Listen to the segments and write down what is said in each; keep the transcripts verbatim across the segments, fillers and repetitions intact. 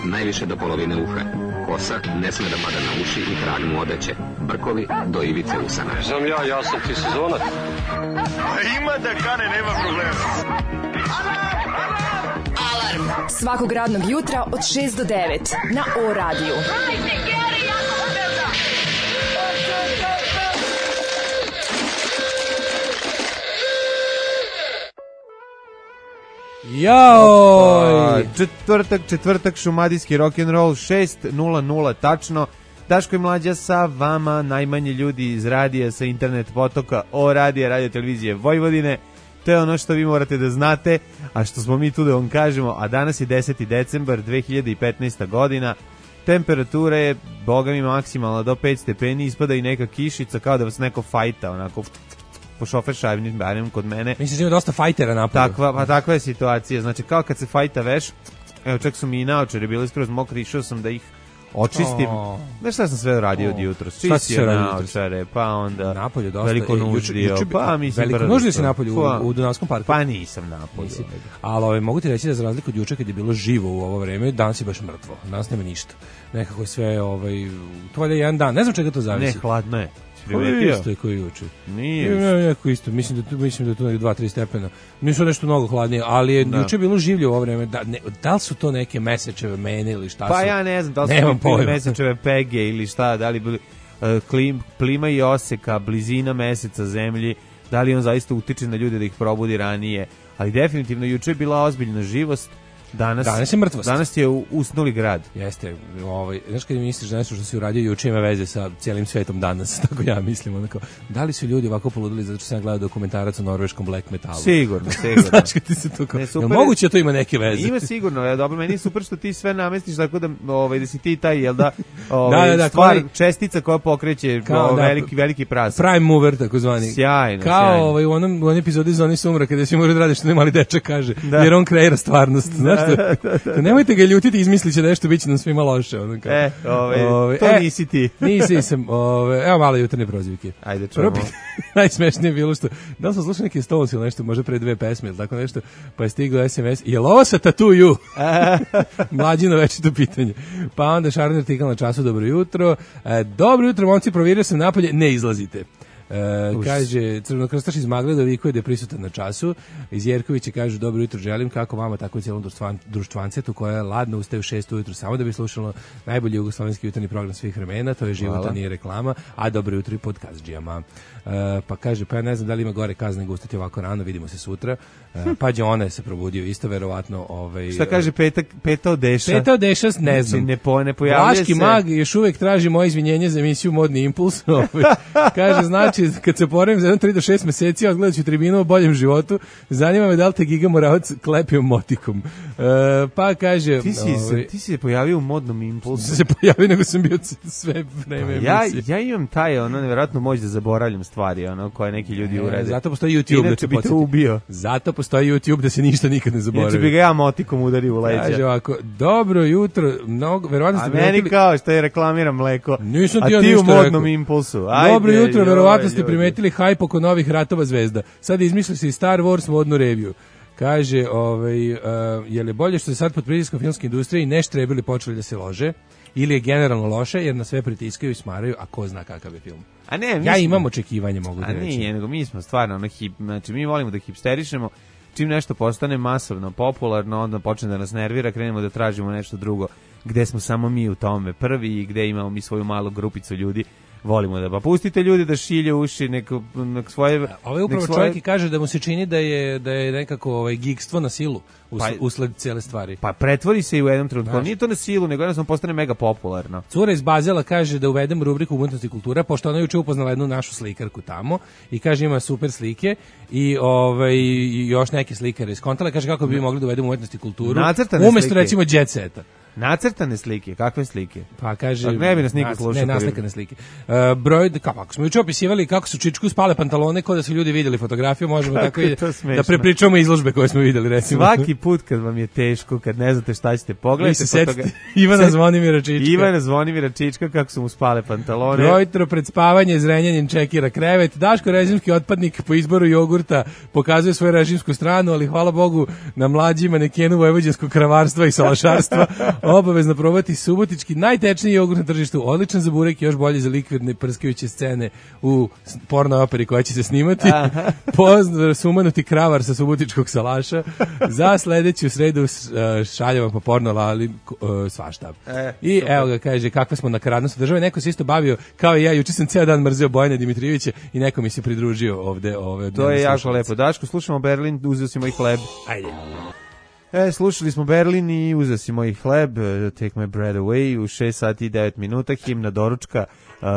najviše do polovine uha. Kosa ne sme da pada na uši i trag mu odeće. Brkovi do ivice usana. Znam ja, ja sam ti sezonac. Ima da kane, nema problema. Alarm svakog radnog jutra od šest do devet na O radiju. Jao! Četvrtak, četvrtak, šumadijski rock'n'roll, šest nula nula tačno. Daško i Mlađa sa vama, najmanje ljudi iz radija, sa internet potoka, O radija, radio televizije Vojvodine. To je ono što vi morate da znate, a što smo mi tu da vam kažemo. A danas je deseti decembar dve hiljade petnaesta godina. Temperatura je, boga mi, maksimalna do pet stepeni, ispada i neka kišica, kao da vas neko fajta, onako po šofer šajbnim barem kod mene. Mislim da ima dosta fajtera napolju. Takva, pa takva je situacija. Znači, kao kad se fajta veš, evo čak su mi i naočare bili skroz mokri, išao sam da ih očistim. Oh. Znaš šta sam sve radio od jutra? Čistio naočare, pa onda napolju dosta. Veliko nuždio, pa mislim... Veliko nuždio si napolju u, u Dunavskom parku? Pa nisam napolju. Ali ovaj, mogu ti reći da za razliku od juče kad je bilo živo u ovo vreme, danas je baš mrtvo. Danas nema ništa. Nekako je sve, ovaj, to je jedan dan. Ne znam čega to zavisi. Ne, hladno je. Primetio? Isto je koji juče. Nije. Ne, neko isto. Mislim da tu mislim da tu neki dva tri stepena. Nisu nešto mnogo hladnije, ali je juče bilo življe u ovo vreme. Da, ne, da li su to neke mesečeve mene ili šta pa su? Pa ja ne znam, da li su to mesečeve pege ili šta, da li bili uh, klim, klima i oseka, blizina meseca zemlji, da li on zaista utiče na ljude da ih probudi ranije, ali definitivno juče je bila ozbiljna živost. Danas, danas je mrtvost. Danas je usnuli grad. Jeste, ovaj, znaš kad misliš da nešto što si uradio juče ima veze sa cijelim svetom danas, tako ja mislim, onako, da li su ljudi ovako poludili zato što sam gledao dokumentarac o norveškom black metalu? Sigurno, sigurno. Znaš kad ti se to kao, je moguće da to ima neke veze? Ima sigurno, je dobro, meni je super što ti sve namestiš tako da, ovaj, da si ti taj, jel da, ovaj, da, da, da, stvar, koji, čestica koja pokreće kao, ovaj, da, veliki, veliki pras. Prime mover, tako zvani. Sjajno, kao, sjajno. Ovaj, u onom, u onom epizodi Zoni sumra, kada svi moraju da rade što ne mali dečak kaže, da. Jer on kreira stvarnost, znaš što? Da, da, da. Nemojte ga ljutiti, izmisliće nešto, bit će nam svima loše. Ono kao. E, ove, ove, to e, nisi ti. Nisi sam, ove, evo malo jutarnje prozivike. Ajde, čujemo. Najsmešnije je bilo što, da li sam slušao neke Stones ili nešto, možda pre dve pesme ili tako nešto, pa je stigao es em es, je li ovo sa Tattoo? Mlađino večito pitanje. Pa onda Šarner tikal na času, dobro jutro. E, dobro jutro, momci, provjerio sam napolje, ne izlazite. E, kaže crvenokrstaš iz Magleda vikuje da je prisutan na času. Iz Jerkovića kažu dobro jutro želim, kako vama tako i cijelom društvan, društvancetu koja je ladno ustaje u šest ujutru samo da bi slušalo najbolji jugoslovenski jutarnji program svih vremena, to je života, nije reklama, a dobro jutro i pod Kazdžijama. E, pa kaže, pa ja ne znam da li ima gore kazne nego ustati ovako rano, vidimo se sutra. E, pa je ona se probudio isto verovatno. Ovaj, šta kaže petak, Peta Odeša? Peta Odeša, ne znam. Ne, po, ne pojavlja Vlaški se. mag još uvijek traži moje izvinjenje za emisiju Modni impuls. Kaže, znači, kad se poravim za jedno tri do šest meseci, odgledat ću tribinu o boljem životu, zanima me da li te Giga Moravac klepio motikom. E, pa kaže... Ti si, ovaj, ti si se pojavio u Modnom impulsu. Se pojavio, nego sam bio sve vreme ja, ja imam taj, ono, nevjerojatno moć da zaboravljam stvari, ono, koje neki ljudi e, urade. Zato postoji YouTube. Inače da bi te ubio. Zato postoji YouTube da se ništa nikad ne zaboravi. Inače bi ga ja motikom udario u leđa. Kaže ovako, dobro jutro, mnogo, verovatno ste... A meni kao što je reklamiram mleko, nisam a ti, ti u Modnom impulsu. Ajde, dobro jutro, joj, verovatno ste ljudi. primetili hajp oko novih ratova zvezda. Sad izmislili se i Star Wars modnu reviju. Kaže, ovaj, uh, je li bolje što se sad pod pritiskom filmske industrije i neštrebili počeli da se lože, ili je generalno loše jer na sve pritiskaju i smaraju, a ko zna kakav je film. A ne, mi ja smo, imam očekivanje, mogu da reći. A nije, nego mi smo stvarno ono hip, znači mi volimo da hipsterišemo, čim nešto postane masovno, popularno, onda počne da nas nervira, krenemo da tražimo nešto drugo, gde smo samo mi u tome prvi i gde imamo mi svoju malu grupicu ljudi. Volimo da pa pustite ljudi da šilje uši neko nek svoje. Ovaj upravo svoje... čovjek i kaže da mu se čini da je da je nekako ovaj gigstvo na silu usled, pa, usled cijele stvari. Pa pretvori se i u jednom trenutku. Nije to na silu, nego jednostavno postane mega popularno. Cura iz Bazela kaže da uvedem rubriku umetnost i kultura, pošto ona juče upoznala jednu našu slikarku tamo i kaže ima super slike i ovaj još neke slikare iz Kontala, kaže kako bi mogli da uvedemo umetnost i kulturu. Umesto recimo Jet Seta. Nacrtane slike, kakve slike? Pa kaže, pa ne bi nas niko slušao. Ne, naslikane slike. Uh, broj, kako smo juče opisivali kako su Čičku spale pantalone, kao da su ljudi vidjeli fotografiju, možemo tako i da prepričamo izložbe koje smo vidjeli, recimo. Svaki put kad vam je teško, kad ne znate šta ćete, pogledajte fotografiju. Ivana Zvonimira Čička. Ivana Zvonimira Čička, kako su mu spale pantalone. Brojtro pred spavanje, zrenjanin čekira krevet. Daško režimski otpadnik po izboru jogurta pokazuje svoju režimsku stranu, ali hvala Bogu na mlađi manekenu vojvođanskog kravarstva i salašarstva Obavezno probati subotički najtečniji jogurt na tržištu, odličan za burek, još bolji za likvidne prskajuće scene u porno operi koja će se snimati. Pozdrav sumanuti kravar sa subotičkog salaša. Za sledeću sredu šaljem vam po porno lali svašta. E, I super. Evo ga, kaže, kakva smo nakaradnost države. Neko se isto bavio, kao i ja, juče sam ceo dan mrzeo Bojana Dimitrijevića i neko mi se pridružio ovde. Ove, to je jako lepo. Daško, slušamo Berlin, uzeo si moj hleb. Ajde. E, slušali smo Berlin i uzeo si moj hleb, Take My Bread Away, u šest sati i devet minuta, himna doručka, uh,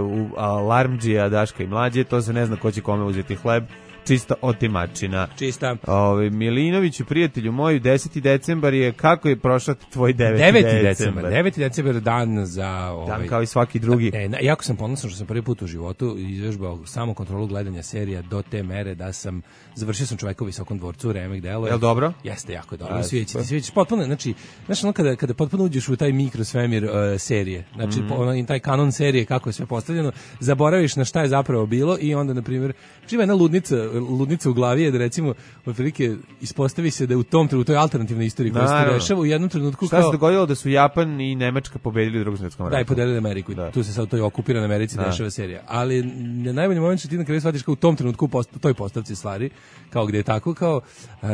u alarmđija Daška i Mlađe, to se ne zna ko će kome uzeti hleb. Čista otimačina. Čista. Ove, Milinoviću, prijatelju moju, deseti decembar je, kako je prošao tvoj deveti, deveti decembar? deveti decembar, dan za... Ovaj, dan kao i svaki drugi. E, jako sam ponosan što sam prvi put u životu izvežbao samo kontrolu gledanja serija do te mere da sam, završio sam Čoveka u visokom dvorcu, remek delo. Je li dobro? Jeste, jako je dobro. Svijeći, svijeći, potpuno, znači, znači ono kada, kada potpuno uđeš u taj mikrosvemir uh, serije, znači, mm-hmm. ono, taj kanon serije, kako je sve postavljeno, zaboraviš na šta je zapravo bilo i onda, na primjer, živa jedna ludnica, ludnica u glavi je da recimo otprilike ispostavi se da je u tom trenutku, u toj alternativnoj istoriji koja se dešava u jednom trenutku šta kao... se dogodilo da su Japan i Nemačka pobedili u Drugom svjetskom ratu. Da, i podelili Ameriku. Da. Tu se sad u toj okupiranoj Americi da. dešava serija. Ali na najbolji moment što ti na kraju shvatiš kao u tom trenutku u toj postavci stvari, kao gdje je tako, kao... Uh,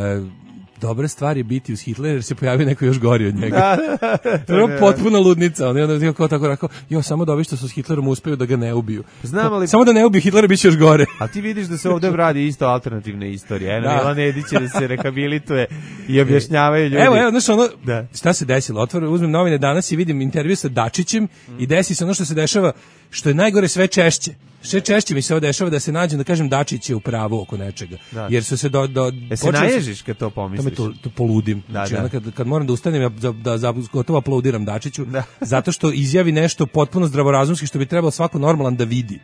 dobra stvar je biti uz Hitlera jer se pojavio neko još gori od njega. Da, to je potpuna ludnica. On je onda kao tako rekao, jo, samo da ovi što su s Hitlerom uspeju da ga ne ubiju. Znam, ali... Samo da ne ubiju Hitlera biće još gore. A ti vidiš da se ovdje radi isto alternativne istorije. Eno, Milan Edić da se rehabilituje i objašnjavaju ljudi. Evo, evo, znaš ono, da. Šta se desilo? Otvorim, uzmem novine danas i vidim intervju sa Dačićem mm. i desi se ono što se dešava, što je najgore sve češće. Sve češće mi se ovo dešava da se nađem, da kažem Dačić je u pravu oko nečega. Da. Jer su se do... do e se naježiš kad to pomisliš? To me to, to poludim. Da, znači, da. Kad, kad moram da ustanem, ja da, da, da gotovo aplaudiram Dačiću, da. Zato što izjavi nešto potpuno zdravorazumski što bi trebalo svako normalan da vidi.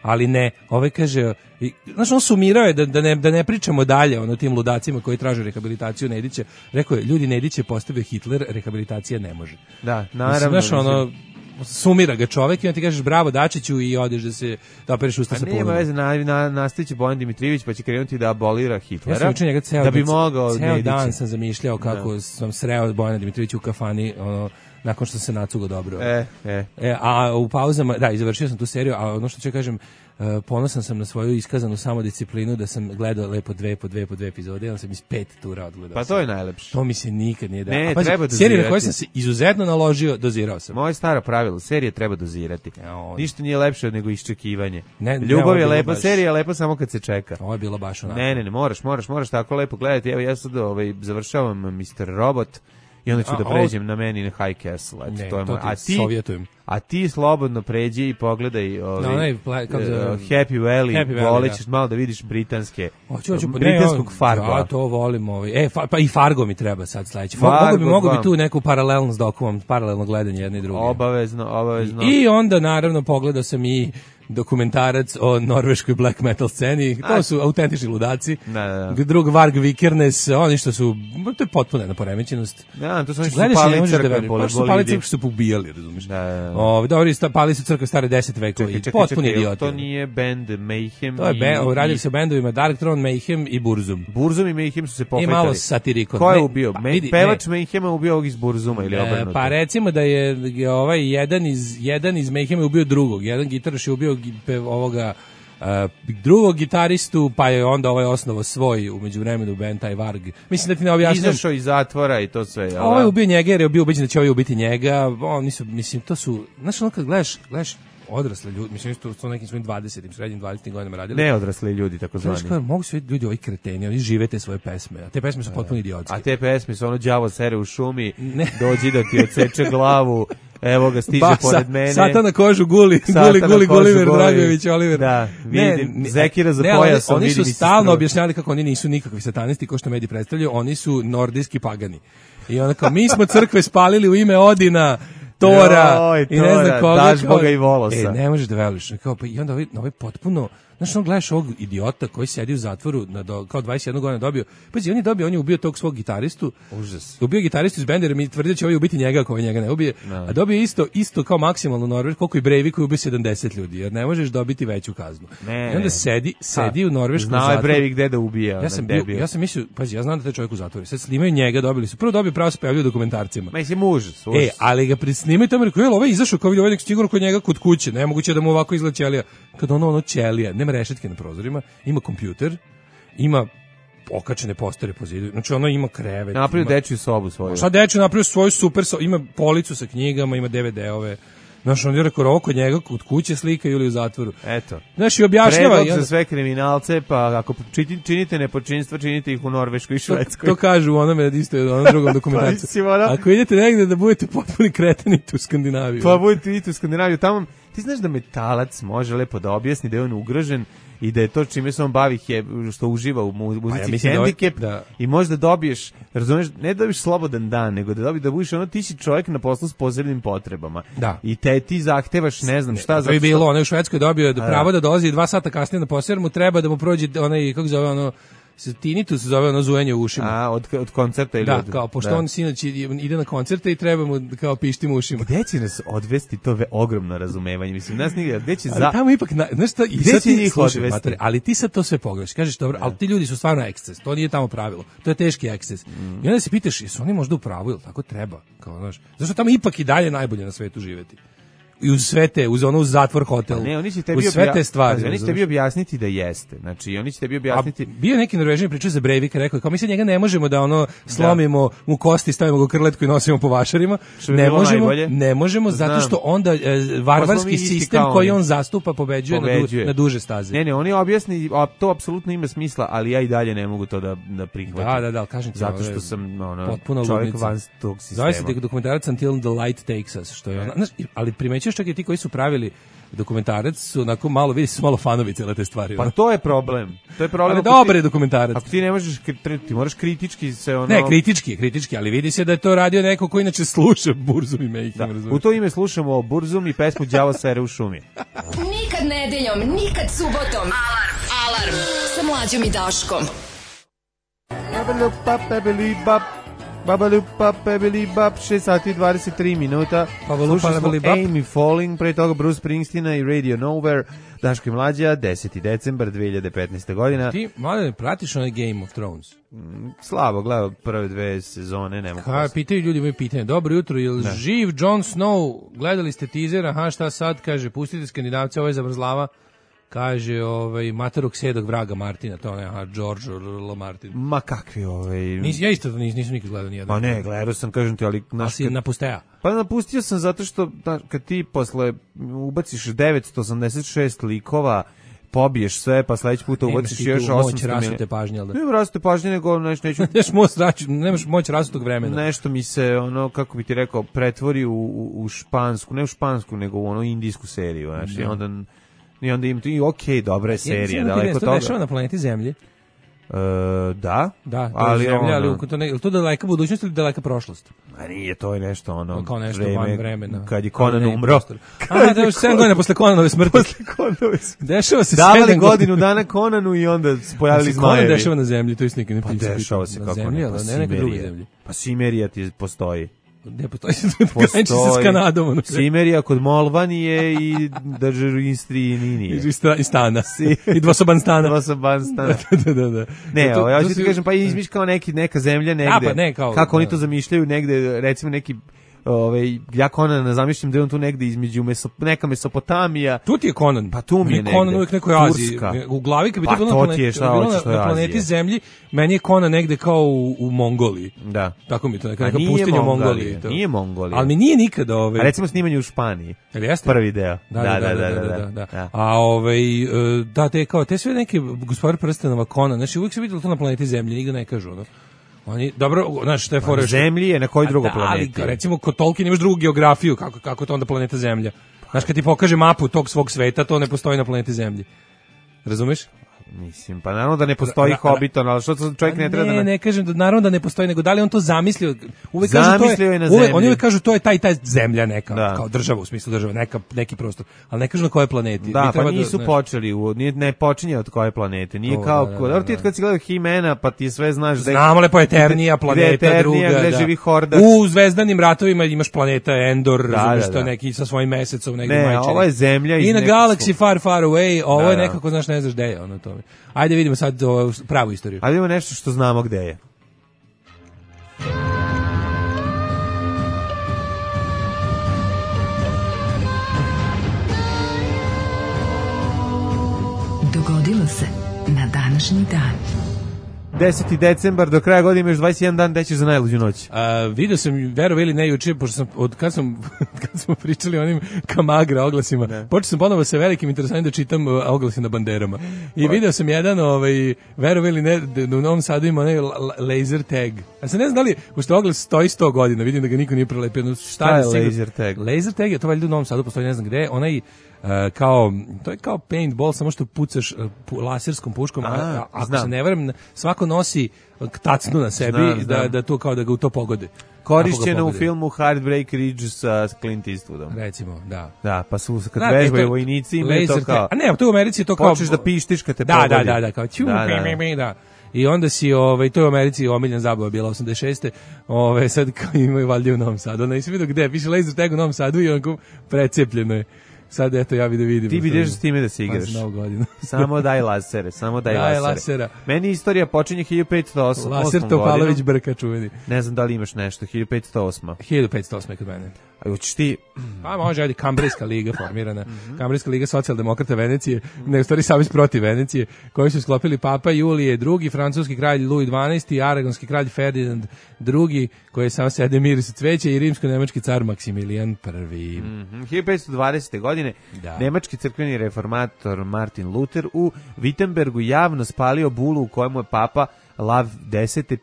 Ali ne, ovaj kaže, i, znaš, on sumirao je da, da, ne, da ne pričamo dalje ono tim ludacima koji traže rehabilitaciju Nedića. Rekao je, ljudi, Nedić je postavio Hitler, rehabilitacija ne može. Da, naravno. Znaš, ono, sumira ga čovek i on ti kažeš bravo Dačiću i odeš da se da opereš usta sa polunom. Nema veze, na, na, nastaviće Bojan Dimitrijević pa će krenuti da abolira Hitlera. Ja sam njega ceo, da bi mogao ceo Nedića. Dan sam zamišljao kako da. Sam sreo Bojana Dimitrijevića u kafani, ono, nakon što se nacugo dobro. E, e. E, a u pauzama, da, završio sam tu seriju, a ono što ću kažem, uh, ponosan sam na svoju iskazanu samodisciplinu da sam gledao lepo dve po dve po dve epizode, ali sam iz pet tura odgledao. Pa to je najlepše. To mi se nikad nije dalo. Ne, pazi, treba dozirati. Serije na koje sam se izuzetno naložio, dozirao sam. Moje staro pravilo, serije treba dozirati. Ja, on... Ništa nije lepše nego iščekivanje. Ne, Ljubav ne, je lepa, baš... serija je lepa samo kad se čeka. Ovo je bilo baš onako. Ne, ne, ne, moraš, moraš, moraš tako lepo gledati. Evo, ja sad ovaj, završavam mister Robot. I onda ću a, da pređem o... na meni na High Castle. Eto, ne, to je to moj... a ti sovjetujem. A ti slobodno pređi i pogledaj ovaj, no, ne, pla, kako uh, Happy Valley, Happy Valley volećeš da. Malo da vidiš britanske, hoću, hoću, britanskog ne, Fargo. Ja to volim. Ovaj. E, fa, pa i Fargo mi treba sad sledeći. Mogu bi, mogu bi tu neku paralelnost s dokumom, paralelno gledanje jedne i druge. Obavezno, obavezno. I, I onda naravno pogledao sam i dokumentarac o norveškoj black metal sceni. To A, su autentični ludaci. Da, da, da. Drug Varg Vikernes, oni što su, to je potpuno jedna poremećenost. Ja, to su oni što su pali crkve, pa su pali crkve što su pobijali, razumiješ. Da, da, da. O, dobri, pali su crkve stare deset vekova i potpuni idioti. To nije band Mayhem. To je band, radili se o bendovima Dark Throne, Mayhem i Burzum. Burzum i Mayhem su se pokretali. I malo satirikon. Ko je ubio? Pa, vidi, pevač Mayhema ubio ovog iz Burzuma ili obrnuto? Pa recimo da je ovaj jedan iz, jedan iz Mayhema ubio drugog. Jedan gitaraš je ubio ovoga Uh, drugog gitaristu, pa je onda ovaj osnovo svoj umeđu vremenu band taj Varg. Mislim da ti ne objasnim. Izašao iz zatvora i to sve. Ja, ovaj ubio njega jer je bio ubeđen da će ovaj ubiti njega. Oni su, mislim, to su, znaš, ono kad gledaš, gledaš odrasle ljudi, mislim što su nekim svojim dvadesetim, srednjim dvadesetim godinama radili. Ne odrasli ljudi, tako zvani. Znaš, mogu su ljudi ovi kreteni, oni žive te svoje pesme, a te pesme su potpuno idiotske. A te pesme su ono đavo sere u šumi, ne. Dođi da ti odseče glavu. Evo ga, stiže ba, pored mene. Sata na kožu guli, guli, guli, Guliver Dragović, Oliver. Da, vidim, ne, Zekira za ne, pojasom. Oni, oni su stalno objašnjali kako oni nisu nikakvi satanisti, ko što mediji predstavljaju, oni su nordijski pagani. I onda kao, mi smo crkve spalili u ime Odina, Tora Joj, i ne znam Tora, koga. daš kao- Boga i Volosa. E, ne možeš da veruješ. Kao, pa, I onda ovaj, ovaj potpuno, znaš, on gledaš ovog idiota koji sedi u zatvoru, na do, kao dvadeset jednu godinu dobio, pazi, on je dobio, on je ubio tog svog gitaristu, Užas. ubio gitaristu iz benda, jer mi tvrdi da će ovaj ubiti njega ako ovaj njega ne ubije, No. a dobio isto, isto kao maksimalno Norveš, koliko i Breivik koji ubio sedamdeset ljudi, jer ne možeš dobiti veću kaznu. Ne, I onda ne. sedi, sedi Ha, u norveškom Znao je zatvoru. Breivik gde da ubija. Ja sam, bio, debil. ja sam mislio, pazi, ja znam da taj čovjek u zatvoru. Sad snimaju njega, dobili su. Prvo dobio pravo se pojavljaju u dokumentarcima. Mislim, užas, užas. E, ali ga prisnimaju tamo, rekao, jel, ovaj izašao kao vidio, ovaj nek sigurno kod njega kod kuće, nemoguće da mu ovako izgleda ćelija. Kad ono, ono ćelija, nema rešetke na prozorima, ima kompjuter, ima okačene postere po zidu, znači ono ima krevet. Napravio ima- dečju sobu svoju. Šta dečko napravio svoju super, so, ima policu sa knjigama, ima de ve de-ove. Znaš, on je rekao, ovo kod njega kod kuće slika ili u zatvoru. Eto. Znaš, i objašnjava. Predlog i onda- za sve kriminalce, pa ako čini- činite nepočinstva, činite ih u Norveškoj i To, Švedskoj. to kažu u onome isto u onom drugom dokumentarcu. mislim, ono- Ako idete negde da budete potpuni kretani u Skandinaviju. Pa budete vidite u Skandinaviju, tamo ti znaš da metalac može lepo da objasni da je on ugrožen i da je to čime se on bavi je, što uživa u mu- muzici Pa ja mislim da ovaj- hendikep da. i možda dobiješ, razumeš, ne da dobiješ slobodan dan, nego da dobiješ da budeš ono, ti si čovjek na poslu s posebnim potrebama. Da. I te ti zahtevaš, ne znam šta, To zato je što- bilo, on je u Švedskoj dobio da A, pravo da dolazi dva sata kasnije na posao, jer mu treba da mu prođe onaj, kako se zove ono, tinnitus se zove ono zujenje u ušima. A, od, od koncerta ili Da, od... kao, pošto da. on sinoć ide na koncerte i treba mu kao pišti mu ušima. Gde će nas odvesti to ve ogromno razumevanje? Mislim, nas nigde, gde će Ali za... tamo ipak, na, znaš šta, i Gde sad će ti njih slušaj, odvesti? mater, ali ti sad to sve pogledaš, kažeš dobro, ali ti ljudi su stvarno eksces, to nije tamo pravilo, to je teški eksces. Mm. I onda se pitaš, jesu oni možda u pravu, ili tako treba, kao, znaš, zašto tamo ipak i dalje najbolje na svetu živeti. I uz sve te, uz ono uz zatvor hotel, Pa ne, oni će tebi uz sve obja- te stvari. Pazi, oni će razumeš? tebi objasniti da jeste. Znači, oni će tebi A objasniti... bio je neki Norvežan pričao za Breivika, rekao je, kao mi se njega ne možemo da ono slomimo mu kosti, stavimo ga u krletku i nosimo po vašarima. Što bi Ne bilo možemo, najbolje. ne možemo zato Znam. što onda e, Pa smo mi varvarski isti sistem kao koji oni. on zastupa pobeđuje, Na, Pobeđuje. du, na duže staze. Ne, ne, oni objasni, a to apsolutno ima smisla, ali ja i dalje ne mogu to da, da prihvatim. Da, da, da, kažem ti, Zato ovo je što sam ono, potpuno čovjek ludnica. van tog sistema. Zove se dokumentarac Until the Light Takes Us, što je ona, znaš, ali primećuješ čak i ti koji su pravili dokumentarac su onako malo, vidi su malo fanovi cele te stvari. Pa ono. to je problem. To je problem. Ali ako dobar ti- je dokumentarac. Ako ti ne možeš, kri- ti moraš kritički se ono... Ne, kritički je, kritički, ali vidi se da je to radio neko ko inače sluša Burzum i Mayhem, Da. razumiješ? U to ime slušamo Burzum i pesmu Đavo sere u šumi. Nikad nedeljom, nikad subotom. Alarm. Alarm. Sa mlađom i Daškom. Babalupa, pebeli, bap. Babalupa, pebeli, bap. šest sati i dvadeset tri minuta. Babalupa, Slušali smo pebeli, bap. Amy Falling, pre toga Bruce Springsteena i Radio Nowhere. Daško i mlađa, deseti decembar dve hiljade petnaeste godina. Ti, mlade, pratiš onaj Game of Thrones? Slabo, gledao prve dve sezone, nema Ka, posle. pitaju ljudi imaju pitanje. Dobro jutro, je li živ Jon Snow? Gledali ste teaser, aha, šta sad? Kaže, pustite Skandinavce, ovaj zavrzlava. Kaže, ovaj, materog sedog vraga Martina, to ne, aha, George L. Martin. Ma kakvi ovaj... Nis, ja isto nis, nisam nikad gledao nijedan. Pa ne, gledao sam, kažem ti, ali... A Naš, si napusteja. Pa napustio sam zato što da, kad ti posle ubaciš devetsto osamdeset šest likova, pobiješ sve, pa sledeći put Nemaš ubaciš ti još tu moć osamsto rasute pažnje, jel da? Ne rasute pažnje, nego neš, neću, Nemaš moć, raču- nemaš moć rasutog vremena. nešto mi se, ono, kako bi ti rekao, pretvori u, u, u špansku, ne u špansku, nego u ono indijsku seriju, znaš, i onda... I onda im i okej, dobra je serija, daleko to toga. dešava na planeti Zemlji. E, da, Da, to ali je Zemlja, ali ono, u- to, ne, je li to daleka budućnost ili daleka prošlost? a nije, to je nešto ono, Kao nešto vreme van vremena. kad je Kao Conan neki umro. prostor. A, da, još sedam godina posle Conanove smrti. Posle Conanove smrti. Dešava se Davali sedam godinu dana Conanu i onda se pojavili Conan zmajevi. dešava na Zemlji, to je nikad ne Pa pisao. dešava se na kako zemlji, ne, ali pa ne neka druga Simerija. zemlja. Pa Simerija ti postoji. Ne postoji se graniči se s Kanadom. Ono. Simerija kod Molvanije i Držarinstrijinije. I sta- I stana. I dvosoban stana. Dva sam ban stana. da, da, da. Ne, To- ovo, ja to ću ti su- kažem, pa izmiš kao neki, neka zemlja negde. pa ne, kao- kako oni da. to zamišljaju negde, recimo neki ovaj ja Konana zamišljam da je on tu negde između Meso, neka Mesopotamija. Tu ti je Conan. Pa tu mi je Meni Conan negde. uvijek nekoj Aziji. Turska. U glavi kad bi Pa to bilo to na ti je planeti, šta bilo hoćeš, to na, je na planeti Azija. Zemlji, meni je Conan negde kao u, u Mongoliji. Da. Tako mi je to, neka, A neka nije pustinja u Mongolija, Mongoliji. To. nije Mongolija. Ali mi nije nikada ovaj... A recimo snimanje u Španiji. Jel jeste? Prvi deo. Da, da, da, da, da, da, da. A ovaj, e, da, te kao, te sve neke Gospodar prstenova Conan, znači uvijek se vidjelo to na planeti Zemlji, nigde ne kažu, ono. Oni, dobro, znaš, što je fora... Na što- Zemlji je na kojoj A drugoj da, planeti? Ali, recimo, kod Tolkien imaš drugu geografiju, kako, kako je to onda planeta Zemlja. Znaš, kad ti pokaže mapu tog svog sveta, to ne postoji na planeti Zemlji. Razumeš? Mislim, pa naravno da ne postoji Hobbiton, ali što čovjek ne treba da... Ne, ne kažem da naravno da ne postoji, nego da li on to zamislio? Uvek zamislio kažu to je, je na uvek, zemlji. oni uvek kažu to je taj taj zemlja neka, da. kao država u smislu države, neka, neki prostor, ali ne kažu na kojoj planeti. Da, pa da, nisu ne, počeli, u, nije, ne počinje od koje planete, nije to, kao... da, da, Da, da, ti da. kad si gledao He-mana, pa ti sve znaš... Znamo lepo Eternija, planeta gde je Eternija, druga. gde Da. živi Hordax. U zvezdanim ratovima imaš planeta Endor, Da, razumiješ da, to da. neki sa svojim mesecom, negdje Ne, majčini. ovo je zemlja iz I na nekog Galaxy svog- Far Far Away, ovo Da, je da. nekako, znaš, ne znaš gde je ono to. Ajde vidimo sad o, pravu istoriju. Ali ima nešto što znamo gde je. Dogodilo se na današnji dan. deseti decembar, do kraja godine imaš dvadeset jedan dan, gde ćeš za najluđu noć. A, vidio sam, verovali ili ne, juče, pošto sam, od kad sam, kad smo pričali o onim Kamagra oglasima, počeo sam ponovo sa velikim interesanjem da čitam uh, oglasi na banderama. I video sam jedan, ovaj, verovali ili ne, da u Novom Sadu ima onaj la- la- laser tag. A se ne znam da li, pošto oglas stoji sto godina, vidim da ga niko nije prelepio. No, Šta je sigurno- laser tag? Laser tag je to valjda u Novom Sadu, postoji ne znam gde, onaj Uh, kao, to je kao paintball, samo što pucaš uh, pu, laserskom puškom, a, A, a, ako znam. se ne varam, svako nosi tacnu na sebi, Znam, da, znam. da to kao da ga u to pogode. Korišćeno Ako u ga pogode. filmu Heartbreak Ridge sa Clint Eastwoodom. Recimo, da. Da, pa su kad Da, vežbaju e, to- vojnici imaju to laser kao... tag. A ne, to u Americi je to kao... Počneš da pištiš kad te da, pogodi. Da, da, da, kao ću, Da, da, da. mi, mi, mi, da. I onda si, ovaj, to je u Americi omiljen zabava bila osamdeset šeste Ove, sad kao imaju valjda u Novom Sadu. Onda nisam vidio gde, piše laser tag u Novom Sadu i onako precepljeno je. Sad eto ja bi da vidim. Ti bi ideš s time da se Pa igraš. za Novu godinu. Samo daj lasere, samo daj, Daj lasere. lasera. Meni istorija počinje hiljadu petsto osam. Laser Topalović Brka čuveni. Ne znam da li imaš nešto, hiljadu petsto osam. hiljadu petsto osme kod mene. A hoćeš ti... Pa može, ajde, Kambrijska liga formirana. Kambrijska liga socijaldemokrata Venecije, ne u stvari savez protiv Venecije, koji su sklopili Papa Julije drugi, francuski kralj Louis dvanaesti, aragonski kralj Ferdinand drugi, koji je samo sede miris cveća i rimsko-nemački car Maksimilijan prvi. Mm, hiljadu petsto dvadesete. godine Da. nemački crkveni reformator Martin Luther u Wittenbergu javno spalio bulu u kojemu je papa Lav deseti,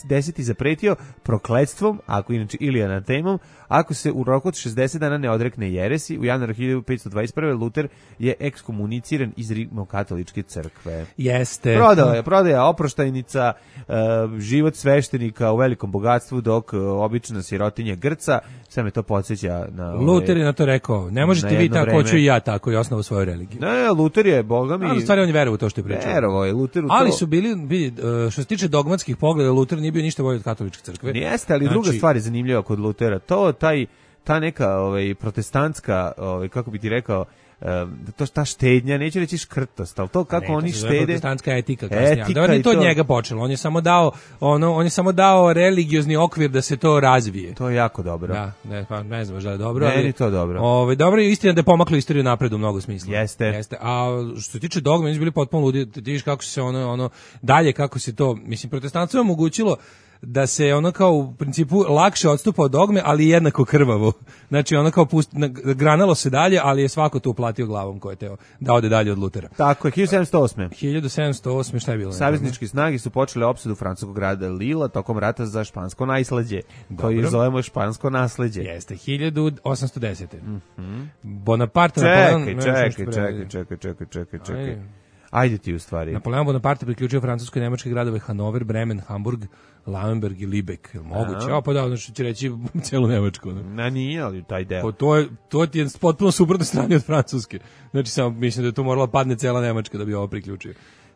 deseti zapretio prokletstvom, ako inače ili anatemom, ako se u roku od šezdeset dana ne odrekne jeresi. U januaru hiljadu petsto dvadeset prve. Luther je ekskomuniciran iz rimokatoličke crkve. Jeste. Prodao je, prodaja oproštajnica, uh, život sveštenika u velikom bogatstvu, dok uh, obična sirotinja grca. Sve me to podsjeća na... Ove, Luther je na to rekao, ne možete na vi jedno tako, vreme. hoću i ja tako i osnovu svoju religiju. Ne, Luther je, boga mi... Ali u stvari on je verovao u to što je pričao. Verovao je Luther u to. Ali su bili, bili, uh, što se tiče dogmatskih pogleda, Luther nije bio ništa bolji od katoličke crkve. Jeste, ali Znači- druga stvar je zanimljiva kod Lutera. To, taj, ta neka ovaj, protestantska, ovaj, kako bi ti rekao, um, to ta štednja, neću reći škrtost, ali to kako Ne, oni to se zove štede... protestantska etika kasnije. Etika Da, on je i to od to. njega počelo. On je samo dao ono, on je samo dao religiozni okvir da se to razvije. To je jako dobro. Da, ne, pa ne znam, možda je dobro. Meni ali, to dobro. Ovaj dobro je istina da je pomaklo istoriju napred u mnogo smisla. Jeste. Jeste. A što se tiče dogme, oni su bili potpuno ludi. Ti vidiš kako se ono ono dalje kako se to, mislim, protestantstvo je omogućilo da se ono kao u principu lakše odstupa od dogme, ali jednako krvavo. Znači ono kao pust, granalo se dalje, ali je svako to uplatio glavom ko je teo da ode dalje od Lutera. Tako je, hiljadu sedamsto osme. hiljadu sedamsto osme šta je bilo? Savezničke snage su počele opsadu francuskog grada Lila tokom rata za špansko nasleđe, koji Dobro. zovemo špansko nasleđe. Jeste, hiljadu osamsto desete. Mm-hmm. Bonaparte... Čekaj, Napoleon, ne znam čekaj, što čekaj, prevede. čekaj, čekaj, čekaj, čekaj. Ajde. Ajde ti u stvari. Napoleon Bonaparte priključio francuske i nemačke gradove Hanover, Bremen, Hamburg, Lauenburg i Libeck. Jel moguće? O, pa da, znači će reći celu Nemačku. Ne? Na nije, ali taj deo. Pa to je, to ti je potpuno suprotno strani od Francuske. Znači, samo mislim da je tu morala padne cela Nemačka da bi ovo priključio.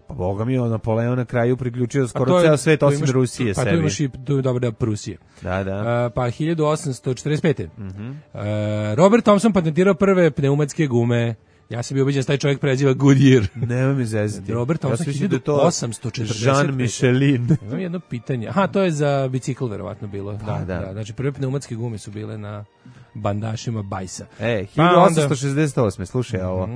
Pa boga mi, on Napoleon na kraju priključio A skoro to je- ceo svet tu osim imaš- Rusije pa sebi. tu imaš i tu je dobro da Prusije. Da, da. Uh, pa hiljadu osamsto četrdeset pete. Uh, Robert Thompson patentirao prve pneumatske gume. Ja sam bio ubeđen da se taj čovjek preziva Goodyear. Nema mi zezati. Robert Thompson, sam mislio da je hiljadu osamsto četrdeset pete. Jean Michelin. Imam jedno pitanje. Aha, to je za bicikl verovatno bilo. Da, da. da. Znači prve pneumatske gume su bile na bandašima Bajsa. E, Pa hiljadu onda- osamsto šezdeset osme. Slušaj ovo.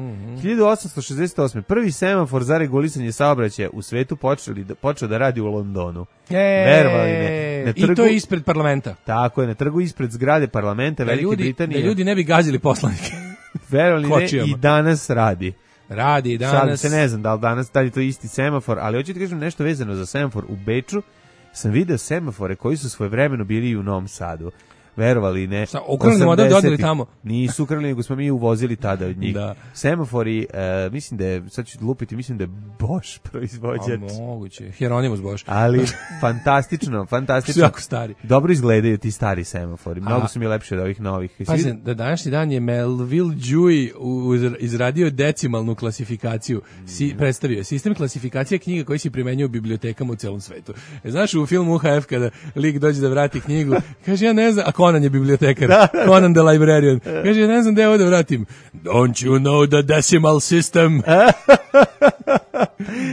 hiljadu osamsto šezdeset osme. Prvi semafor za regulisanje saobraćaja u svetu počeli da, počeo da radi u Londonu. E, Verovali ne. Na I to trgu- je ispred parlamenta. Tako je, na trgu ispred zgrade parlamenta Da Velike ljudi, Britanije. da ljudi ne bi gazili poslanike. Verovali ne, kočijama. i danas radi. Radi Šalim danas. se, ne znam da li danas da li je to isti semafor, ali hoću ti kažem nešto vezano za semafor u Beču. Sam video semafore koji su svojevremeno bili i u Novom Sadu. verovali ne. Sa ukrali model da odeli tamo. Nisu ukrali, nego smo mi uvozili tada od njih. Da. Semafori, uh, mislim da je, sad ću lupiti, mislim da je Bosch proizvođač. A moguće, Hieronymus Bosch. Ali fantastično, fantastično. Jako stari. Dobro izgledaju ti stari semafori, mnogo A, su mi lepši od ovih novih. Pazi, da današnji dan je Melville Dewey izradio decimalnu klasifikaciju, si, predstavio je sistem klasifikacije knjiga koji se primenjuje u bibliotekama u celom svetu. E, znaš, u filmu U H F kada lik dođe da vrati knjigu, kaže, ja ne znam, a Conan je bibliotekar, da, da. Conan the librarian, kaže, ja ne znam gde ovo da vratim. Don't you know the decimal system?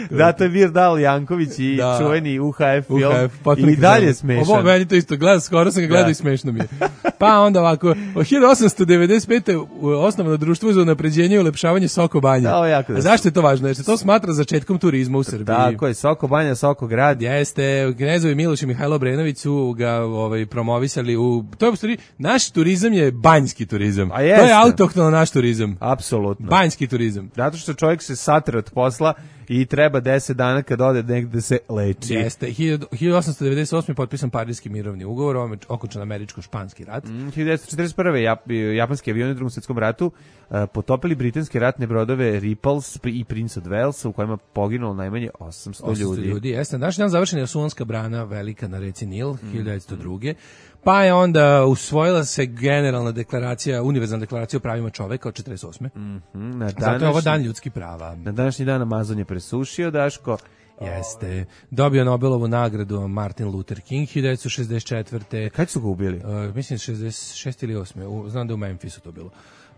Da, to je Virdal Janković i da. Čuveni U H F film. U H F, i dalje smešan. Ovo, meni to isto, gleda, skoro sam ga gledao da. I smešno mi je. Pa onda ovako, od hiljadu osamsto devedeset pete osnovno društvo za unapređenje i ulepšavanje Soko Banje. A zašto je to važno? Jer se to smatra začetkom turizma u Srbiji. Tako je, Soko Banja, Soko grad. Jeste, Knezovi Miloš i Mihajlo Brenović su ga ovaj, promovisali u... To je u stvari, naš turizam je banjski turizam. To je autohtono naš turizam. Apsolutno. Banjski turizam. Zato što čovjek se satre od posla i treba deset dana kad ode negde se leči. Jeste, hiljadu osamsto devedeset osme potpisan Pariski mirovni ugovor, ovo okončan američko-španski rat. Mm, hiljadu devetsto četrdeset prve Jap, japanski avioni u Drugom svjetskom ratu uh, potopili britanske ratne brodove Ripples i Prince of Wales, u kojima poginulo najmanje osamsto ljudi. osamsto ljudi, jeste. Naš dan završena je Suonska brana velika na reci Nil, mm. hiljadu devetsto druge. Pa je onda usvojila se generalna deklaracija, univerzalna deklaracija o pravima čoveka od četrdeset osme. Mm-hmm. Na današnji, zato je ovo dan ljudskih prava. Na današnji dan Amazon je presušio, Daško. Jeste. Dobio Nobelovu nagradu Martin Luther King hiljadu devetsto šezdeset četvrte. Kad su ga ubili? Uh, mislim šezdeset šeste ili osme. U, znam da je u Memphisu to bilo.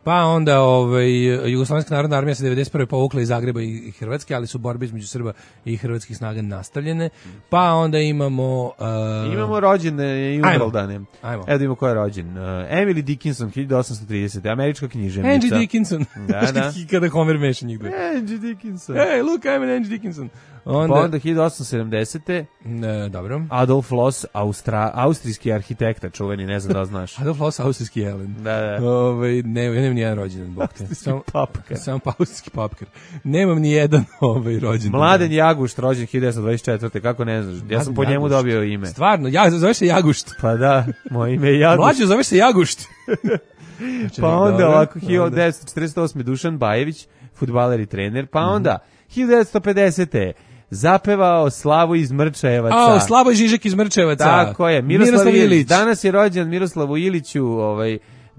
Pa onda ovaj, Jugoslovenska narodna armija se devedeset prve povukla iz Zagreba i Hrvatske, ali su borbe između Srba i hrvatskih snaga nastavljene. Pa onda imamo... Uh, imamo rođene i umrldane. Evo da imamo ko je rođen. Uh, Emily Dickinson, hiljadu osamsto tridesete. Američka književnica. Angie Dickinson. Da, da. Kada Homer meša njih dve. Angie Dickinson. Hey, look, I'm an Angie Dickinson. Onda, pa onda hiljadu osamsto sedamdesete. Ne, dobro. Adolf Loos, Austra, austrijski arhitekta, čuveni, ne znam da znaš. Adolf Loos, austrijski jelen. Da, da. Ove, ne, ja nemam nijedan rođendan, bog te. Sam papkar. Sam pa austrijski papkar. Nemam ni jedan ovaj rođendan. Mladen Jagušt, rođen hiljadu devetsto dvadeset četvrte. Kako ne znaš? Ja Mladen sam po njemu Jagušt. Dobio ime. Stvarno, ja, zoveš se Jagušt. Pa da, moje ime je Jagušt. Mlađo, zoveš se Jagušt. Pa onda ovako, hiljadu devetsto četrdeset osme. Dušan Bajević, fudbaler i trener. Pa onda, hiljadu devetsto pedesete. Zapevao Slavu iz Mrčajevaca. A, Slavo Žižek iz Mrčajevaca. Tako je, Miroslav, Miroslav Ilić. Danas je rođen Miroslavu Iliću, ovaj,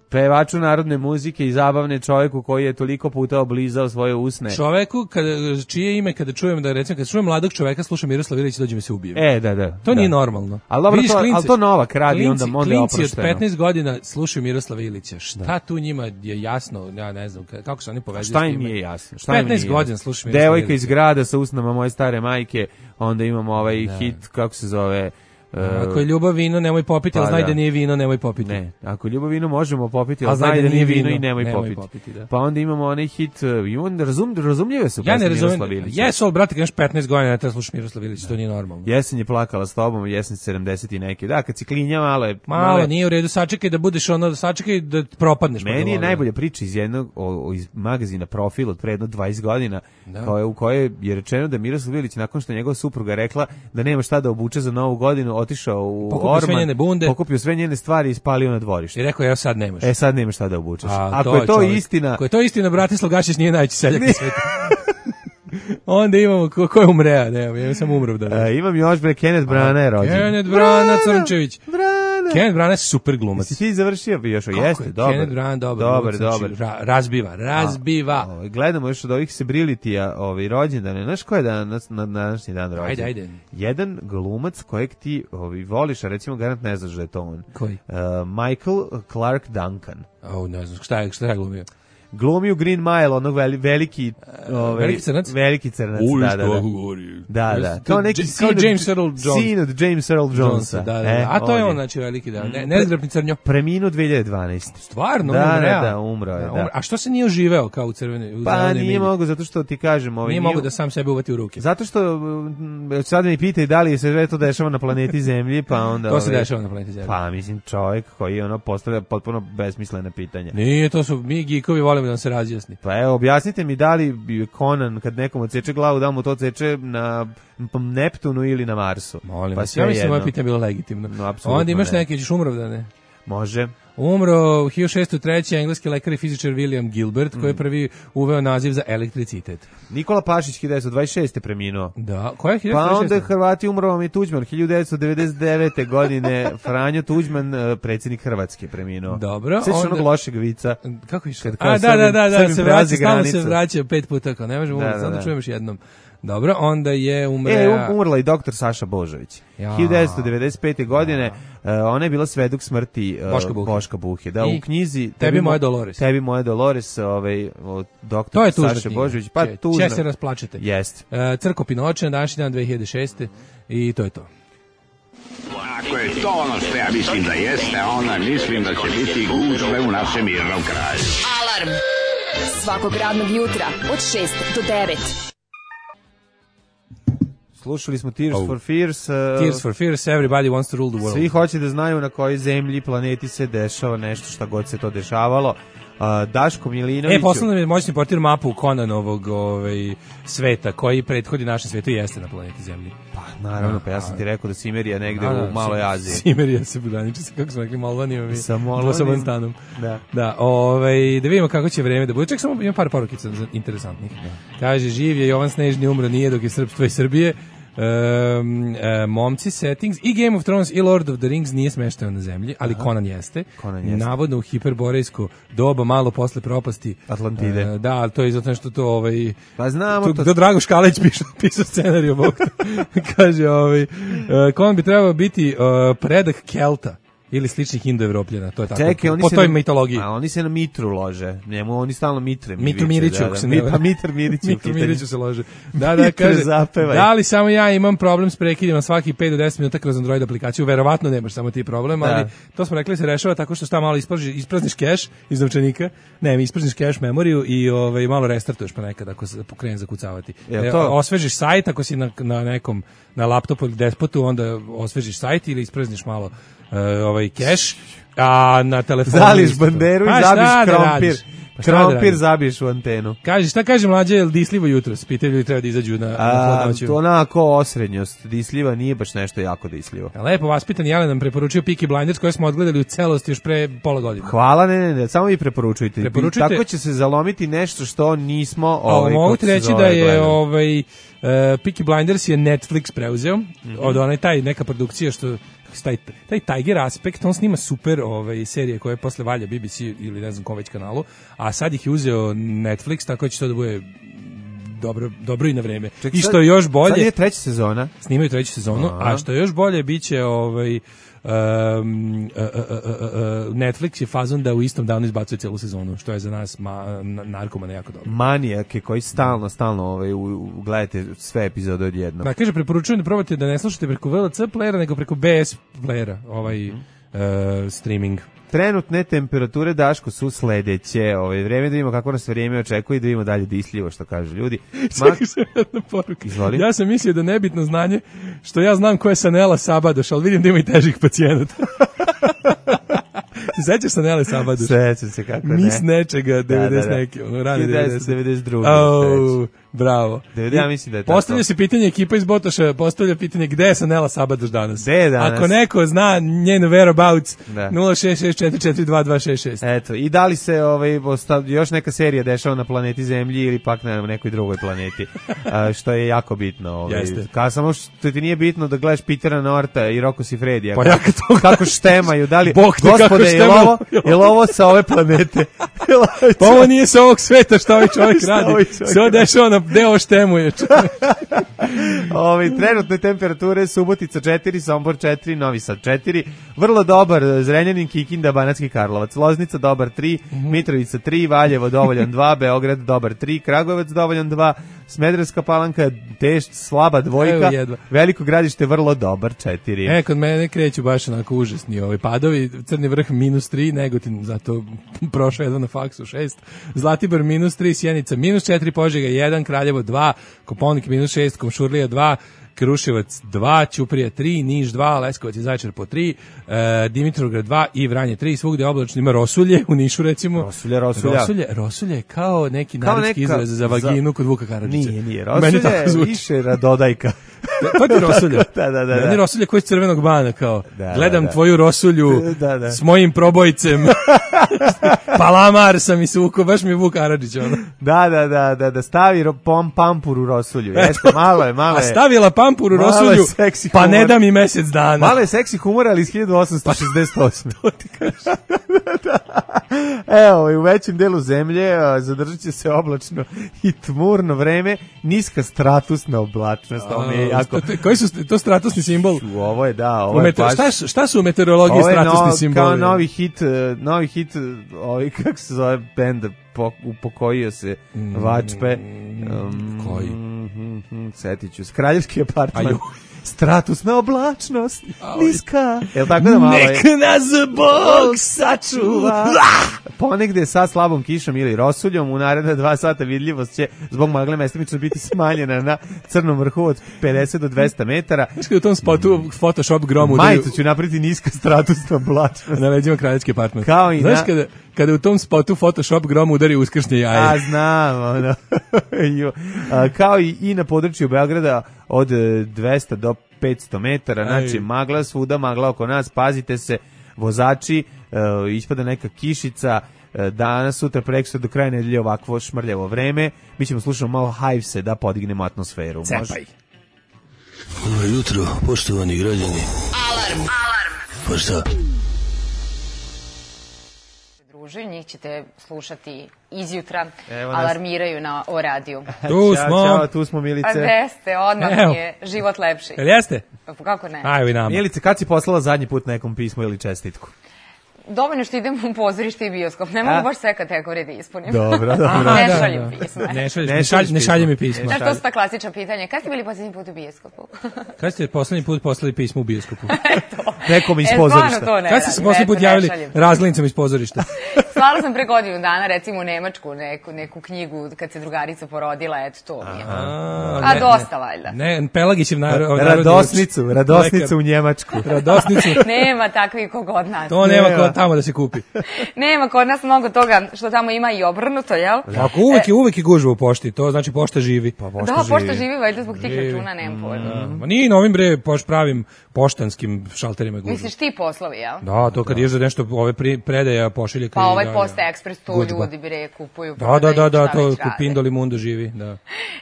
pevaču narodne muzike i zabavne, čovjeku koji je toliko puta oblizao svoje usne. Čoveku, kada, čije ime kada čujem, da recimo, kada čujem mladog čoveka, slušam Miroslav Ilić, dođe mi se ubijem. E, da, da. To da. nije normalno. Ali dobro, to, al to Novak radi, klinci, onda, onda je oprošteno. Klinci od petnaest godina slušaju Miroslava Ilića. Šta da. Tu njima je jasno, ja ne znam, kako se oni povezuju s tim. Šta im nije jasno? Šta petnaest godina slušaju Miroslava Devojka iz grada sa usnama moje stare majke, onda imamo ovaj da. Hit, kako se zove... Uh, ako je ljubav vino, nemoj popiti, pa, ali znaj da. da nije vino, nemoj popiti. Ne, ako je ljubav vino, možemo popiti, ali znaj da, da nije vino, vino i nemoj, nemoj popiti. popiti da. Pa onda imamo onaj hit, imamo, razum, razumljive su ja ne razumijem, jesu, ali brate, kad imaš petnaest godina, ne treba slušati Miroslav Ilić, to nije normalno. Jesen je plakala s tobom, jesen sedamdeset i neke. Da, kad si klinja, malo je... Malo, malo je, nije u redu, sačekaj da budeš ono, sačekaj da propadneš. Meni je najbolja priča iz jednog, o, o, iz magazina Profil od pre jedno dvadeset godina, da. Koje, u kojoj je rečeno da Miroslav Ilić, nakon što njegova supruga rekla da nema šta da obuče za novu godinu, otišao u pokupio sve njene bunde, pokupio sve njene stvari i ispalio na dvorište. I rekao, ja sad nemaš. E, sad nemaš šta da obučeš. A, ako to je to čovjek, istina... Ako je to istina, Bratislav Gašić nije najveći seljak na svijetu. Onda imamo, ko, ko je umrea? Ne, ja sam umrov da. E, imam još, bre, Kenneth Brana je rođen. Kenneth Brana, Crnčević. Brana. Kenneth Brana je super glumac. Si ti završio bi još, jeste, je? Dobar. Kenneth Brana, dobar. Dobar, dobar. Ra, razbiva, razbiva. A, ovaj, gledamo još od ovih Sebrilityja, ovaj, rođendane. Znaš ko je danas, na današnji dan rođen? Ajde, ajde. Jedan glumac kojeg ti ovaj, voliš, a recimo garant ne znaš da je to on. Koji? Uh, Michael Clark Duncan. O, ne znam, šta je, šta je glumio? Glumi u Green Mile, onog veli, veliki, ovaj, veliki crnac, veliki crnac, Uj, da, da, da, da, da, kao neki kao James Earl Jones, sin od James Earl Jonesa, da, da, e, a to je on, znači veliki, da, ne, nezgrapni crnjo, preminuo dve hiljade dvanaeste. Stvarno, da, umre, da, da, umro je, da. A što se nije oživeo kao u crvene? Pa nije mogo, zato što ti kažem, ovaj, nije mogo da sam sebe uvati u ruke. Zato što sad mi pitaj da li se sve to dešava na planeti Zemlji, pa onda to se dešava na planeti Zemlji. Pa mislim čovjek koji ono postavlja potpuno besmislena pitanja. Nije, to su mi geekovi volimo da nam se razjasni. Pa evo, objasnite mi da li bi Conan kad nekom odseče glavu, da mu to odseče na Neptunu ili na Marsu. Molim pa vas, ja mislim moje pitanje bilo legitimno. No, onda imaš ne. Neki, ćeš umrov da ne? Može. Umro hiljadu šessto treće engleski lekar i fizičar William Gilbert, koji je prvi uveo naziv za elektricitet. Nikola Pašić hiljadu devetsto dvadeset šeste preminuo. Da, koja je hiljadu Pa devetsto dvadeset šeste? onda Hrvati umro vam je Tuđman, hiljadu devetsto devedeset devete. godine Franjo Tuđman, predsjednik Hrvatske, preminuo. Dobro. Sveći onda... onog lošeg vica. Kako je što? Kad A, da, da, da, da, Srbim se prelazi vraća, stalno granicu. se vraća pet puta, kao ne možemo, Da, umreti, da, sad da da. čujem još jednom. Dobro, onda je umre... E, um- umrla i doktor Saša Božović. Ja. hiljadu devetsto devedeset pete. godine, uh, ona je bila svedok smrti uh, Boška Buhe. Boška Buhe. Da, I u knjizi Tebi moja Dolores. Tebi moja Dolores, ovaj, od To doktor je tužna Saša knjiga. Božović. Pa Će- tužna. će se rasplačete. Jeste. E, Crko Pinoče na današnji dan dve hiljade šeste. I to je to. Ako je to ono što ja mislim da jeste, onda mislim da će biti gužve u našem mirnom kraju. Alarm svakog radnog jutra od šest do devet. Slušali smo Tears Oh. for Fears. Uh, Tears for Fears, everybody wants to rule the world. Svi hoće da znaju na kojoj zemlji, planeti se dešava nešto, šta god se to dešavalo. Uh, Daško Milinović... E, poslao nam je moćni portir mapu Conanovog ovaj, sveta, koji prethodi našem svetu i jeste na planeti Zemlji. Pa, naravno, pa ja sam ti rekao da Simerija negde Da, da, u Maloj Aziji. Simerija se graniči sa, kako smo rekli, Molvanijom i Sa Molvanijom. Dvosobanstanom. Da. Da, ovaj, da vidimo kako će vreme da bude. Ček, samo imam par porukica interesantnih. Kaže, živ je Jovan Snežni, umro nije, dok je srpstvo i Srbije. Um, uh, momci settings i Game of Thrones i Lord of the Rings nije smešteno na zemlji, ali Aha. Conan jeste. Conan jeste. Navodno u hiperborejsko doba, malo posle propasti Atlantide. Uh, da, ali to je zato što to ovaj Pa znamo to. to. To Drago Škalić pisao pisao scenarij ovog. Kaže ovaj uh, Conan bi trebao biti uh, predak Kelta ili sličnih Indoevropljana, to je tako. Čekaj, oni po se toj na, mitologiji. A oni se na Mitru lože. Njemu oni stalno Mitre mi Mitru viče, Miriću, da, ako da. se Mi, ne varam. pa Mitr Mirić. Mitru Miriću se lože. Da, da, Mitre, kaže, zapevaj. da li samo ja imam problem s prekidima svaki pet do deset minuta kroz Android aplikaciju? Verovatno nemaš samo ti problem, ali Da. to smo rekli se rešava tako što šta malo ispražiš, isprazniš keš iz novčanika, ne, mi isprazniš keš memoriju i ovaj, malo restartuješ pa nekad ako se pokrene zakucavati. Jel E, to? osvežiš sajt, ako si na, na nekom, na laptopu ili despotu, onda osvežiš sajt ili isprazniš malo uh, ovaj keš, a na telefonu... Zališ isto. banderu Pa i šta zabiš da krompir. radiš? Pa šta da Krompir radiš? zabiješ u antenu. Kaže, šta kaže mlađe, je li disljivo jutros? Pitaju ljudi treba da izađu na, na A, hladnoću. to onako osrednjost. Disljiva nije baš nešto jako disljivo. Lepo vaspitan Jelen nam preporučio Peaky Blinders koje smo odgledali u celosti još pre pola godine. Hvala, ne, ne, ne, samo vi preporučujte. Preporučujte. Tako će se zalomiti nešto što nismo... A Ovaj, mogu kako ti se reći zove, da je gledali. ovaj, uh, Peaky Blinders je Netflix preuzeo, Mhm. od onaj taj neka produkcija što taj, taj Tiger aspekt, on snima super ovaj, serije koje posle valja B B C ili ne znam kom već kanalu, a sad ih je uzeo Netflix, tako da će to da bude dobro, dobro i na vreme. Ček, I sad- što je još bolje... Sad je treća sezona. Snimaju treću sezonu, Aha. a što je još bolje biće ovaj um, uh, uh, uh, uh, Netflix je fazon da u istom danu izbacuje celu sezonu, što je za nas ma, na, narkomane jako dobro. Manijake koji stalno, stalno ovaj, u, u, gledate sve epizode odjednom. Da, kaže, preporučujem da probate da ne slušate preko V L C playera, nego preko B S playera, ovaj uh, streaming. Trenutne temperature, Daško, su sledeće. Ovaj, vreme da vidimo kako nas vrijeme očekuje i da vidimo dalje disljivo, što kažu ljudi. Ma, Čekaj se jedna poruka. Izvoli. Ja sam mislio da nebitno znanje, što ja znam ko je Sanela Sabadoš, ali vidim da ima i težih pacijenata. Se sećaš Sanele Sabadoš? sećam se kako ne. Mis nečega, devedeset da, da. neki, ono, rani hiljadu devetsto devedeset. devedeset druge. Oh, bravo. devedeset ja mislim da je tako. Postavlja se pitanje, ekipa iz Botoša postavlja pitanje gde je Sanela Sabadoš danas? Gde je danas? Ako neko zna njenu whereabouts, Da. nula šest šest četiri četiri dva dva šest šest. Eto, i da li se ovaj, ostav, još neka serija dešava na planeti Zemlji ili pak na nekoj drugoj planeti, a, što je jako bitno. Ovaj. Jeste. Kao samo što ti nije bitno da gledaš Petera Norta i Rocco Siffredija. Pa ja kad to kako štemaju, da li, Bog te kako gospode, je li štemaju. ovo, je li ovo sa ove planete? Pa ovo nije sa ovog sveta što ovaj čovjek Šta radi. ovaj čovjek Se ovo dešava na deo štemuje. Ovi, trenutne temperature Subotica četiri, Sombor četiri, Novi Sad četiri, vrlo dobar Zrenjanin, Kikinda, Banatski Karlovac, Loznica dobar tri, Mitrovica tri, Valjevo dovoljan dva, Beograd dobar tri, Kragujevac dovoljan dva, Smederevska Palanka teš slaba dvojka, Evo jedva. Veliko Gradište vrlo dobar četiri. E, kod mene kreću baš onako užasni ovaj padovi, Crni vrh minus tri, Negotin zato prošao jedva na faksu šest, Zlatibor minus tri, Sjenica minus četiri, Požega jedan, Kraljevo dva, Koponik minus šest, Komšurlija dva, Kruševac dva, Ćuprija tri, Niš dva, Leskovac i Zaječar po tri, e, Dimitrovgrad dva i Vranje tri, svugde oblačno, ima Rosulje u Nišu recimo. Rosulja, Rosulja. Rosulje, Rosulje je kao neki Kao narodski neka- izraz za vaginu za- kod Vuka Karadžića. Nije, nije, Meni Rosulja tako je zvuči. više radodajka. To ti je rosulja. Da, da, da. Meni rosulja koji je crvenog bana, kao, da, gledam da, da. tvoju rosulju da, da. s mojim probojcem. Palamar sam i suko, baš mi je Vuk Karadžić, ono. Da, da, da, da, da stavi ro, pom, pampur u rosulju. Jeste, malo je, malo je. A stavila pampur u rosulju, pa ne da mi mesec dana. Malo je seksi humor, ali iz hiljadu osamsto šezdeset osme. To ti kažeš. Evo, i u većem delu zemlje zadržat će se oblačno i tmurno vreme, niska stratusna oblačnost. Ovo je jako... Koji su to stratusni simbol? Ovo je, da, ovo je baš... Šta, šta su u meteorologiji stratusni no, simboli? Kao novi hit, novi hit, ovaj, kako se zove bend, po, upokojio se Vačpe. Um, Koji? Mm, setit ću se. Kraljevski apartman. Stratusna oblačnost, niska. Jel tako da malo je? Nek nas Bog sačuva. Ponegde sa slabom kišom ili rosuljom u naredna dva sata vidljivost će zbog magle mestimično biti smanjena na crnom vrhu od pedeset do dvesta metara. Znaš kada u tom spotu Photoshop grom udariju... Majicu ću napraviti niska stratusna oblačnost. Na leđima kraljevski apartman. Kao i Znaš na... kada, kada u tom spotu Photoshop grom udari uskršnje jaje? A znam, ono. A, kao i, i na području Beograda od dvesta do petsto metara, znači Aj. magla svuda, magla oko nas, pazite se, vozači, uh, ispada neka kišica, uh, danas, sutra, prekstra, do kraja nedelje ovakvo šmrljavo vreme, mi ćemo slušati malo Hivese da podignemo atmosferu. Cepaj. Dobro jutro, poštovani građani. Alarm. Alarm. Pa šta? Njih ćete slušati izjutra, Evo nas. Alarmiraju na o radiju. Tu Ćao, smo. čao, tu smo, Milice. A gde ste? Odmah Evo. mi je život lepši. Jel jeste? Pa kako ne? Ajmo i nama. Milice, kad si poslala zadnji put nekom pismo ili čestitku? Dovoljno što idem u pozorište i bioskop. Ne mogu A? baš sve kategorije da ispunim. Dobro, dobro. Ne da, šaljem da. pisma. Ne šaljem, Ne ne šalj, šalješ ne šalje mi pisma. pisma. Znaš, to su ta klasična pitanja. Kad ste bili posljednji put u bioskopu? Kad ste poslednji put poslali pismo u bioskopu? Nekom iz E, pozorišta. stvarno to ne Kad ste se radim. poslednji Eto, put ne javili šaljem. razglednicom iz pozorišta? Slala sam pre godinu dana, recimo u Nemačku, neku, neku knjigu kad se drugarica porodila, eto to mi je. A, A ne, dosta valjda. Ne, Pelagićev nar, narodni Radosnicu, uč- radosnicu lekar. u Njemačku. Radosnicu. Nema takvih kog od nas. To nema Nema. ko tamo da se kupi. Nema kod nas mnogo toga što tamo ima i obrnuto, jel? Ako uvek je uvek je gužva u pošti, to znači pošta živi. Pa Da, pošta živi, valjda zbog tih računa, nemam pojma. Ma nije novim bre poš pravim poštanskim šalterima gužva. Misliš ti poslovi, jel? Da, to kad ideš za nešto ove pri, predaja pošiljaka. Pa i ovaj da, Posta da. Ekspres, to Gužva. ljudi bre kupuju. Da, da, da, prodaju, da, šta to već rade. Pindoli Mundo živi, da. E,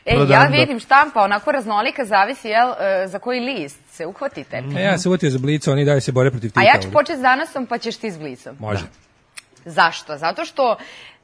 ja Prodando. vidim štampa, onako raznolika, zavisi, jel, e, za koji list se uhvatite. E, ja se utio za Blica, oni dalje se bore protiv Tita. A ja ću ovdje. početi s danasom, pa ćeš ti s Blicom. Može. Zašto? Zato što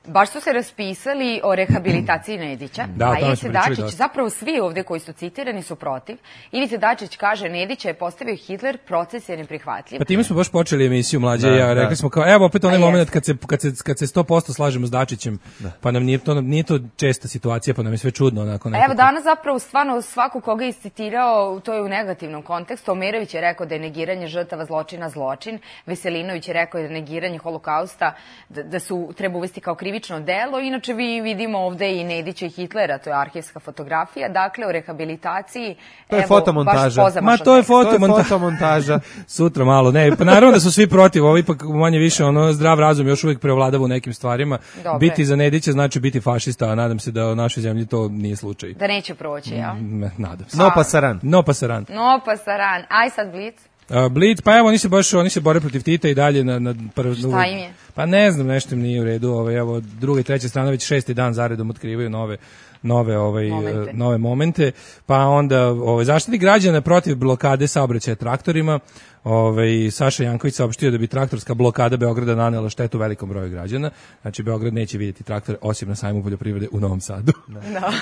baš su se raspisali o rehabilitaciji Nedića, Da, o a tome Ivica smo pričali Dačić, dosta. zapravo svi ovde koji su citirani su protiv. Ivica Dačić kaže, Nedića je postavio Hitler, proces je neprihvatljiv. Pa time smo baš počeli emisiju mlađe Da, ja, da. rekli smo kao evo opet onaj A moment jest. kad se kad se kad se sto posto slažemo s Dačićem, pa nam nije to nije to česta situacija, pa nam je sve čudno onako A nekako. evo danas zapravo stvarno svako koga je iscitirao, to je u negativnom kontekstu. Omerović je rekao da je negiranje žrtava zločina zločin, Veselinović je rekao da je negiranje holokausta da, da su treba uvesti kao krivično delo. Inače vi vidimo ovde i Nedića i Hitlera, to je arhivska fotografija, dakle o rehabilitaciji. To je evo, fotomontaža. baš pozamašan Ma to je tekst. To je fotomontaža. fotomontaža. Sutra malo, ne, pa naravno da su svi protiv, ovo ipak manje više ono zdrav razum još uvijek prevladava u nekim stvarima. Dobre. Biti za Nedića znači biti fašista, a nadam se da u našoj zemlji to nije slučaj. Da neće proći, ja? Ne, nadam se. No pasaran. No pasaran. No, pa saran. Aj sad Blic. Uh, Blitz, pa evo oni se baš oni se bore protiv Tita i dalje na na prv, Šta im je? Pa ne znam, nešto im nije u redu, ovaj evo druga i treća strana već šesti dan zaredom otkrivaju nove nove ovaj Momente. uh, nove momente, pa onda ovaj Zaštitnik građana protiv blokade saobraćaja traktorima. Ovaj Saša Janković saopštio da bi traktorska blokada Beograda nanela štetu velikom broju građana. Znači Beograd neće vidjeti traktore osim na sajmu poljoprivrede u Novom Sadu. Da.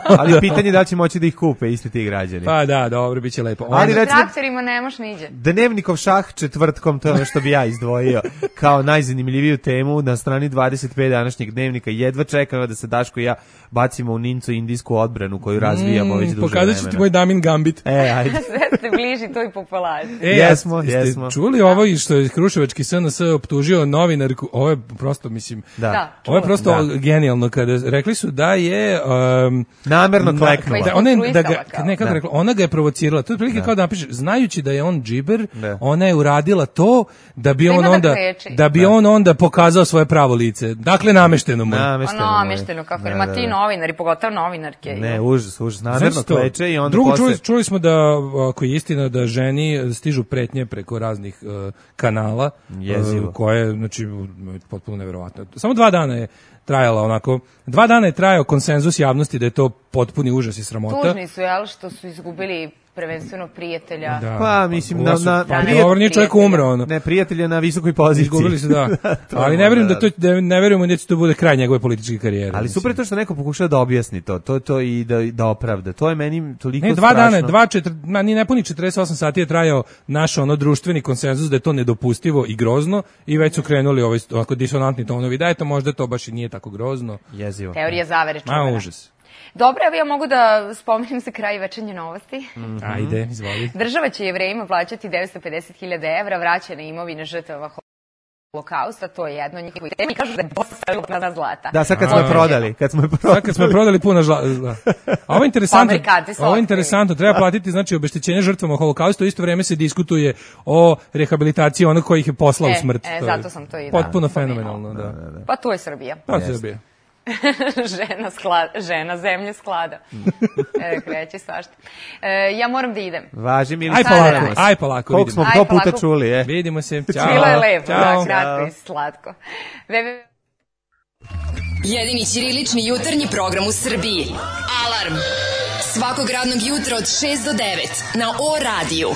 Ali pitanje je da li će moći da ih kupe isti ti građani. Pa da, dobro, biće lepo. Ali Onda- recimo, Traktorima nemaš niđe. Dnevnikov šah četvrtkom, to je ono što bi ja izdvojio kao najzanimljiviju temu na strani dvadeset pet današnjeg dnevnika. Jedva čekam da se Daško i ja bacimo u Nincu indijsku odbranu koju razvijamo već duže vremena. Pokazat ću ti moj Damin Gambit. E, ajde. Sve ste bliži toj populaciji. E, Jesmo, jeste jesmo. čuli ovo i što je Kruševački S N S optužio novinarku, ovo je prosto, mislim, Da. Da. ovo je prosto Da. genijalno, kada rekli su da je... Um, Namerno kleknula. Da, ona je, da ga, Konstruisala kao. ne, kako Da. rekla, ona ga je provocirala. To je prilike kao da napiše, znajući da je on džiber, Da. ona je uradila to da bi Da on ima da onda kreči. da bi on onda pokazao svoje pravo lice. Dakle, namešteno mu. je. Namešteno. Ono, mu je. namešteno, kako Da, ma da, ti da. novinari, pogotovo života novinarke. Ne, užas, užas, namerno kleče i onda Drugo, posle... čuli, čuli smo da, ako je istina, da ženi stižu pretnje preko raznih uh, kanala, uh, koje, znači, potpuno neverovatno. Samo dva dana je trajala onako, dva dana je trajao konsenzus javnosti da je to potpuni užas i sramota. Tužni su, jel, što su izgubili prvenstveno prijatelja. Da. Pa, mislim, na... na pa, dobro, nije čovjek umro, ono. Ne, prijatelja na visokoj poziciji. Izgubili se, da. Ali ne verujem da to, da, ne verujem da će to bude kraj njegove političke karijere. Ali super je to što neko pokušava da objasni to, to, to i da, da opravda. To je meni toliko ne, dva strašno. Dana, dva, četiri, ma, ni nepuni četrdeset osam sati je trajao naš ono društveni konsenzus da je to nedopustivo i grozno i već su krenuli ovaj, ovako disonantni tonovi. Da, eto, možda to baš i nije tako grozno. Jezivo. Teorija zavere čuvena. A, užas. Dobro, evo ja mogu da spomenem za kraj večernje novosti. Mm-hmm. Ajde, izvoli. Država će Jevrejima plaćati devetsto pedeset hiljada evra vraćene imovine žrtava Holokausta, to je jedno njihovo tema i kažu da je dosta na zlata. Da, sad kad smo je prodali, kad smo je prodali. Sad kad smo je prodali puno zlata. A ovo je interesantno, ovo je interesantno, treba platiti znači obeštećenje žrtvama Holokausta, u isto vrijeme se diskutuje o rehabilitaciji onog koji ih je poslao e, u smrt. E, zato sam to i da. Potpuno fenomenalno, da. Da, da, da. Pa to je Srbija. Pa yes. Srbija. žena, sklad, žena zemlje sklada. E, kreće svašta. E, ja moram da idem. Važi mi li aj polako, aj polako. Koliko smo to puta čuli, je. Vidimo se. Ćao. Bilo je lepo, Ćao. da, kratko i slatko. Vebe... Jedini ćirilični jutarnji program u Srbiji. Alarm. Svakog radnog jutra od šest do devet na O radiju.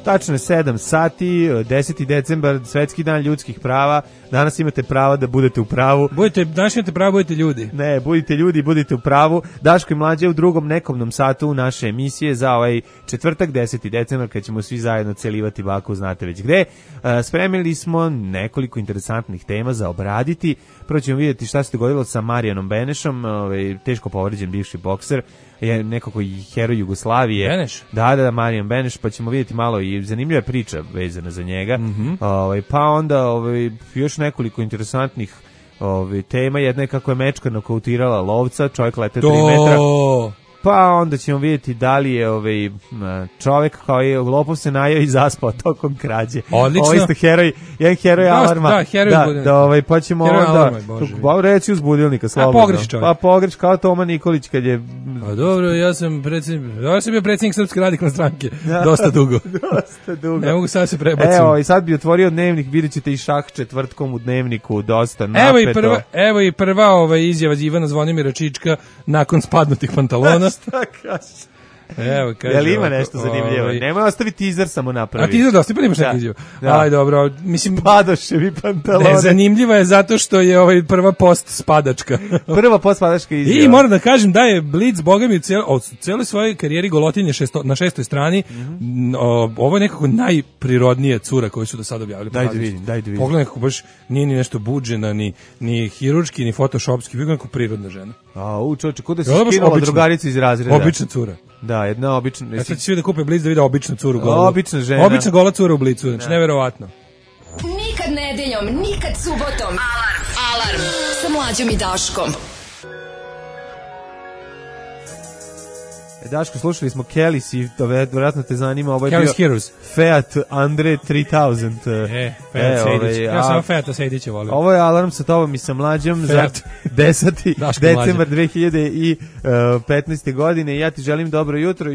Tačno je sedam sati, deseti decembar, svetski dan ljudskih prava. Danas imate pravo da budete u pravu. Budete, danas imate pravo, budete ljudi. Ne, budite ljudi, budite u pravu. Daško i Mlađe u drugom nekovnom satu naše emisije za ovaj četvrtak, deseti decembar, kad ćemo svi zajedno celivati baku, znate već gde. Spremili smo nekoliko interesantnih tema za obraditi. Prvo ćemo vidjeti šta se dogodilo sa Marijanom Benešom, ovaj, teško povređen bivši bokser, je nekako i heroj Jugoslavije. Beneš? Da, da, da, Marijan Beneš, pa ćemo vidjeti malo i zanimljiva priča vezana za njega. Mm-hmm. Ovaj, pa onda ovaj, još nekoliko interesantnih ovaj, tema. Jedna je kako je mečka nokautirala lovca, čovjek lete tri metra. Pa onda ćemo vidjeti da li je ovaj čovjek kao je lopov se najao i zaspao tokom krađe. Odlično. Ovo isto heroj, jedan heroj da, alarma. Da, heroj da, da, ovaj, pa ćemo heroj onda, alarma, reći uz budilnika, slobodno. A pogreš čovjek. Pa pogreš kao Toma Nikolić kad je... A dobro, ja sam predsjednik, ja sam bio predsjednik Srpske radikalne stranke, dosta dugo. dosta dugo. Ne mogu sad se prebaciti. Evo, i sad bi otvorio dnevnik, vidjet ćete i šah četvrtkom u dnevniku, dosta napeto. Evo i prva, evo i prva ovaj, izjava Ivana Zvonimira Čička nakon spadnutih pantalona. Šta kaže? Evo, kaže. Jel ima nešto zanimljivo? Ovaj... Nemoj ostaviti teaser samo napravi. A teaser dosta, pa nemaš neki izjavu. Aj, dobro, mislim... Spadoševi pantalone. Ne, zanimljiva je zato što je ovaj prva post spadačka. Prva post spadačka izjava. I moram da kažem da je Blitz, boga mi, cel, od celoj svojoj karijeri Golotinje šesto, na šestoj strani, mm-hmm. o, ovo je nekako najprirodnije cura koju su do sada objavili. Daj da vidim, daj da vidim. Pogledaj kako baš nije ni nešto buđena, ni, ni hirurški, ni fotošopski, bilo nekako prirodna žena. A, u čoče, kuda si skinula drugaricu iz razreda? Obična cura. Da, jedna obična... Ja sad ću svi da kupe Blitz da vide običnu curu golu. Obična žena. Obična gola cura u Blitzu, znači neverovatno. Nikad nedeljom, nikad subotom. Alarm, alarm, sa Mlađom i Daškom. Daško, slušali smo Kellys i to vjerojatno te zanima, ovo je Kellys bio Heroes. Fiat Andre tri tisuće. E, Fiat e, Sejdić. Ovaj, ja sam Fiata Sejdića volio. Ovo je Alarm sa tobom i sa Mlađom Fiat. Za deseti decembar dve hiljade petnaeste. godine. Ja ti želim dobro jutro.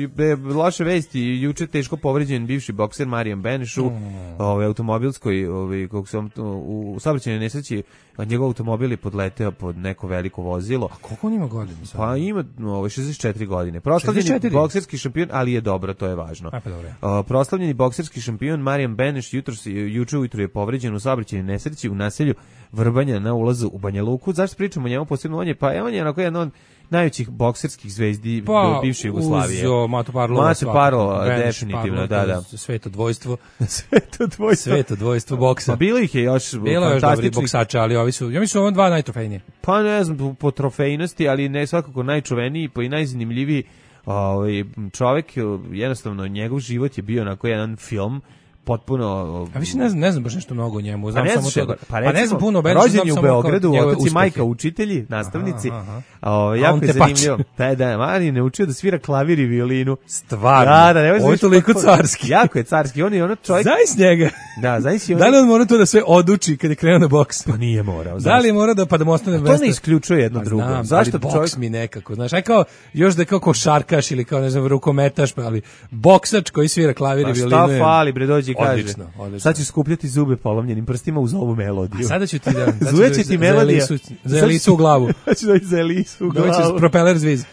Loše vesti, juče teško povređen bivši bokser Marijan Beneš u mm. ovaj, automobilskoj, ovaj, kako sam, u, u saobraćajnoj nesreći, njegov automobil je podleteo pod neko veliko vozilo. A koliko on ima godina? Pa ima ovaj, šezdeset četiri godine. Proslavljeni bokserski šampion, ali je dobro, to je važno. A, pa dobro. Uh, proslavljeni bokserski šampion Marijan Beneš jutros, juče ujutru je povređen u saobraćajnoj nesreći u naselju Vrbanja na ulazu u Banja Luku. Zašto pričamo o njemu posebno? On je, pa on je onako jedan od najvećih bokserskih zvezdi pa, bivše Jugoslavije. Uz Matu Parlova. Matu Parlova, definitivno, da, da. Sveto dvojstvo. Sveto dvojstvo. Sveto dvojstvo boksa. Pa bilo ih je još bilo još dobri boksača, ali ovi su, ja mislim, ovo dva najtrofejnije. Pa ne znam, po trofejnosti, ali ne svakako najčuveniji, pa i najzanimljiviji. Ovaj čovjek, jednostavno njegov život je bio onako jedan film potpuno. A više ne znam, ne znam baš nešto mnogo o njemu, znam pa samo to. Da, pa, recimo, pa ne znam puno, rođen je u Beogradu, otac i majka učitelji, nastavnici. Aha, aha. O, jako je zanimljivo. Taj da Marijan je učio da svira klavir i violinu. Stvarno. Da, da, ne ovo je toliko carski. Jako je carski, on je ono čovjek. Zavis njega. Da, zaisi on... Da li on mora to da sve oduči kad je krenuo na boks? Pa nije morao. Da li je mora da pa da mu ostane mesto? To ne isključuje jedno drugo. Znam, zašto boks čovjek... mi nekako, znaš, aj kao još da je kao košarkaš ili kao ne znam rukometaš, pa ali boksač koji svira klavir i violinu. Pa šta fali, bre, dođi i kaže. Odlično, odlično. Sad ćeš skupljati zube polomljenim prstima uz ovu melodiju. A sada ću ti da... Zujeće ti melodija. Za Elisu u glavu. Znači doći za Elisu u glavu. Doći propeler zviz.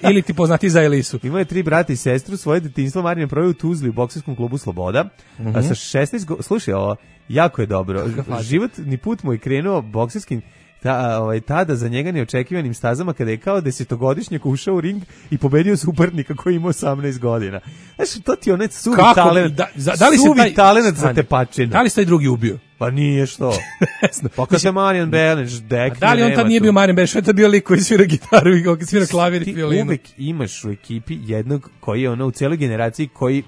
Ili ti poznati za Elisu. Imao je tri brata i sestru, svoje detinjstvo Marin proveo u Tuzli u bokserskom klubu Sloboda. Mm-hmm. A sa šesnaest go... Slušaj, ovo, jako je dobro. Životni put mu je krenuo bokserskim ta, ovaj, tada za njega neočekivanim stazama kada je kao desetogodišnjak ušao u ring i pobedio suparnika koji ima osamnaest godina. Znaš, to ti je onaj suvi talent, da, za, da li suvi taj, talent za tepačinu. Da li se taj drugi ubio? Pa nije što. Pa kad se Marijan Beleš dekne, da li on tad nije bio Marijan Beleš, to je bio lik koji svira gitaru i koji svira klavir i violinu. Ti uvek imaš u ekipi jednog koji je ono u cijeloj generaciji koji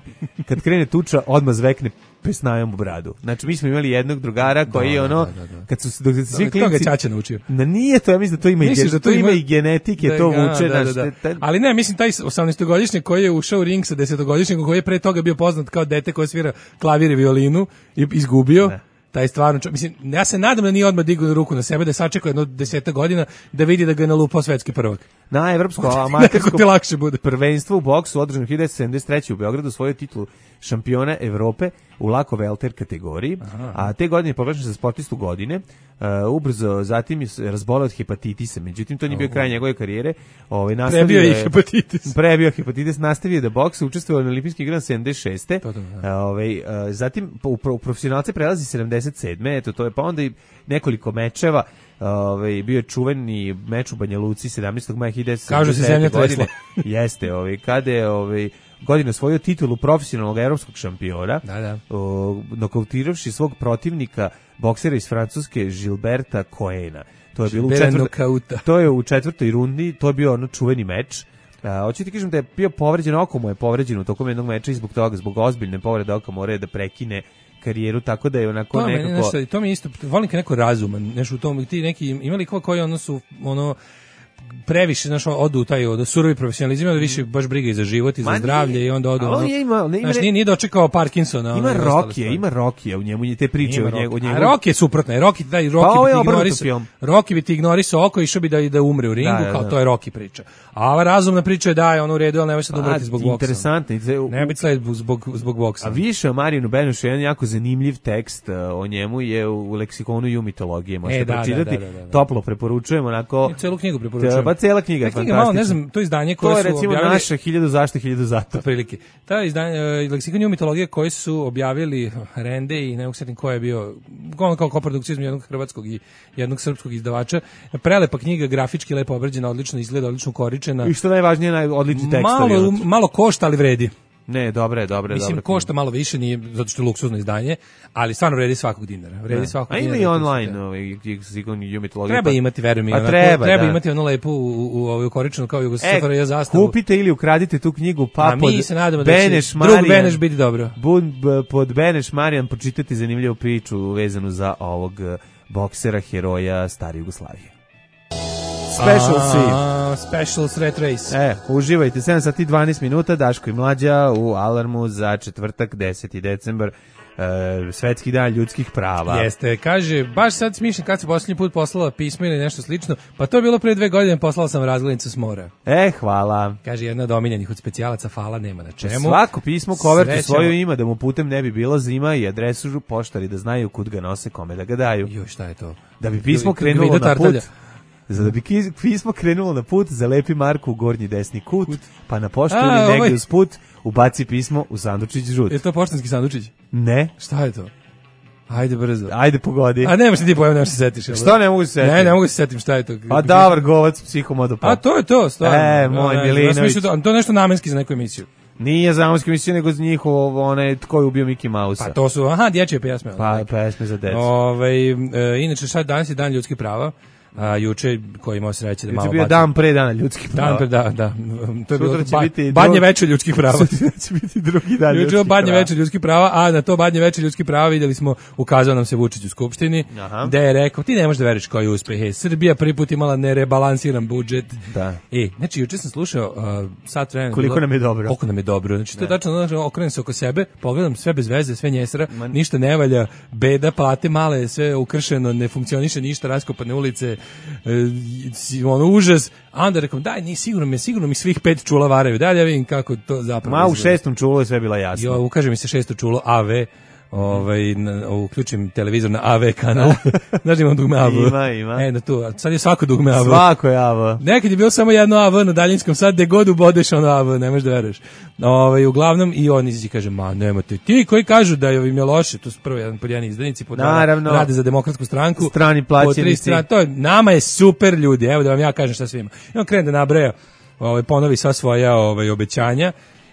kad krene tuča odmah zvekne pesnajom u bradu. Znači mi smo imali jednog drugara koji je ono, da, da, da. kad su dok se svi klinci... To ga Ćaća naučio. Na nije to, ja mislim da to ima, i, da to ima i genetike, da, to vuče. Da, da, da. Taj... Ali ne, mislim taj osamnaestogodišnjak koji je ušao u ring sa desetogodišnjakom koji je pre toga bio poznat kao dete koje svira klavir i violinu i izgubio. Ne. Taj stvarno, mislim, ja se nadam da nije odmah digao ruku na sebe, da sačekao jedno deseta godina da vidi da ga je nalupao svetski prvak. Na evropsko amatersko ti lakše bude. Prvenstvo u boksu održano hiljadu devetsto sedamdeset treće u Beogradu osvojio titulu šampiona Evrope u lako welter kategoriji, aha, a te godine je proglašen za sportistu godine. Uh, ubrzo zatim je razboleo od hepatitisa, međutim to nije bio kraj njegove karijere. Ovaj nastavio prebio je hepatitis. Prebio hepatitis, nastavio da boksa, učestvovao na olimpijskim igrama sedamdeset šeste. Uh, ovaj uh, zatim u, u profesionalce prelazi sedamdeset sedme. Eto to je pa onda i nekoliko mečeva. Ovaj bio je čuveni meč u Banja Luci sedamnaestog maja hiljadu devetsto sedamdeset sedme godine. Jeste, ovaj kada je ovaj godine osvojio titulu profesionalnog evropskog šampiona, da, da. O, nokautiravši svog protivnika, boksera iz Francuske, Gilberta Coena. To je bilo u četvrtoj, to je u četvrtoj rundi, to je bio ono čuveni meč. A, hoću ti kažem da je bio povređen, oko mu je povređeno u tokom jednog meča i zbog toga, zbog ozbiljne povrede oka mora da prekine karijeru, tako da je onako to nekako... Meni, nešto, to mi isto, volim kad neko razuman, nešto u tom, ti neki, imali ko koji ono su, ono, previše, znaš, odu u taj od surovi profesionalizam, da više baš briga i za život i za Ma zdravlje nije, i onda odu. On je ima, ne, znaš, nije, nije dočekao Parkinsona. Ima Rokije, ima Rokije u njemu, te priče o njemu. A Roki je suprotno, Roki daj Roki pa, bi ti ignorisao. Roki bi ti ignorisao oko i išao bi da da umre u ringu, da, kao da. To je Roki priča. A ova razumna priča je da je on u redu, al nemoj se umreti zbog boksa. Interesantno, ne biti sled zbog zbog boksa. A više o Marinu Benušu jedan jako zanimljiv tekst o njemu je u leksikonu ju mitologije, možete e, da, pročitati. Da, da, da, da. Toplo preporučujem, onako. Celu knjigu preporučujem. Pa cela knjiga je fantastična. Malo, ne znam, to izdanje koje to je su recimo objavili... naša hiljadu zašto, hiljadu zato. Prilike. Ta izdanje, uh, leksikon ju mitologije koji su objavili Rende i ne mogu setim ko je bio, on kao koprodukcija između jednog hrvatskog i jednog srpskog izdavača. Prelepa knjiga, grafički lepo obrađena, odlično izgleda, odlično koričena. I što najvažnije, odlični tekstovi. Malo, malo košta, ali vredi. Ne, dobre, dobre, Mislim, dobre. košta malo više, nije zato što je luksuzno izdanje, ali stvarno vredi svakog dinara. Vredi svakog dinara. A ima i online, ovaj, treba imati, verujem mi, treba, treba da. Imati ono lepo u, u, u, u koričenu kao Jugoslavija e, zastavu. Kupite ili ukradite tu knjigu, pa A pod mi se nadamo Beneš da će drug Beneš biti dobro. Bun, pod Beneš Marijan počitati zanimljivu priču vezanu za ovog boksera, heroja stare Jugoslavije. Special A, Special Threat Race. E, uživajte, sedam sati i dvanaest minuta, Daško i Mlađa u Alarmu za četvrtak, deseti decembar, e, svetski dan ljudskih prava. Jeste, kaže, baš sad smišljam kad se posljednji put poslala pismo ili nešto slično, pa to je bilo pre dve godine, poslala sam razglednicu s mora. E, hvala. Kaže, jedna od omiljenih od specijalaca, hvala, nema na čemu. Svako pismo, kovertu svoju ima, da mu putem ne bi bilo zima i adresu poštari da znaju kud ga nose, kome da ga daju. Joj, šta je to? Da bi pismo krenulo na put... Za da bi pismo krenulo na put, zalepi marku u gornji desni kut, kut. Pa na poštu ili negdje ovaj... uz put ubaci pismo u sandučić žut. Je to poštanski sandučić? Ne. Šta je to? Ajde brzo. Ajde pogodi. A nemaš ti pojem, nemaš se setiš. Što ne mogu se setiti? Ne, ne mogu se setim šta je to. A Davor Govac, psihomodopad. A to je to, stvarno. E, moj no, Milinović. To, to je nešto namenski za neku emisiju. Nije za namenski emisiju, nego za njihovo, one, tko je ubio Mickey Mouse-a. Pa to su, aha, dječje pesme. Pa, pesme za decu. Ove, e, inače, sad danas je dan ljudskih prava. A juče koji imao sreće da malo juče bio baci. Dan pre dana ljudskih prava. Dan pre da, da. To je Sutra bilo će ba, biti badnje drug... veče ljudskih prava. Sutra će biti drugi dan juče ljudskih badnje prava. veče ljudskih prava, a na to badnje veče ljudskih prava vidjeli smo, ukazao nam se Vučić u Skupštini, Aha. gde je rekao, ti ne možeš da veriš koji je uspeh. E, Srbija prvi put imala nerebalansiran budžet. Da. E, znači juče sam slušao uh, sat vremena. Koliko bilo, nam je dobro. Koliko nam je dobro. Znači to je tačno, znači, okrenem se oko sebe, pogledam sve bez veze, sve njesra, Man. ništa ne valja, beda, plate male, sve ukršeno, ne funkcioniše ništa, raskopane ulice, e, ono užas. A onda rekom, daj, ni sigurno mi, sigurno mi svih pet čula varaju. Daj, ja vidim kako to zapravo. Ma u izgleda. šestom čulu je sve bila jasno. Jo, ukaže mi se šesto čulo A V. Ovaj na, uključim televizor na A V kanal. Znači imam dugme A V. Ima, ima. E, na tu, sad je svako dugme A V. Svako je A V. Nekad je bilo samo jedno A V na daljinskom, sad gde god ubodeš ono A V, ne možeš da veruješ. Ovaj uglavnom i on izađe kaže, ma nemate ti koji kažu da je im je loše, to su prvo jedan pod jedan izdanici, pod Naravno. rade za Demokratsku stranku. Strani plaćenici. To je, nama je super ljudi, evo da vam ja kažem šta sve ima. I on krene da nabraja, ovaj, ponovi sva svoja ovaj, obećanja.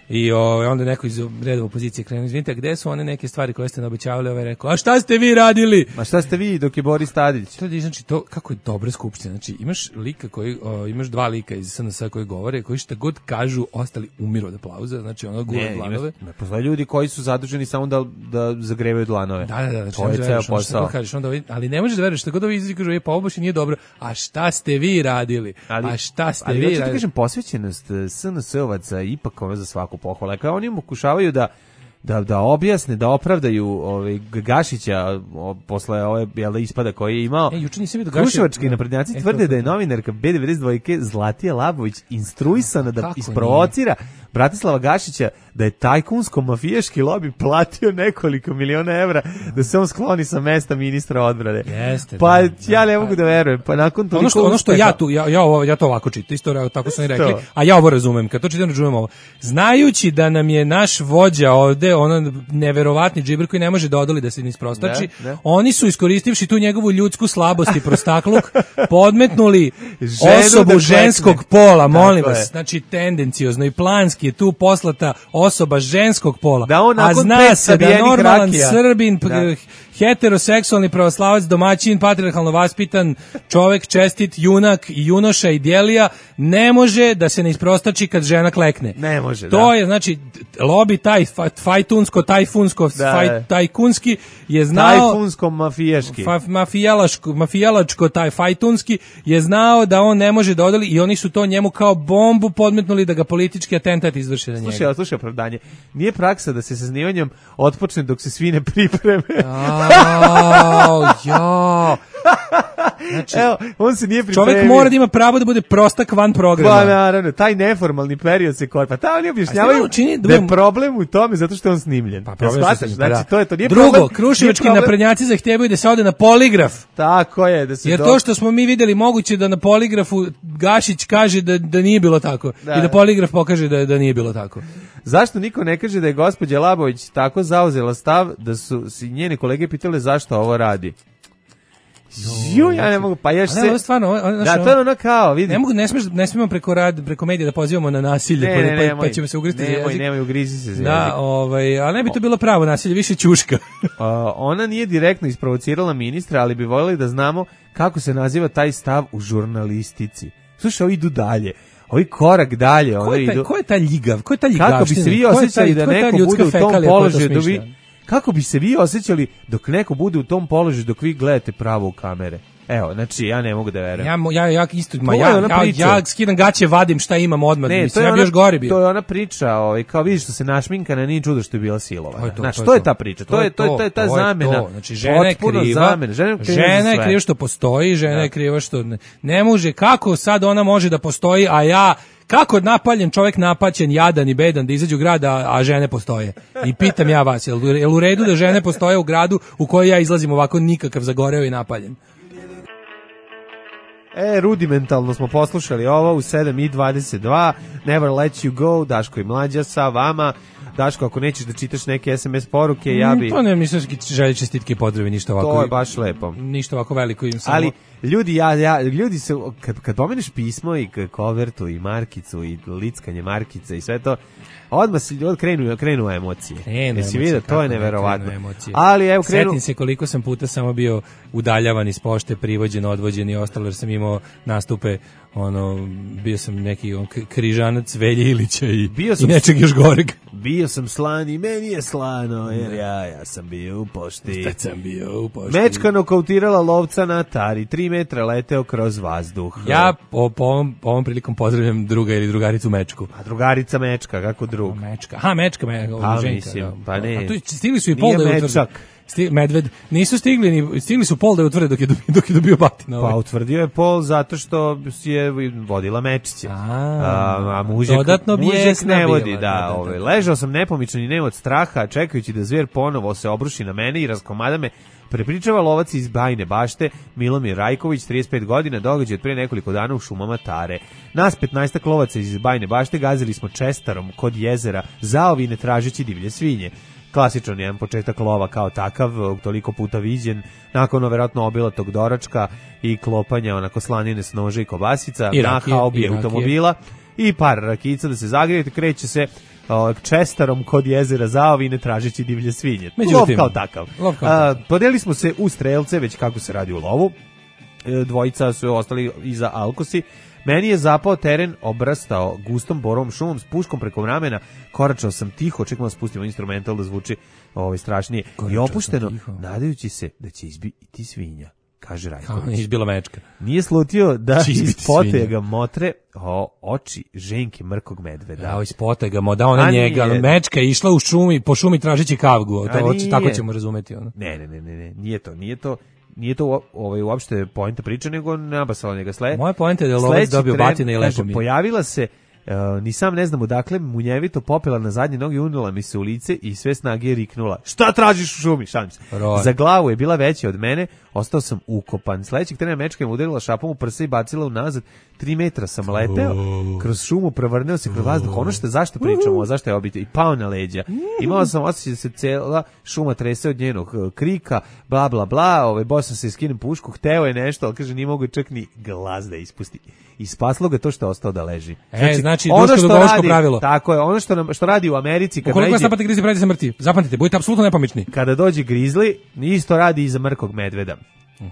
I o, onda neko iz reda opozicije krenu, izvinite, gde su one neke stvari koje ste naobećavali? Ovaj rekao, a šta ste vi radili? Ma šta ste vi dok je Boris Tadić? To je, znači, to, kako je dobra skupština. Znači, imaš lika koji, o, imaš dva lika iz S N S koji govore, koji šta god kažu, ostali umiru od aplauza, znači ono gure dlanove. Ne, postoje ljudi koji su zaduženi samo da, da zagrevaju dlanove. Da, da, da. To je ceo posao. Kažeš, onda, ali ne možeš da veruješ, šta god ovi izlazi kažu, e, pa ovo baš i nije dobro. A šta ste vi radili? Ali, a šta ste ali, vi radili? Ali, radili? kažem, posvećenost S N S-ovaca ipak ove za svaku pohvalu. Kao oni pokušavaju da da da objasne, da opravdaju ovaj Gašića o, posle ove jel ispada koji je imao. E, juče nisam vidio Gašića. Kruševački naprednjaci e, tvrde da je novinarka B devedeset dva Zlatija Labović instruisana da isprovocira Bratislava Gašića da je tajkunsko-mafijaški lobi platio nekoliko miliona evra da se on skloni sa mesta ministra odbrane. Jeste, pa da, ja ne da, mogu da verujem. Pa nakon toliko ono što, ono što ja tu ja ja ovo ja to ovako čitam, isto tako su oni rekli, a ja ovo razumem. Kad to čitam razumem ovo. Znajući da nam je naš vođa ovde, ono neverovatni džiber koji ne može da odoli da se ni isprostači, da, da. Oni su iskoristивši tu njegovu ljudsku slabost i prostakluk, podmetnuli Ženu osobu da ženskog pola, molim vas. Je. Znači tendenciozno i planski je tu poslata osoba ženskog pola. Da on a zna se da normalan rakija. Srbin, da. heteroseksualni pravoslavac, domaćin, patrijarhalno vaspitan, čovek, čestit, junak i junoša i djelija, ne može da se ne isprostači kad žena klekne. Ne može, to da. je, znači, lobi taj fajtunsko, tajfunsko, da, faj, tajkunski je znao... Tajfunsko-mafijaški. Fa, mafijalaško, mafijalačko, taj fajtunski je znao da on ne može da odoli i oni su to njemu kao bombu podmetnuli da ga politički atentat izvrši na njega. Slušaj, slušaj opravdanje. Nije praksa da se sa snimanjem otpočne dok se svi ne pripreme. Jao, jao. Znači, evo, on se nije pripremio. Čovjek mora da ima pravo da bude prostak van programa. Pa naravno, taj neformalni period se kod. Pa ta oni objašnjavaju čini, da je problem u tome zato što je on snimljen. Pa problem ja što znači, da. to je to. Nije Drugo, problem, kruševački naprednjaci zahtijevaju da se ode na poligraf. Tako je. Da se Jer do... to što smo mi videli moguće da na poligrafu Gašić kaže da, da nije bilo tako. Da. I da poligraf pokaže da, da nije bilo tako. Zašto niko ne kaže da je gospođa Labović tako zauzela stav da su si njeni kolege pitale zašto ovo radi? Ju, ja ne mogu, pa ješ se... Ne, stvarno, ono, da, to je ono kao, vidi. Ne mogu, ne smijemo, ne smijemo preko, rad, preko medija da pozivamo na nasilje, ne, pa, ne, pa, nemoj, pa ćemo se ugristi za jezik. Nemoj, nemoj, ugrizi se za da, jezik. ovaj, ali ne bi to bilo pravo nasilje, više ćuška. uh, ona nije direktno isprovocirala ministra, ali bi voljeli da znamo kako se naziva taj stav u žurnalistici. Slušaj, ovi idu dalje. Ovi korak dalje. Ko je, taj, idu... ko je ta ljigav? Ko je ta ljigavština? Kako bi se vi osjećali da neko bude u tom položaju dok vi... Kako bi se vi osjećali dok neko bude u tom položaju dok vi gledate pravo u kamere? Evo, znači, ja ne mogu da verujem. Ja, ja, ja isto, ma ja, ja, ja skidam gaće, vadim šta imam odmah, ne, mislim, ja bi još gori bio. To je ona priča, ovaj, kao vidiš što se našminkana, nije čudo što je bila silovana. Znači, to je ta priča, to je, to je, to je ta zamena. Znači, žena je kriva, žena je kriva što postoji, žena je kriva što ne, ne može, kako sad ona može da postoji, a ja... Kako napaljen čovjek napaćen, jadan i bedan da izađe u grad, a, a žene postoje? I pitam ja vas, jel, jel u redu da žene postoje u gradu u kojoj ja izlazim ovako nikakav zagoreo i napaljen? E, rudimentalno smo poslušali ovo u sedam i dvadeset dva, Never Let You Go, Daško i Mlađa sa vama. Daško, ako nećeš da čitaš neke es em es poruke, ja bi... Mm, to ne, nisam želje čestitke i pozdrave, ništa ovako. To je baš lepo. Ništa ovako veliko im samo... Ali ljudi, ja, ja, ljudi se, kad, kad pomeneš pismo i kovertu i markicu i lickanje markice i sve to, odmah si od krenu, krenu emocije. Krenu Jesi vidio, to je neverovatno. Emocije. Ali evo krenu... Setim se koliko sam puta samo bio udaljavan iz pošte, privođen, odvođen i ostalo, jer sam imao nastupe, ono, bio sam neki on, križanac Velje Ilića i, bio sam, i nečeg još goreg. Bio sam slan i meni je slano, jer ja, ja sam bio u pošti. Šta sam bio u pošti? Mečka nokautirala lovca na Atari, tri metra leteo kroz vazduh. Ja po, po, ovom, po ovom prilikom pozdravljam druga ili drugaricu Mečku. A drugarica Mečka, kako drug? O, mečka, aha, Mečka, me, pa, ženka. Mislim, Da. pa ne. A tu stigli su i pol da je Mečak. Sti, medved, nisu stigli, ni, stigli su pol da je utvrde dok je, dok je dobio batina. Pa utvrdio je pol zato što je vodila Mečića. A, a, a mužek, dodatno mužek ne vodi, bila, da. da, da, Ove, da. ležao sam nepomičan i ne od straha, čekajući da zver ponovo se obruši na mene i raskomada me. Prepričava lovac iz Bajne Bašte, Milomir Rajković, trideset pet godina, događaj od pre nekoliko dana u šumama Tare. Nas petnaestak lovaca iz Bajne Bašte gazili smo čestarom kod jezera, zaovine tražeći divlje svinje. Klasičan jedan početak lova kao takav, toliko puta viđen, nakon verovatno obilatog doračka i klopanja onako slanine s noža i kobasica, I na rakije, haobi i automobila i par rakica da se zagrijete, kreće se o, čestarom kod jezera zaovine tražeći divlje svinje. Međutim, lov kao takav. Lov kao A, takav. podelili smo se u strelce, već kako se radi u lovu. E, dvojica su ostali iza alkosi. Meni je zapao teren, obrastao gustom borovom šumom s puškom preko ramena, koračao sam tiho, čekamo da spustimo instrumental da zvuči ovaj, strašnije. Koračao I opušteno, sam nadajući se da će izbiti svinja, kaže Kao Rajković. izbila Mečka. Nije slutio da Će izbiti iz potega svinja. motre o, oči ženke mrkog medveda. Da, iz potega, mo, da ona A njega, nije. Mečka je išla u šumi, po šumi tražeći kavgu, A to, nije. tako ćemo razumeti. Ono. Ne, ne, ne, ne, ne, nije to, nije to. Nije to u- ovaj, uopšte poenta priče, nego nabasala njega sle. Moja poenta je da je lovac Sledeći dobio tren, batine i lepo kaže, mi je. pojavila se, uh, ni sam ne znam odakle, munjevito popela na zadnje noge, unula mi se u lice i sve snage je riknula. Šta tražiš u šumi? Šalim se. Roj. Za glavu je bila veća od mene, ostao sam ukopan. Sledećeg trena Mečka je udarila šapom u prsa i bacila unazad. Tri metra sam leteo, kroz šumu prevrneo se kroz vazduh. Ono što zašto pričamo, zašto je obitelj, i pao na leđa. Imao sam osjećaj da se cela šuma trese od njenog eh, krika, bla bla bla, ovaj boss sam se skinem pušku, hteo je nešto, ali kaže nije mogu čak ni glas da ispusti. I spaslo ga to što je ostao da leži. E, znači, ono druško što dugovološko radi, pravilo. tako je, ono što nam, što radi u Americi kad Ukoliko vas najde, napate grizi, pravite se mrtvi. Zapamtite, budite apsolutno nepomični. kada dođe grizli, isto radi i za mrkog medveda.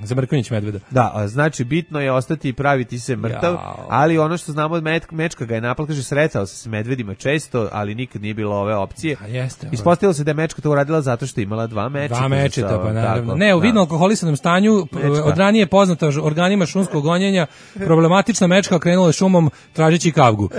Za Mrkonjić medveda. Da, a znači bitno je ostati i praviti se mrtav, Jao. ali ono što znamo od Met, Mečka ga je napad, kaže sretao se s medvedima često, ali nikad nije bilo ove opcije. A jeste. Ispostavilo se da je Mečka to uradila zato što je imala dva mečeta. Dva mečeta, pa naravno. Tako, Ne, u da. vidno alkoholisanom stanju, p- Mečka. od ranije poznata ž- organima šumskog gonjenja, problematična Mečka okrenula je šumom tražeći kavgu.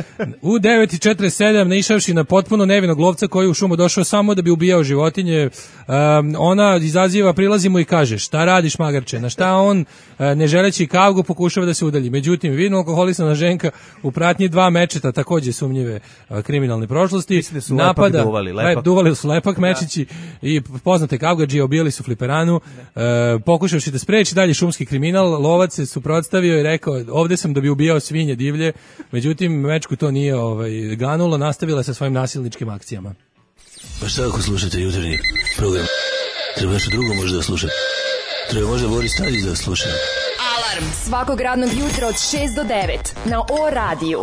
U devet i četrdeset sedam, naišavši na potpuno nevinog lovca koji je u šumu došao samo da bi ubijao životinje, um, ona izaziva, prilazi mu i kaže, šta radiš magarče? Na šta on, uh, ne želeći kavgu, pokušava da se udalji. Međutim, vidno alkoholisana ženka u pratnji dva mečeta, takođe sumnjive uh, kriminalne prošlosti, Mislim da su lepak duvali, lepak. Le- duvali su lepak mečići i poznate kavgadžije obijali su fliperanu, e, pokušavši da spreči dalje šumski kriminal, lovac se suprotstavio i rekao, ovde sam da bi ubijao svinje divlje, međutim Mečku to nije ovaj, ganulo, nastavila je sa svojim nasilničkim akcijama. Pa šta ako slušate jutarnji program? Treba nešto drugo možda da slušate. Treba možda Boris Tadić da sluša. Alarm svakog radnog jutra od šest do devet na O radiju.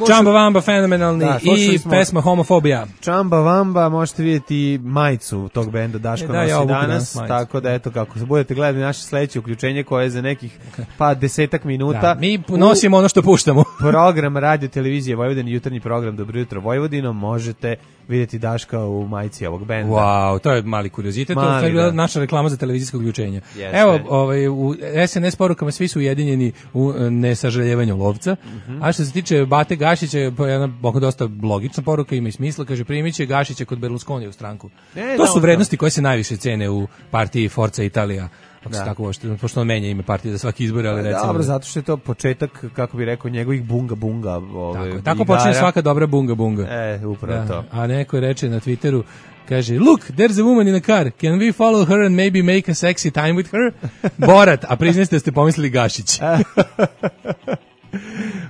Čamba Vamba, fenomenalni, Da, slušali i smo- pesma Homofobija. Čamba Vamba, možete vidjeti majicu tog benda Daško E, da, nosi ja obuku danas, danas majicu. tako da eto kako se budete gledali naše sledeće uključenje koje je za nekih pa desetak minuta. Da, mi nosimo ono što puštamo. U program Radio Televizije Vojvodine, jutarnji program Dobro jutro Vojvodino, možete vidjeti Daška u majici ovog benda. Wow, to je mali kuriozitet, to Mali, je bila da. naša reklama za televizijsko uključenje. Jeste. Evo, ovaj, u es en es porukama svi su ujedinjeni u e, nesažaljevanju lovca, Mhm. a što se tiče Bate Gašića, pa jedna oko dosta logična poruka, ima i smisla, kaže primit će Gašića kod Berlusconi u stranku. E, to da, su on vrednosti koje se najviše cene u partiji Forza Italija, ako se Da. tako uopšte, pošto on menja ime partije za svaki izbor, ali recimo... Dobro, zato što je to početak, kako bi rekao, njegovih bunga bunga. Ove, Tako, je. tako igara. počinje svaka dobra bunga bunga. E, upravo Da, to. a neko reče na Twitteru, kaže, look, there's a woman in a car, can we follow her and maybe make a sexy time with her? Borat, a priznajte da ste pomislili Gašić.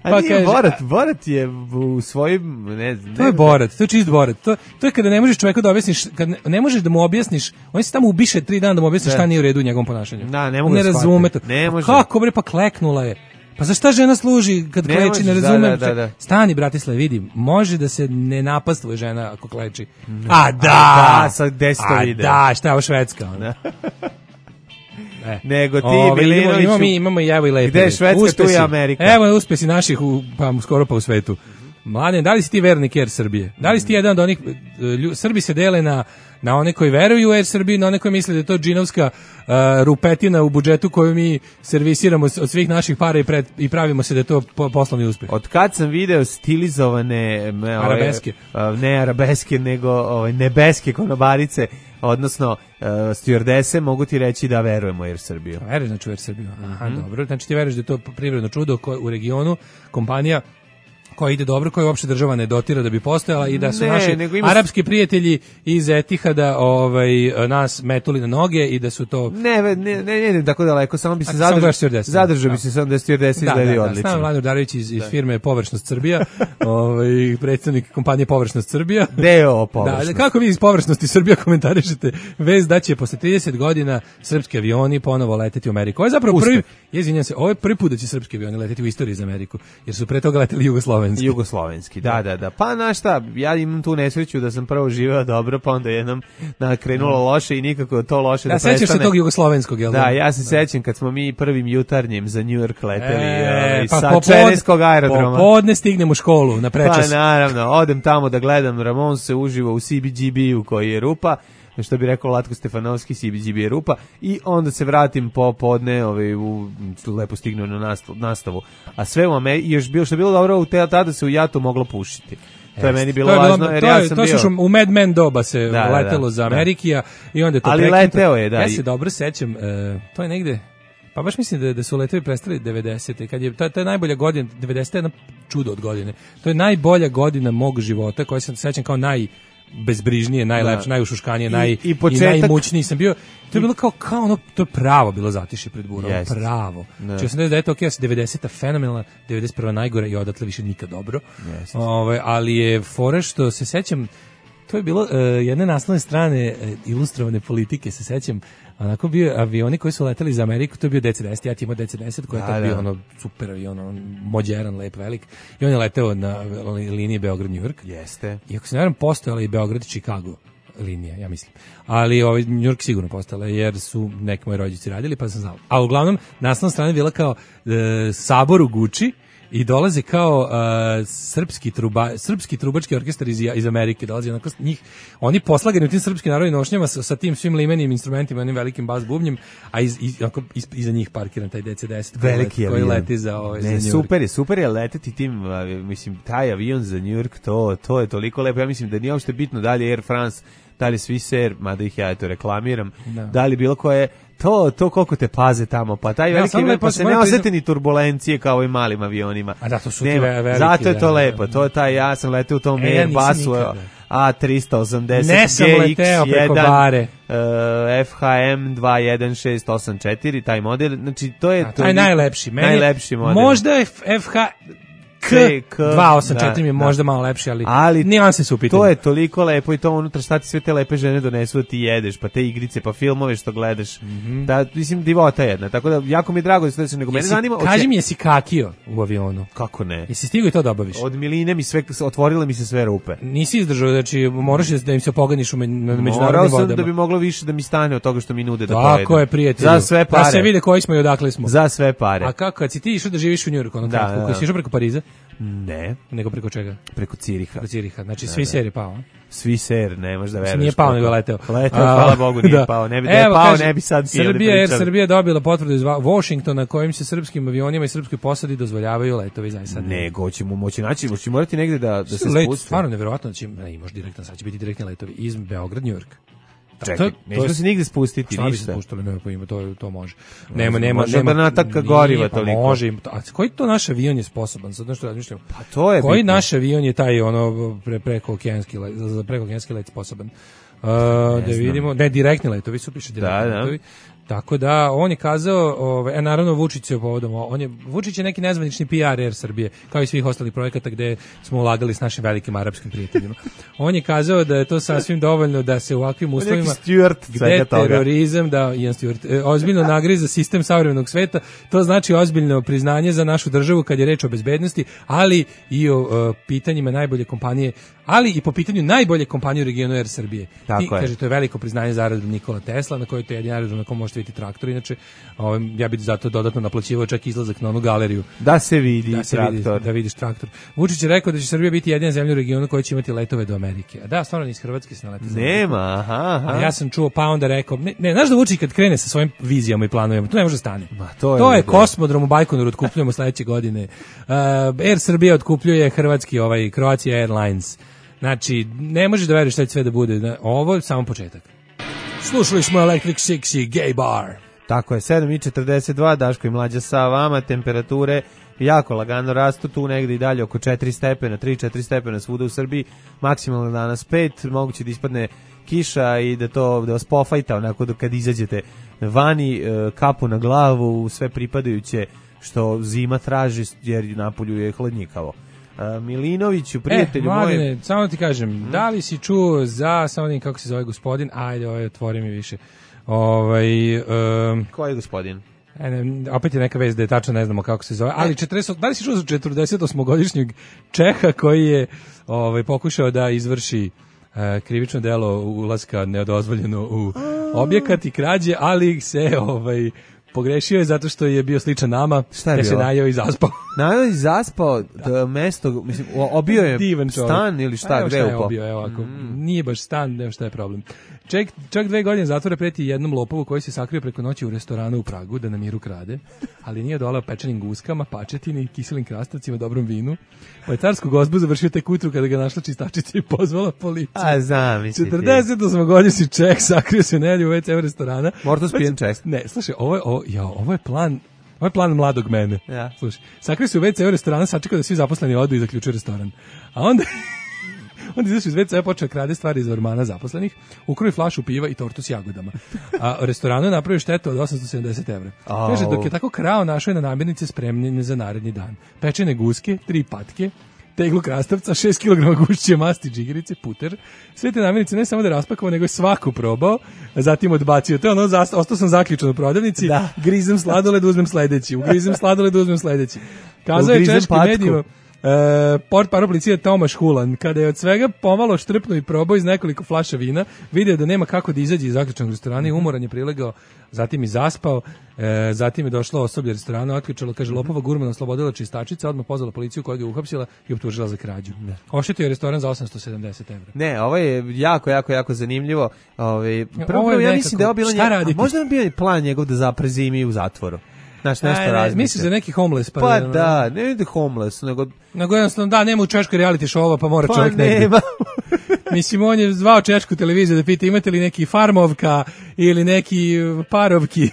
A pa nije kaže, Borat, Borat je u svojim... Ne, ne, to je Borat, to je čist Borat. To, to je kada ne možeš čoveku da objasniš, kad ne, ne možeš da mu objasniš, on se tamo ubiše tri dana da mu objasniš šta nije u redu u njegovom ponašanju. Da, ne mogu ne da razume to. Ne može. Kako bre, pa kleknula je. Pa za šta žena služi kad ne kleči, ne razumem. Da, da, da. Stani, Bratislav, vidi, može da se ne napastvuje žena ako kleči. Ne. A da! A da, sad gde si to vidio? A da, šta je ovo Švedska? Da. E. Nego ti, Ove, Milinoviću, imamo, mi, imamo i evo i lepe. gde je Švedska, uspesi, tu je Amerika. Evo uspesi naših, u, pa skoro pa u svetu. Mladen, da li si ti vernik Air Srbije? Da li si ti jedan od onih, lju, Srbi se dele na, na one koji veruju u Air Srbiju, na one koji misle da je to džinovska uh, rupetina u budžetu koju mi servisiramo od svih naših para i, pred, i pravimo se da je to po, poslovni uspeh. Od kad sam video stilizovane me, arabeske, ove, ne arabeske, nego ove, nebeske konobarice, odnosno uh, stewardese, mogu ti reći da verujemo u Air Srbiju. Veruješ znači u Air Srbiju? Aha, mm-hmm. Dobro. Znači ti veruješ da je to privredno čudo ko, u regionu, kompanija koja ide dobro, koja uopšte država ne dotira da bi postojala i da su ne, naši ima... arapski prijatelji iz Etihada ovaj, nas metuli na noge i da su to... Ne, ne, ne, ne, ne tako daleko, samo bi se zadržao, zadržao bi se samo da stewardesi izgledaju odlično. Da, da, da, Mladen Urdarević iz, iz firme Površnost Srbija, ovaj, predsjednik kompanije Površnost Srbija. Deo Površnost. Da, kako vi iz Površnosti Srbija komentarišete vez da će posle trideset godina srpski avioni ponovo leteti u Ameriku? Ovo je zapravo prvi, izvinjam se, ovo je prvi put da će srpski avioni leteti u istoriji za Ameriku, jer su pre toga leteli Jugoslovenski. Jugoslovenski, da, da, da. Pa znaš šta, ja imam tu nesreću da sam prvo živeo dobro, pa onda jednom nakrenulo loše i nikako to loše da, da prestane. Da, sećaš se tog jugoslovenskog, jel da? Da, ja se sećam kad smo mi prvim jutarnjem za New York leteli e, pa sa Čereskog aerodroma. Popodne stignem u školu na prečas. Pa naravno, odem tamo da gledam Ramonse uživo u C B G B-u koji je rupa, što bi rekao Latko Stefanovski, C B G B je rupa, i onda se vratim popodne, ovaj, u, lepo stignu na nastavu, nastavu. A sve u Americi, još bilo, što je bilo dobro, u te, tada se u Jatu moglo pušiti. To je meni bilo je važno, jer to ja je, sam to bio... To u Mad Men doba se da, letelo da, da, za Amerikija da. I onda je to ali prekinuto. leteo je, da. Ja se dobro sećam, uh, to je negde, pa baš mislim da, da su letovi prestali devedesete, kad je, to, to je najbolja godina, devedeseta je jedna čudo od godine. To je najbolja godina mog života, koja se sećam kao naj... bezbrižnije, najlepše, da. Najušuškanije, naj, i, i, početak... i najmućniji sam bio. To je bilo kao, kao ono, to je pravo bilo zatišje pred burom, yes. pravo. Če sam da je to ok, devedeseta fenomenalna, devedeset prva najgora i odatle više nikad dobro. Yes. Ove, ali je fora što se sećam, to je bilo uh, jedne naslovne strane uh, ilustrovane politike, se sećam, onako bio avioni koji su leteli za Ameriku, to je bio D C deset, ja ti imao D C deset koji je da, bio ono super avion, ono mođeran, lep, velik, i on je leteo na liniji Beograd-New York. Jeste. I ako se ne varam, postojala i Beograd-Chicago linija, ja mislim. Ali ovaj New York sigurno postala, jer su neki moji rođaci radili, pa sam znao. A uglavnom, naslovna strana bila kao e, sabor u Guči, i dolaze kao uh, srpski truba, srpski trubački orkestar iz, iz Amerike, dolazi onako njih, oni poslagani u tim srpskim narodnim nošnjama sa, sa tim svim limenim instrumentima, onim velikim bas bubnjem, a iz, iz, onako, iz, iza njih parkiran taj D C deset koji, let, koji leti za, ovaj, ne, za New York. Super je, super je leteti tim, mislim, taj avion za New York, to, to je toliko lepo, ja mislim da nije uopšte bitno da li je Air France, da li je Swiss Air, mada ih ja eto reklamiram, da, da li bilo koje, to, to koliko te paze tamo, pa taj veliki ja, pa se ne osjeti ni turbulencije kao i malim avionima. A da, to su Nema, veliki, zato je to da, lepo, to je taj, ja sam leteo u tom e, Airbusu A tristo osamdeset ne sam leteo preko bare. Uh, F H M dva jedan šest osam četiri, taj model, znači to je... A, taj to najlepši, meni najlepši model. Možda je F H... K dva osam četiri da, mi je možda da. malo lepši, ali, ali nijanse su u pitanju. To je toliko lepo i to unutra šta ti sve te lepe žene donesu da ti jedeš, pa te igrice, pa filmove što gledaš. Mm -hmm. Da, mislim, divota jedna. Tako da, jako mi je drago da se desilo, nego mene zanima... Kaži mi, jesi kakio u avionu? Kako ne? Jesi stigao i to da obaviš? Od miline mi sve, otvorile mi se sve rupe. Nisi izdržao, znači moraš da im se poganiš u me, na međunarodnim vodama. Morao sam da bi moglo više da mi stane od toga što mi nude da pojedem. Tako je, prijatelju. Za sve pare. Da se vide koji smo i odakle smo. Za sve pare. A kako, kad si ti išao da živiš u Njujorku, ono kratko, da, da. Si išao preko Pariza? Ne. Nego preko čega? Preko Ciriha. Preko Ciriha, znači svi ser je pao. Svi ser, ne možeš da veruješ. Nije pao, nego leteo. Leteo, hvala Bogu, nije da. pao. Ne bi da je pao, ne bi sad ti ovdje pričali. Srbija, Srbija dobila potvrdu iz Washingtona kojim se srpskim avionima i srpskoj posadi dozvoljavaju letovi za sad. Nego ćemo moći naći, hoće morati negde da, da se let, spusti. Stvarno neverovatno da će, ne, imaš direktan, sad će biti direktni letovi iz Beograd, New York. Čekaj, nećemo se nigde spustiti, ništa. Šta bi se spustili, nema pojma, to, to može. Nema, nema, može nema. Može nataka goriva toliko. Može, a koji to naš avion je sposoban? Sad nešto razmišljam. Pa to je koji bitno. Naš avion je taj ono pre, preko okeanski let, za preko okeanski let sposoban? Uh, da vidimo, ne, direktni letovi su, piše direktni da, letovi. Tako da on je kazao, ovaj, naravno Vučić se povodom, on je Vučić je neki nezvanični P R Air Srbije, kao i svih ostalih projekata gde smo ulagali s našim velikim arapskim prijateljima. On je kazao da je to sasvim dovoljno da se u ovakvim uslovima gde terorizam, da Ian Stewart, e, ozbiljno nagriza sistem savremenog sveta, to znači ozbiljno priznanje za našu državu kad je reč o bezbednosti, ali i o uh, pitanjima najbolje kompanije, ali i po pitanju najbolje kompanije u regionu Air Srbije. I kaže, to je veliko priznanje za aerodrom Nikola Tesla, na kojoj to je jedin aerodrom na kom možete vidjeti traktor, inače ovaj, ja bih zato dodatno naplaćivao čak izlazak na onu galeriju. Da se vidi da se traktor. Vidi, da vidiš traktor. Vučić je rekao da će Srbija biti jedina zemlja u regionu koja će imati letove do Amerike. A da, stvarno iz Hrvatske se naleti. Nema, aha, aha. A ja sam čuo, pa onda rekao, ne, ne, znaš da Vučić kad krene sa svojim vizijama i planovima, to ne može stane. Ma, to je, to je kosmodrom u Bajkonoru, otkupljujemo sledeće godine. Uh, Air Srbija otkupljuje hrvatski ovaj Croatia Airlines. Znači, ne možeš da veruješ šta će sve da bude. Ovo je samo početak. Slušali smo Electric Six i Gay Bar. Tako je, sedam i četrdeset dva, Daško i Mlađa sa vama, temperature jako lagano rastu, tu negde i dalje oko četiri stepena, tri četiri stepena svuda u Srbiji, maksimalno danas pet, moguće da ispadne kiša i da to da vas pofajta onako da kad izađete vani, kapu na glavu, sve pripadajuće što zima traži jer napolju je hladnjikavo. Uh, Milinoviću, prijatelju e, Mladine, moje... samo ti kažem, hmm? da li si čuo za, samo da kako se zove gospodin, ajde, ovaj, otvori mi više. Ovaj, um, Koji je gospodin? E, ne, opet je neka vez da je tačno ne znamo kako se zove, ali četrdeset, da li si čuo za četrdesetosmogodišnjeg Čeha koji je ovaj, pokušao da izvrši uh, krivično delo ulaska nedozvoljeno u objekat i krađe, ali se ovaj pogrešio je zato što je bio sličan nama, te se najeo i zaspao. Najeo i zaspao, da mesto, mislim, obio je stan ili šta, evo gde šta je upao? Obio, evo ovako, mm. nije baš stan, nema šta je problem. Ček, čak dve godine zatvora preti jednom lopovu koji se sakrio preko noći u restoranu u Pragu da na miru krade, ali nije dolao pečenim guskama, pačetini, kiselim krastavcima, dobrom vinu. Pa je carsku gozbu završio tek ujutru kada ga našla čistačica i pozvala policiju. A zamisli ti. četrdesetosmogodišnji Čeh sakrio se nelju u ve ce restorana. Morto spijen Čeh. Ne, slušaj, ovo je, ovo, ja, ovo je plan... Ovo je plan mladog mene. Ja. Slušaj, sakrio se u ve ce restorana, sačekao da svi zaposleni odu i zaključio restoran. A onda... onda izašao iz ve ce, počeo krade stvari iz ormana zaposlenih, ukroji flašu piva i tortu s jagodama. A u restoranu je napravio štetu od osamsto sedamdeset evra. Oh. Kaže, dok je tako krao, našao je na namirnice spremljene za naredni dan. Pečene guske, tri patke, teglu krastavca, šest kilograma gušće masti, džigerice, puter. Sve te namirnice ne samo da je raspakovao, nego je svaku probao, a zatim odbacio. To je ono, ostao sam zaključan u prodavnici, da. Grizem sladoled, uzmem sledeći, ugrizem sladoled, uzmem sledeći. Kazao je češkim medijima, Uh, port parol policije Tomaš Hulan, kada je od svega pomalo štrpnuo i probao iz nekoliko flaša vina, vidio da nema kako da izađe iz zaključanog restorana i umoran je prilegao, zatim i zaspao, uh, zatim je došlo osoblje restorana, otključalo, kaže, lopova gurmana oslobodila čistačica, odmah pozvala policiju koja ga je uhapsila i optužila za krađu. Oštetio je restoran za osamsto sedamdeset evra. Ne, ovo je jako, jako, jako zanimljivo. Ove, prvo, prvo ja mislim da je ovo bilo njeg... možda je bio plan njegov da zapre zimi u zatvoru. Znaš, nešto razmišlja. Misliš da neki homeless? Pa, pa da, ne ide homeless, nego... Nego jednostavno, da, nema u Češkoj reality show-ova, pa mora pa čovjek negdje. Nema. Mislim, on je zvao Češku televiziju da pita imate li neki farmovka ili neki parovki,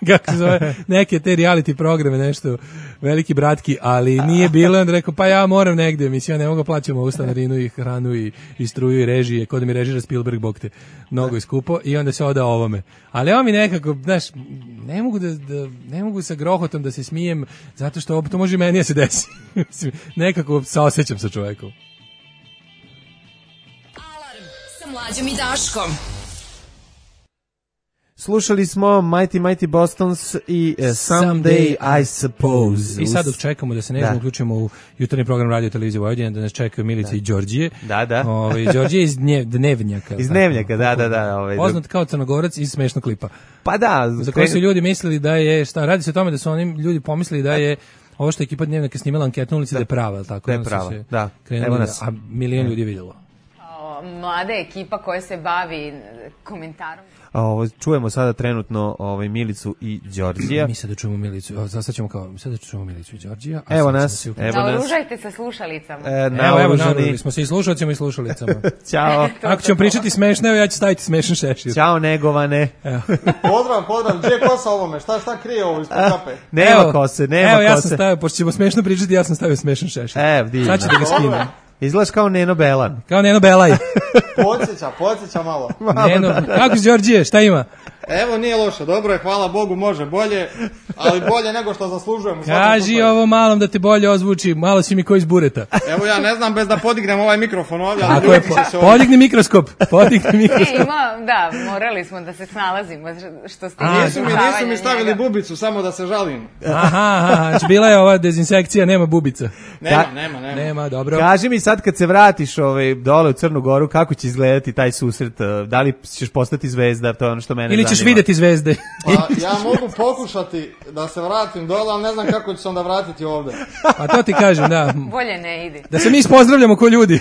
kako se zove, neke te reality programe, nešto, veliki bratki, ali nije bilo, onda rekao, pa ja moram negdje, mislim, ja ne mogu plaćam ovu stanarinu i hranu i, i struju i režije, kod da mi režira Spielberg, bog te, mnogo je skupo, i onda se odao ovome. Ali ovo mi nekako, znaš, ne mogu da, da ne mogu sa grohotom da se smijem, zato što ovo, to može meni da se desi. Nekako saosećam sa čovekom. Alarm sa Mlađom i Daškom. Slušali smo Mighty Mighty Bostons i uh, Someday I Suppose. I sad dok čekamo da se nežno uključimo u jutarnji program Radio Televizije Vojvodine, da nas čekaju Milica da. i Đorđije. Da, da. Ove, Đorđije iz dnjev, Dnevnjaka. Iz Dnevnjaka, da, da, da. Ove, poznat kao Crnogorac iz smešnog klipa. Pa da. Za koji su ljudi mislili da je, šta, radi se o tome da su oni ljudi pomislili da je ovo što je ekipa Dnevnjaka snimala anketu na ulici da je prava, tako? Da je prava, da. Evo nas. A milion ljudi je vidjelo. Mlada ekipa koja se bavi komentarom. Ovo, čujemo sada trenutno ovaj Milicu i Đorđija. Mi sada čujemo Milicu, sad ćemo kao, sada čujemo Milicu i Đorđija. Evo nas, evo nas. Naoružajte se slušalicama. E, evo, evo, naoružali smo se i slušalcima i slušalicama. Ćao. Ako ćemo pričati smešno, evo ja ću staviti smešan šešir. Ćao, negovane. Pozdrav, pozdrav, gdje je kosa ovome? Šta, šta krije ovo ispod kape? Nema kose, nema kose. Evo, ja sam stavio, pošto ćemo smešno pričati, ja sam stavio smešan šešir. Evo, divno. Sad ću da ga skinem. Izgledaš kao Neno Belan. Kao Neno Belaj. Podsjeća, podsjeća malo. Neno, kako si Đorđije, šta ima? Evo, nije loše, dobro je, hvala Bogu, može bolje, ali bolje nego što zaslužujemo. Kaži ovo malom da te bolje ozvuči, malo si mi ko iz bureta. Evo ja ne znam bez da podignem ovaj mikrofon ovdje. Ali tako je, po, se podigni mikroskop, podigni mikroskop. E, ima, da, morali smo da se snalazimo, što ste A, nisu, mi, nisu mi stavili njega. Bubicu, samo da se žalim. Aha, aha, bila je ova dezinsekcija, nema bubica. Nema, Ta, nema, nema. Nema, dobro. Kaži mi sad kad se vratiš ovaj, dole u Crnu Goru, kako će izgledati taj susret? Da li ćeš postati zvezda, to je ono što mene ili zanima. Ili ćeš videti zvezde. Pa, ja mogu pokušati da se vratim dole, ali ne znam kako ću se onda vratiti ovde. Pa to ti kažem, da. Bolje ne ide. Da se mi ispozdravljamo ko ljudi.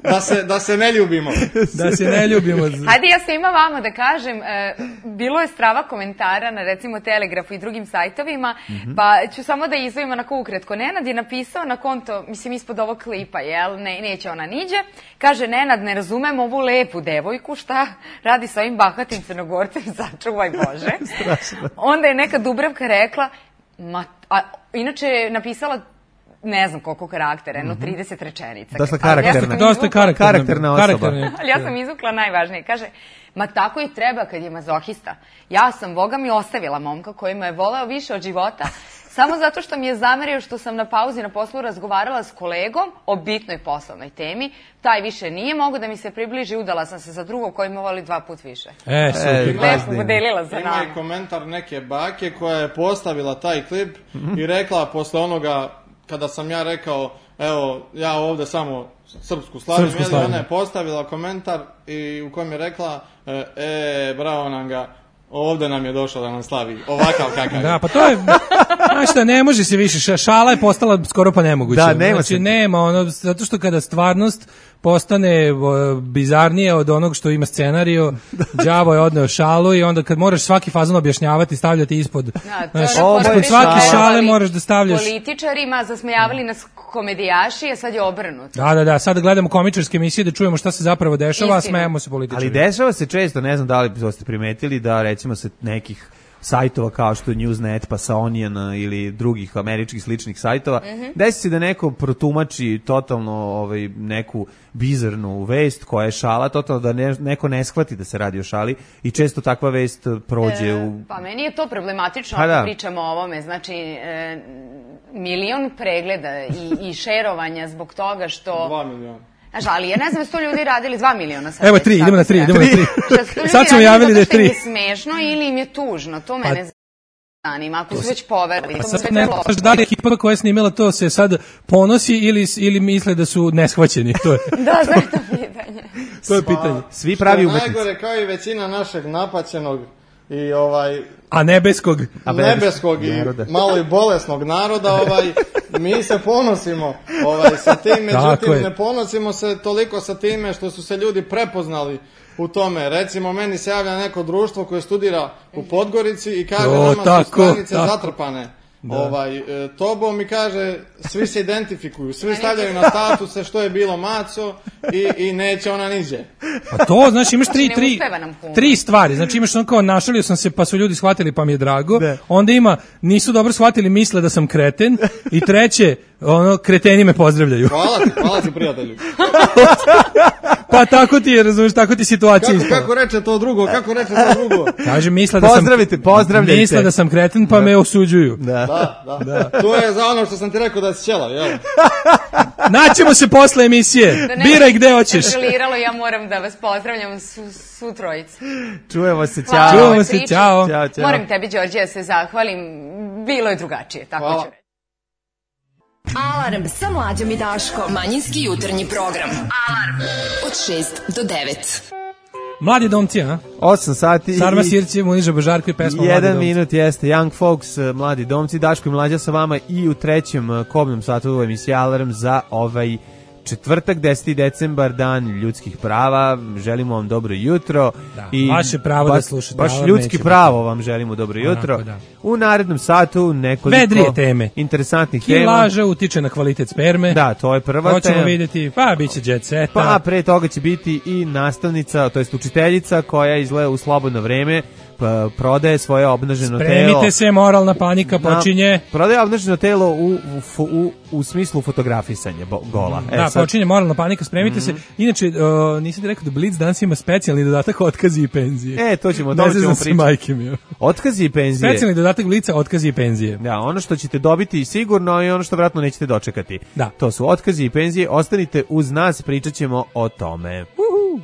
da, se, da se ne ljubimo. Da se ne ljubimo. Hajde, ja svima vama da kažem, e, bilo je strava komentara na recimo Telegrafu i drugim sajtovima, mm-hmm. pa ću samo da izvojim onako ukratko. Nenad je napisao na konto, mislim ispod ovog klipa, jel, ne, neće ona niđe, kaže Nenad, ne razumem ovu lepu devojku, šta radi sa ovim bahatim Crnogorcem, začuvaj Bože. Onda je neka Dubravka rekla, ma, a, inače je napisala ne znam koliko karaktera, jedno trideset rečenica. Dosta karakterna. Dosta karakterna, karakterna osoba. Ali ja sam izvukla najvažnije. Kaže, ma tako i treba kad je mazohista. Ja sam, Boga mi, ostavila momka koji me je voleo više od života, samo zato što mi je zamerio što sam na pauzi na poslu razgovarala s kolegom o bitnoj poslovnoj temi. Taj više nije mogo da mi se približi, udala sam se za drugog koji me voli dva put više. E, super. Lepo podelila za nama. Ima i komentar neke bake koja je postavila taj klip mm-hmm. i rekla posle onoga, kada sam ja rekao, evo, ja ovde samo srpsku slavim, jeli, ona je postavila komentar i u kojem je rekla, e, bravo nam ga, ovde nam je došao da nam slavi, ovakav kakav. Da, pa to je, znaš šta, ne može se više, šala je postala skoro pa nemoguće. Da, nema znači, se. nema, ono, zato što kada stvarnost postane bizarnije od onog što ima scenario, đavo je odneo šalu i onda kad moraš svaki fazon objašnjavati, stavljati ispod, da, znaš, ispod svake šale moraš da stavljaš. Političarima zasmejavali nas komedijaši, a sad je obrnuto. Da, da, da, sad gledamo komičarske emisije da čujemo šta se zapravo dešava, a smejemo se političari. Ali dešava se često, ne znam da li ste primetili, da recimo se nekih sajtova kao što je Newsnet, pa sa Onion ili drugih američkih sličnih sajtova, mm-hmm. desi se da neko protumači totalno ovaj, neku bizarnu vest koja je šala, totalno da ne, neko ne shvati da se radi o šali i često takva vest prođe e, u... Pa meni je to problematično pa ako da. pričamo o ovome, znači e, milion pregleda i, i šerovanja zbog toga što... Dva miliona. Znaš, ali ja ne znam da su to ljudi radili dva miliona. Sad Evo tri, idemo na tri, idemo na tri. Sad smo javili da je tri. Zato što im je smešno ili im je tužno, to mene zanima, ako su već poverili. A sad ne znaš da li ekipa koja je snimila to se sad ponosi ili, ili misle da su neshvaćeni, to je. Da, znam to pitanje. To je pitanje. Svi pravi umetnici. Najgore kao i većina našeg napaćenog i ovaj... A nebeskog. A nebeskog i naroda. Malo i bolesnog naroda, ovaj, mi se ponosimo ovaj, sa tim, međutim ne ponosimo se toliko sa time što su se ljudi prepoznali u tome. Recimo, meni se javlja neko društvo koje studira u Podgorici i kaže, o, nama tako, su stranice tako. zatrpane. Da. Ovaj, e, tobom mi kaže, svi se identifikuju, svi stavljaju na statuse što je bilo maco i, i neće ona niđe. Pa to, znači imaš tri, tri, tri stvari, znači imaš ono kao našalio sam se pa su ljudi shvatili pa mi je drago, de. Onda ima nisu dobro shvatili, misle da sam kreten i treće, ono, kreteni me pozdravljaju. Hvala ti, hvala ti prijatelju. Pa tako ti je, razumiješ, tako ti situacija. Kako, kako reče to drugo, kako reče to drugo? Kaže, misle da sam... Pozdravite, pozdravljajte. Misle da sam kreten pa da. me osuđuju. Da. Da, da, da. To je za ono što sam ti rekao da si ćelav, jel? Naćemo se posle emisije. Da Biraj gde hoćeš. Kontroliralo, ja moram da vas pozdravljam su, su trojicu. Čujemo se, ćao. Čujemo se, ćao. Ćao, ćao. Moram tebi, Đorđe, da se zahvalim. Bilo je drugačije, tako Hvala. ću reći. Alarm sa Mlađom i Daškom. Manjinski jutarnji program. Alarm od šest do devet. Mladi domci, a? osam sati. Sarma Sirci, Muniža Božarko i pesma Mladi domci. Jedan minut jeste Young Folks, Mladi domci. Daško i Mlađa sa vama i u trećem kobnom satu u emisiji Alarm za ovaj četvrtak, deseti decembar, dan ljudskih prava. Želimo vam dobro jutro. Da, i vaše pravo baš, da slušate. Baš ljudski pravo vam želimo dobro jutro. Onako, da. U narednom satu nekoliko vedrije teme. Interesantnih tema. Kilaža utiče na kvalitet sperme. Da, to je prva to tema. Hoćemo vidjeti, pa bit će jet seta. Pa pre toga će biti i nastavnica, to jest učiteljica koja izgleda u slobodno vreme prodaje svoje obnaženo Spremite telo. Spremite se, moralna panika počinje. Na, prodaje obnaženo telo u, u, u, u smislu fotografisanja bo, gola. Da, počinje moralna panika, spremite mm-hmm. se. Inače, uh, nisam ti rekao da Blitz danas ima specijalni dodatak otkazi i penzije. E, to ćemo, to ćemo pričati. Otkazi i penzije. Specijalni dodatak Blitza, otkazi i penzije. Da, ono što ćete dobiti sigurno i ono što vjerojatno nećete dočekati. Da. To su otkazi i penzije. Ostanite uz nas, pričat ćemo o tome. Uhu.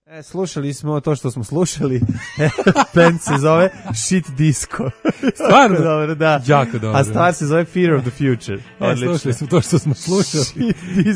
E, slušali smo to što smo slušali. Band se zove Shit Disco. Stvarno? Dobro, da. Jako dobro. A stvar se zove Fear of the Future. E, slušali smo to što smo slušali.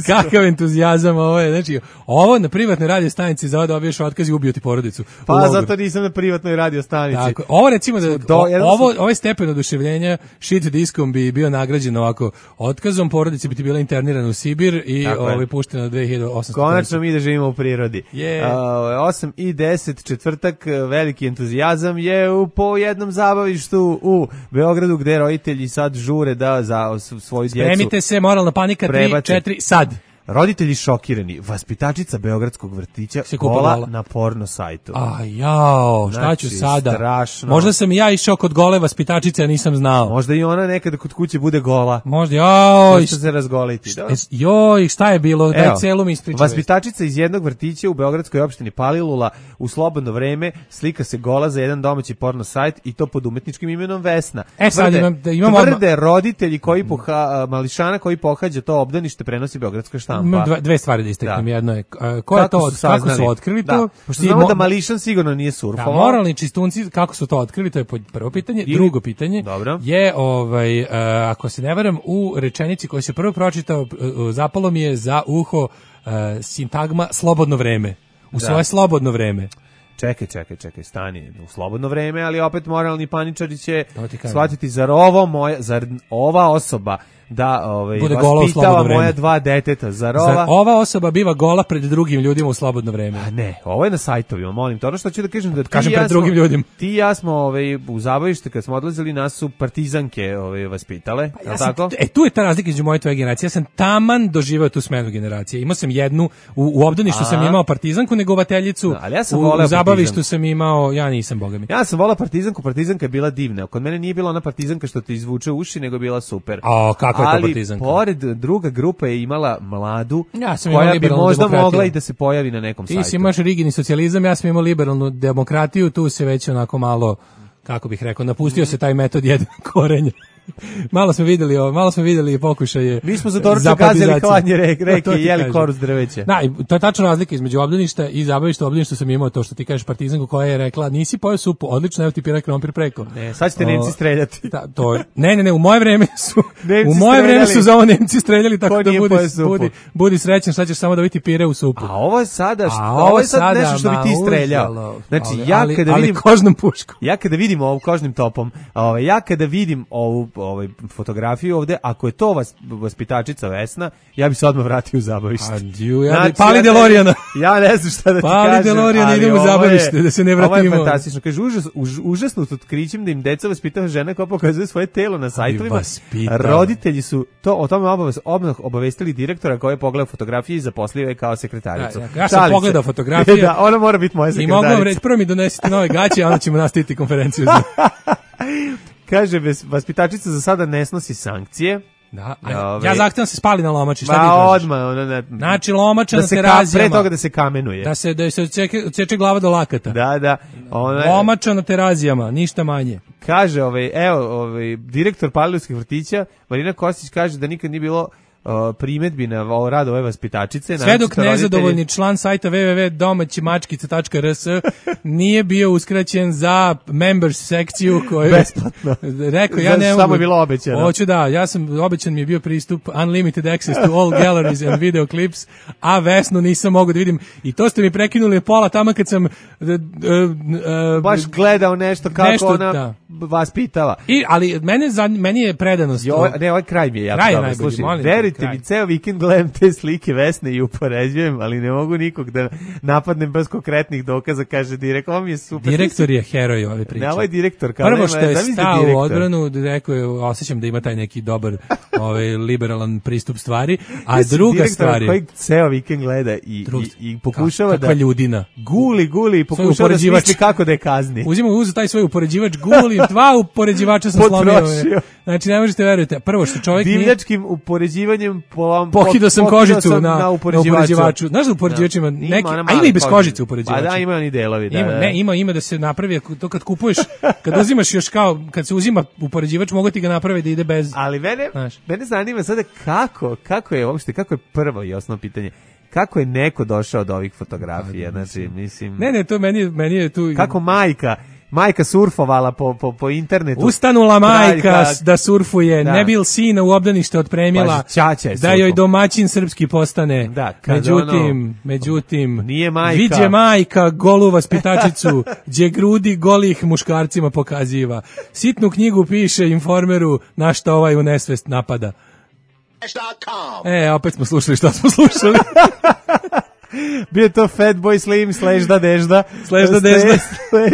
Kakav entuzijazam ovo je. Znači, ovo na privatnoj radio stanici za dobiješ otkaz i ubio ti porodicu. Pa zato nisam na privatnoj radio stanici. Tako, ovo recimo da Do, ovo, ovaj stepen oduševljenja Shit Discom bi bio nagrađen ovako otkazom, porodici bi ti bila internirana u Sibir i ovaj puštena na dve hiljade osamsto. Konačno mi da živimo u prirodi. Yeah. Uh, osam i deset četvrtak, veliki entuzijazam je u po jednom zabavištu u Beogradu gde roditelji sad žure da za svoju djecu spremite se, moralna panika, tri, četiri, sad. Roditelji šokirani, vaspitačica beogradskog vrtića gola na porno sajtu. A jao, šta znači, ću sada? Strašno. Možda sam i ja išao kod gole vaspitačice, a nisam znao. Možda i ona nekada kod kuće bude gola. Možda, joj. Možda se razgoliti. Šta, joj, šta je bilo? Daj celu mi ispričaj. Vaspitačica iz jednog vrtića u beogradskoj opštini Palilula u slobodno vreme slika se gola za jedan domaći porno sajt i to pod umetničkim imenom Vesna. E sad tvrde, imam, da imam tvrde roditelji koji poha, mališana koji pohađa to obdanište prenosi beogradska štampa. Imam dva, dve stvari da istaknem. Da. Jedno je, uh, ko je to, od, kako su otkrili da. to? Pošto znamo mo- da Mališan sigurno nije surfovao. Da, moralni čistunci, kako su to otkrili, to je prvo pitanje. Ili, drugo pitanje dobro. je, ovaj, uh, ako se ne varam, u rečenici koju se prvo pročitao, uh, zapalo mi je za uho uh, sintagma slobodno vreme. U da. svoje slobodno vreme. Čekaj, čekaj, čekaj, stani u slobodno vreme, ali opet moralni paničari će shvatiti, zar ovo moja, zar ova osoba da ovaj vaspitava moja dva deteta, zar ova zar ova osoba biva gola pred drugim ljudima u slobodno vreme? A ne, ovo je na sajtovima, molim te. Ono što ću da kažem da ti kažem ja pred drugim smo, ljudima. Ti i ja smo ovaj u zabavište kad smo odlazili, nas su partizanke ovaj vaspitale, pa ja sam, tako? E tu je ta razlika između moje i tvoje generacije. Ja sam taman doživeo tu smenu generacije. Imao sam jednu u, u obdaništu sam imao partizanku, negovateljicu. No, ali ja sam u, u zabavištu sam imao, ja nisam, boga mi. Ja sam volao partizanku, partizanka je bila divna. Kod mene nije bila ona partizanka što ti izvuče uši, nego je bila super. A kakva je to partizanka? Pored druga grupa je imala mladu, ja sam koja bi možda demokratiju. mogla i da se pojavi na nekom Ti sajtu. Ti si imaš rigidni socijalizam, ja sam imao liberalnu demokratiju, tu se već onako malo, kako bih rekao, napustio se taj metod jedan korenja. Malo smo videli, malo smo videli pokušaje. Mi smo za doručak gazili hladnje reke, reke i jeli koruz drveća. Da, to je tačna razlika između obdaništa i zabavišta. Obdaništa sam imao to što ti kažeš partizanku koja je rekla nisi pojeo supu, odlično, evo ti piraj krompir preko. Ne, sad ćete Nemci streljati. Da, to je. Ne, ne, ne, u moje vreme su u moje vreme su za ovo Nemci streljali, tako da budi, budi, budi srećan, sad ćeš samo da vidite pire u supu. A ovo je sada, što, ovo je sad nešto što bi ti streljao. Znači ali, ja kada ali, vidim ali kožnom puškom. Ja kada vidim ovo kožnim topom, ovaj ja kada vidim ovu ovaj fotografiju ovde, ako je to vas, vaspitačica Vesna, ja bi se odmah vratio u zabavište. Adju, ja znači, pali Delorijana. Ja ne znam šta da ti pali kažem. Pali Delorijana, idemo u zabavište, da se ne vratimo. Ovo je fantastično. Kaže, užas, už, užasno s otkrićem da im deca vaspitava žena koja pokazuje svoje telo na sajtovima. Roditelji su to o tome obavez, odmah obavestili direktora koji je pogledao fotografije i zaposlio je kao sekretaricu. Ja, ja, ja sam Šalice. pogledao fotografije. Da, ona mora biti moja sekretarica. I mogu vam reći, prvo mi donesite nove gaće, a onda ćemo nastaviti konferenciju. Kaže, vaspitačica za sada ne snosi sankcije. Da, ove, ja zahtevam se spali na lomači, šta ti kažeš? Odmah, ona ne, znači lomača da na terazijama. Pre toga da se kamenuje. Da se da se odseče glava do lakata. Da, da. Ona, lomača na terazijama, ništa manje. Kaže, ovaj, evo, ovaj, direktor Palilulskih vrtića, Marina Kostić kaže da nikad nije bilo Uh, primetbi na ovo rad ove vaspitačice. Sve dok nezadovoljni član sajta w w w tačka domaći mačkica tačka r s nije bio uskraćen za members sekciju koju besplatno. Rekao ja ne mogu. Samo je bilo obećano. Hoću da, ja sam obećan mi je bio pristup unlimited access to all galleries and video clips, a Vesnu nisam mogao da vidim i to ste mi prekinuli pola tamo kad sam uh, uh, uh, baš gledao nešto kako nešto, ona da. vaspitava. I ali mene za meni je predanost. Jo, ne, ovaj kraj mi je jako dobro. Slušaj, verujte mi, ceo vikend gledam te slike Vesne i upoređujem, ali ne mogu nikog da napadnem bez konkretnih dokaza, kaže direktor, ovo mi je super. Direktor je heroj ove priče. Ne, ovaj direktor. Kao prvo što je stao u odbranu, rekao je, osjećam da ima taj neki dobar ovaj, liberalan pristup stvari, a druga stvar je... koji ceo vikend gleda i, Drug, i, i pokušava kakva da... ljudina. Guli, guli i pokušava da smisli kako da je kazni. Uzima uz taj svoj upoređivač, guli slomio, dva upoređivača sam slomio. Znači, ne možete verujete. Prvo što čovjek nije... Divljačkim upoređivanjem... Po, Pokidao sam kožicu sam na, na, upoređivaču. na upoređivaču. Znaš da upoređivač ima neki... Ima, a ima i bez kožice upoređivača. Pa da, ima oni delovi. Da, ima, da. Ne, ima, ima da se napravi, to kad kupuješ, kad uzimaš još kao, kad se uzima upoređivač, mogu ti ga napraviti da ide bez... Ali mene, mene zanima sada kako, kako je uopšte, kako je prvo i osnovno pitanje. Kako je neko došao do ovih fotografija? Znači, mislim... Ne, ne, to meni, meni je tu... Kako majka... Majka surfovala po, po, po internetu. Ustanula majka da surfuje, da. Ne bil sina u obdanište otpremila, da joj domaćin srpski postane. Da, međutim, ono, međutim, nije majka. Viđe majka golu vaspitačicu, gdje grudi golih muškarcima pokaziva. Sitnu knjigu piše Informeru na šta ovaj u nesvest napada. E, opet smo slušali šta smo slušali. Bio je to Fatboy Slim slash da dežda. Slash da dežda.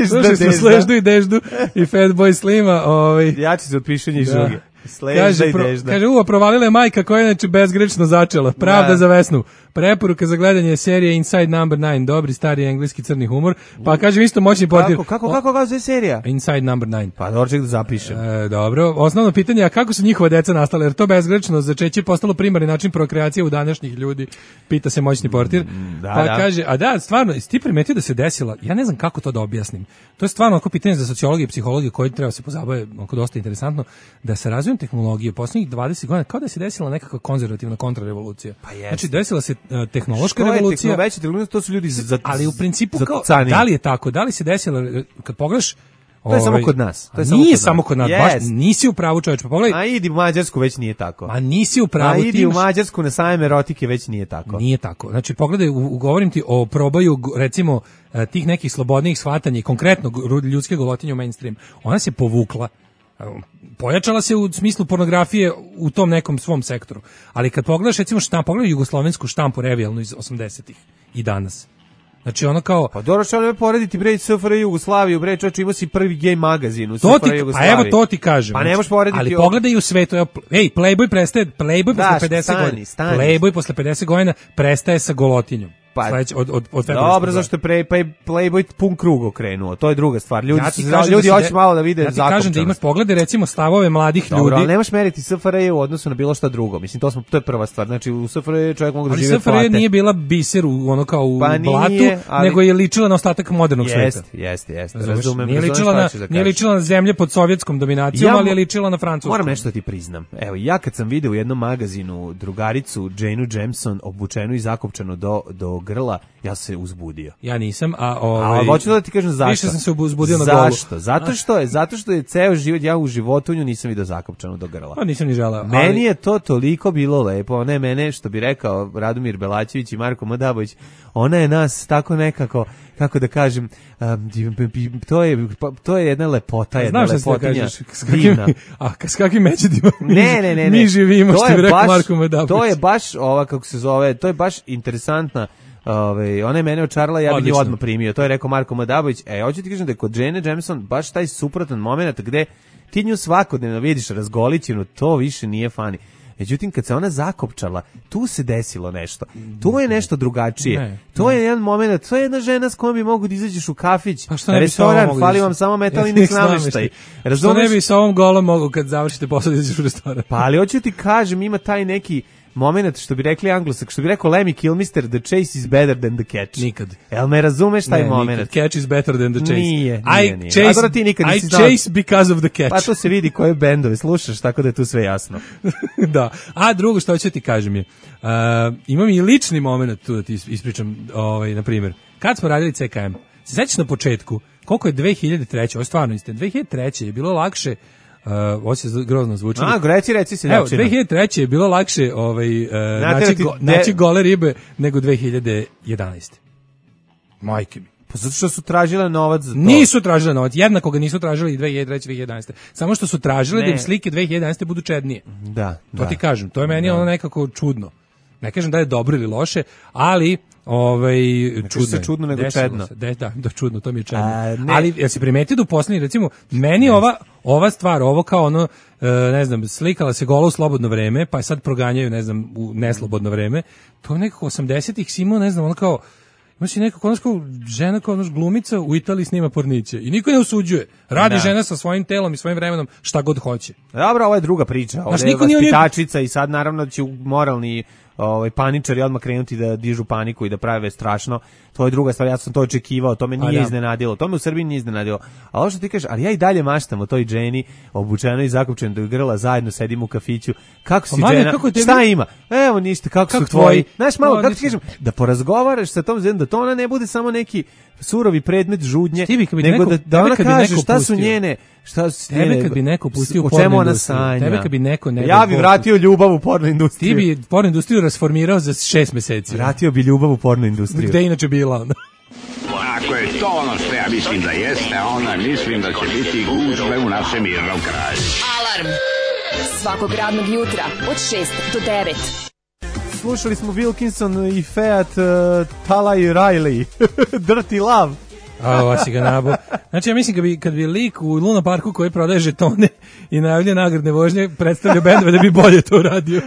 Slušali smo Slešdu i deždu i Fatboy Slima. Ovaj. Jači se od pišanja i žuge. Kaže, pro, kaže, uva, provalila je majka koja je inače bezgrešno začela. Pravda da. Za Vesnu. Preporuka za gledanje serije Inside Number nine. Dobri, stari engleski crni humor. Pa kažem isto moćni portir. Kako, kako, kako, kako je serija? Inside Number nine. Pa dobro, ček da zapišem. E, dobro. Osnovno pitanje je kako su njihova deca nastala, jer to bezgrečno začeće postalo primarni način prokreacije u današnjih ljudi. Pita se moćni portir. Da, pa da. kaže, a da, stvarno, ti primetio da se desila, ja ne znam kako to da objasnim. To je stvarno oko pitanje za sociologiju i psihologiju koji treba se pozabave, oko dosta interesantno, da sa razvojem tehnologije posljednjih dvadeset godina kao da se desila nekakva konzervativna kontrarevolucija. Pa znači desila se uh, tehnološka revolucija. Veća tehnologija, to su ljudi za, ali u principu kao, da li je tako? Da li se desila kad pogledaš to je samo kod nas. To je nije samo kod nas, yes. baš nisi u pravu čoveče, pa pogledaj. A idi u Mađarsku, već nije tako. A nisi u pravu. A idi imaš... u Mađarsku na sajam erotike, već nije tako. Nije tako. Znači pogledaj, govorim ti o probaju recimo tih nekih slobodnih shvatanja i konkretno ljudske golotinje u mainstream. Ona se povukla. Pojačala se u smislu pornografije u tom nekom svom sektoru. Ali kad pogledaš recimo štampu, pogledaj jugoslovensku štampu revijalnu iz osamdesetih i danas. Znači ono kao... Pa dobro što ne porediti bre S F R J Jugoslaviju, bre čovječe imao si prvi gej magazin u S F R J Jugoslaviji. Pa evo to ti kažem. Pa ne možeš porediti... Ali pogledaj u svetu, evo, ej, Playboy prestaje, Playboy da, posle pedeset stani, godina. Stani. Playboy posle pedeset godina prestaje sa golotinjom. Pa, Sleć, od, od, od dobro, zašto je pre, pa je Playboy pun krug okrenuo, to je druga stvar. Ljudi, ja su, ljudi da hoće de, malo da vide ja ti zakopčanost. kažem da imaš poglede, recimo, stavove mladih dobro, ljudi. Ali nemaš meriti S F R J u odnosu na bilo šta drugo. Mislim, to, smo, to je prva stvar. Znači, u S F R J čovjek mogu da žive plate. Ali S F R J nije bila biser u, ono kao u pa blatu, nije, ali... nego je ličila na ostatak modernog jest, sveta. Jeste, jeste, jeste. Razumem. Nije ličila, na, da nije ličila na zemlje pod sovjetskom dominacijom, ja, ali je ličila na francuskom. Moram nešto da ti priznam. Evo, ja kad sam video u jednom magazinu drugaricu Janeu Jameson obučenu i zakopčanu do, do grla, ja se uzbudio. Ja nisam, a ovaj. A hoću da ti kažem zašto. Više sam se uzbudio na golu. Zašto? Zato što je, zato što je ceo život ja u životu nju nisam video zakopčanu do grla. Pa nisam ni želeo. Meni ali... je to toliko bilo lepo, ne mene što bi rekao Radomir Belačević i Marko Madabović, ona je nas tako nekako, kako da kažem, um, to je to je jedna lepota, jedna lepotinja. Divna. A s kakvim međedima mi, ne, ne, ne, ne. mi živimo, što bi rekao Marko Madabović. To je baš ova, kako se zove, to je baš interesantna. Ove, ona je mene očarala, ja bih nju odmah primio. To je rekao Marko Madabović. E, hoću ti kažem da je kod Jane Jameson baš taj suprotan moment gde ti nju svakodnevno vidiš razgolićenu, to više nije fani. Međutim, kad se ona zakopčala, tu se desilo nešto. Tu je nešto drugačije. Ne, to ne. je jedan moment, to je jedna žena s kojom bi mogu da izađeš u kafić, pa restoran, fali vam samo metalni nameštaj. Što ne bi sa ovom golom mogu kad završite posao da izađeš u restoran? Pa ali hoću ti kažem, ima taj neki moment, što bi rekli Anglosak, što bi rekao Lemmy Kilmister, the chase is better than the catch. Nikad. Jel me razumeš taj ne, moment? Nikad. Catch is better than the chase. Nije, nije, I nije. Chase, ti nikad I chase because of the catch. Pa to se vidi koje bendove slušaš, tako da je tu sve jasno. Da. A drugo što ću ti kažem je, uh, imam i lični moment tu da ti ispričam, ovaj, na primjer, kad smo radili C K M, se sećaš na početku, koliko je dve hiljade treće, ovo je stvarno isto, dve hiljade treće je bilo lakše. Uh, ovo se grozno zvuči. A, reci, reci se. Evo, dve hiljade treće je bilo lakše ovaj, uh, naći, go, de... naći gole ribe nego dve hiljade jedanaeste. Majke mi. Pa zato što su tražile novac za to. Nisu tražile novac, jednako ga nisu tražili i dve hiljade treće i dve hiljade jedanaeste. Samo što su tražile ne. da im slike dve hiljade jedanaeste budu čednije. Da, to da. ti kažem, to je meni da. ono nekako čudno. Ne kažem da je dobro ili loše, ali ovaj čudno, se čudno nego čedno. Da, da, da, čudno, to mi je čedno. Ali ja se primetio da u poslednji, recimo, meni ova ova stvar, ovo kao ono, ne znam, slikala se gola u slobodno vreme, pa je sad proganjaju, ne znam, u neslobodno vreme. To je nekako osamdesetih si imao, ne znam, ono kao Ima si neka konačko žena kao naš glumica u Italiji snima porniće i niko ne osuđuje. Radi da. žena sa svojim telom i svojim vremenom šta god hoće. Dobro, ovo je druga priča. Ovo je vaspitačica i sad naravno će moralni ovaj paničari odmah krenuti da dižu paniku i da prave strašno. To je druga stvar, ja sam to očekivao, to me nije da. iznenadilo. To me u Srbiji nije iznenadilo. A ovo što ti kažeš, ali ja i dalje maštam o toj Dženi, obučenoj i zakopčenoj do grla, zajedno sedimo u kafiću. Kako si Džena? Šta ima? Evo ništa, kako, kako su tvoji? Znaš, malo, kako ti kažem, da porazgovaraš sa tom Dženom, da to ona ne bude samo neki surovi predmet žudnje, nego da, da ona kaže šta su njene, šta su tebe njene, kad bi neko pustio u porno industriju, tebe kad bi neko ne ja bi vratio ljubav u porno industriju. Ti bi porno industriju rasformirao za šest meseci. Vratio bi ljubav u porno industriju. Gde inače bila ona? Ako je to ono što ja mislim da jeste, onda mislim da će biti gužve u našem mirnom kraju. Alarm svakog radnog jutra od šest do devet. Slušali smo Wilkinson i Fiat uh, Talay Riley. Dirty Love. A, ova si ga nabo. Znači, ja mislim kad bi, kad bi lik u Luna Parku koji prodaje žetone i najavlja nagradne vožnje predstavlja bendove da bi bolje to radio.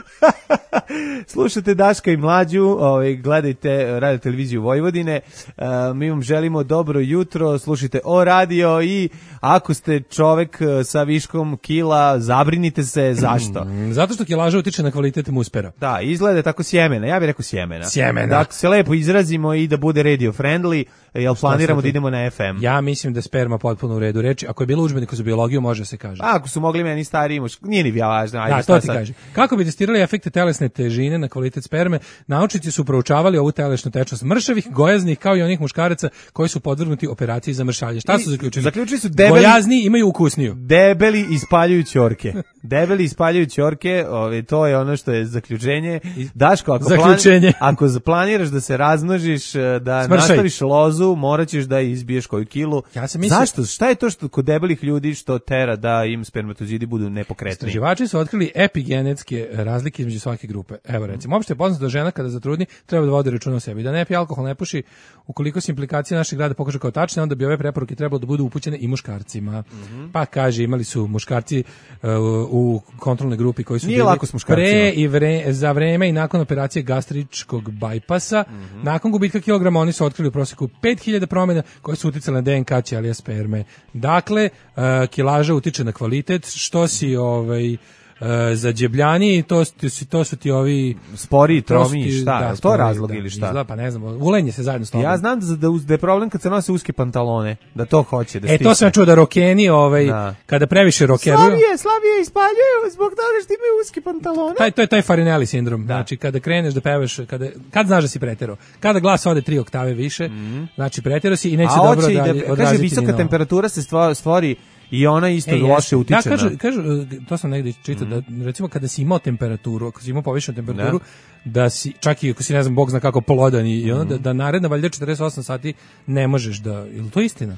Slušajte Daška i Mlađu, ovaj, gledajte radio televiziju Vojvodine. Uh, mi vam želimo dobro jutro, slušajte O radio i ako ste čovek sa viškom kila, zabrinite se. Zašto? Zato što kilaža utiče na kvalitet muspera. Da, izgleda tako sjemena. Ja bih rekao sjemena. Sjemena. Da se lepo izrazimo i da bude radio friendly, jel planiramo da idemo na F M. Ja mislim da sperma potpuno u redu reči. Ako je bilo udžbenik za biologiju, može se kaže. A, ako su mogli meni stariji muš, nije ni važno. Ajde, da, to ti kaže. Kako bi testirali efekte telesne težine na kvalitet sperme, naučnici su proučavali ovu telesnu tečnost mršavih, gojaznih, kao i onih muškaraca koji su podvrgnuti operaciji za mršavlje. Šta su zaključili? Zaključili su debeli, gojazni imaju ukusniju. Debeli ispaljuju ćorke. Debeli ispaljuju ćorke, ove, to je ono što je zaključenje. Daško, ako, zaključenje. Plan, ako planiraš da se razmnožiš, da Smršaj. nastaviš lozu, morat ćeš da izbiješ koju kilu. Ja sam mislio... Zašto? Šta je to što kod debelih ljudi što tera da im spermatozidi budu nepokretni? Istraživači su otkrili epigenetske razlike između svake grupe. Evo recimo, uopšte je poznato da žena kada zatrudni treba da vodi računa o sebi, da ne pije alkohol, ne puši. Ukoliko se implikacije našeg rada pokažu kao tačne, onda bi ove preporuke trebalo da budu upućene i muškarcima. Mm-hmm. Pa kaže, imali su muškarci uh, u kontrolnoj grupi koji su Nije bili pre i vre, za vreme i nakon operacije gastričkog bajpasa. Mm-hmm. Nakon gubitka kilograma oni su otkrili u prosjeku pet hiljada promjena koje su uticale na D N K ćelija sperme. Dakle, uh, kilaža utiče na kvalitet, što si ovaj Uh, za džebljani, to, to su ti ovi spori, tromi, šta, da, to je razlog da, ili šta? Izgleda, pa ne znam, ulenje se zajedno s tobom. Ja znam da, da, da je problem kad se nose uske pantalone, da to hoće da E, to sam čuo da rokeni, ovaj, da. kada previše rokeruju. Slabije, slabije ispaljuju zbog toga što imaju uske pantalone. Taj, to je taj Farinelli sindrom, da. Znači kada kreneš da pevaš, kada, kad znaš da si preterao, kada glas ode tri oktave više, mm. znači preterao si i neće A dobro da, da kaže, visoka temperatura se stvori i ona isto e, loše utiče. Da, kažu, kažu, to sam negdje čitao, mm. da recimo kada si imao temperaturu, ako si imao povišenu temperaturu, da. da si, čak i ako si ne znam, Bog zna kako plodan i ono, mm. da, da naredna valjda četrdeset osam sati ne možeš da, ili to istina?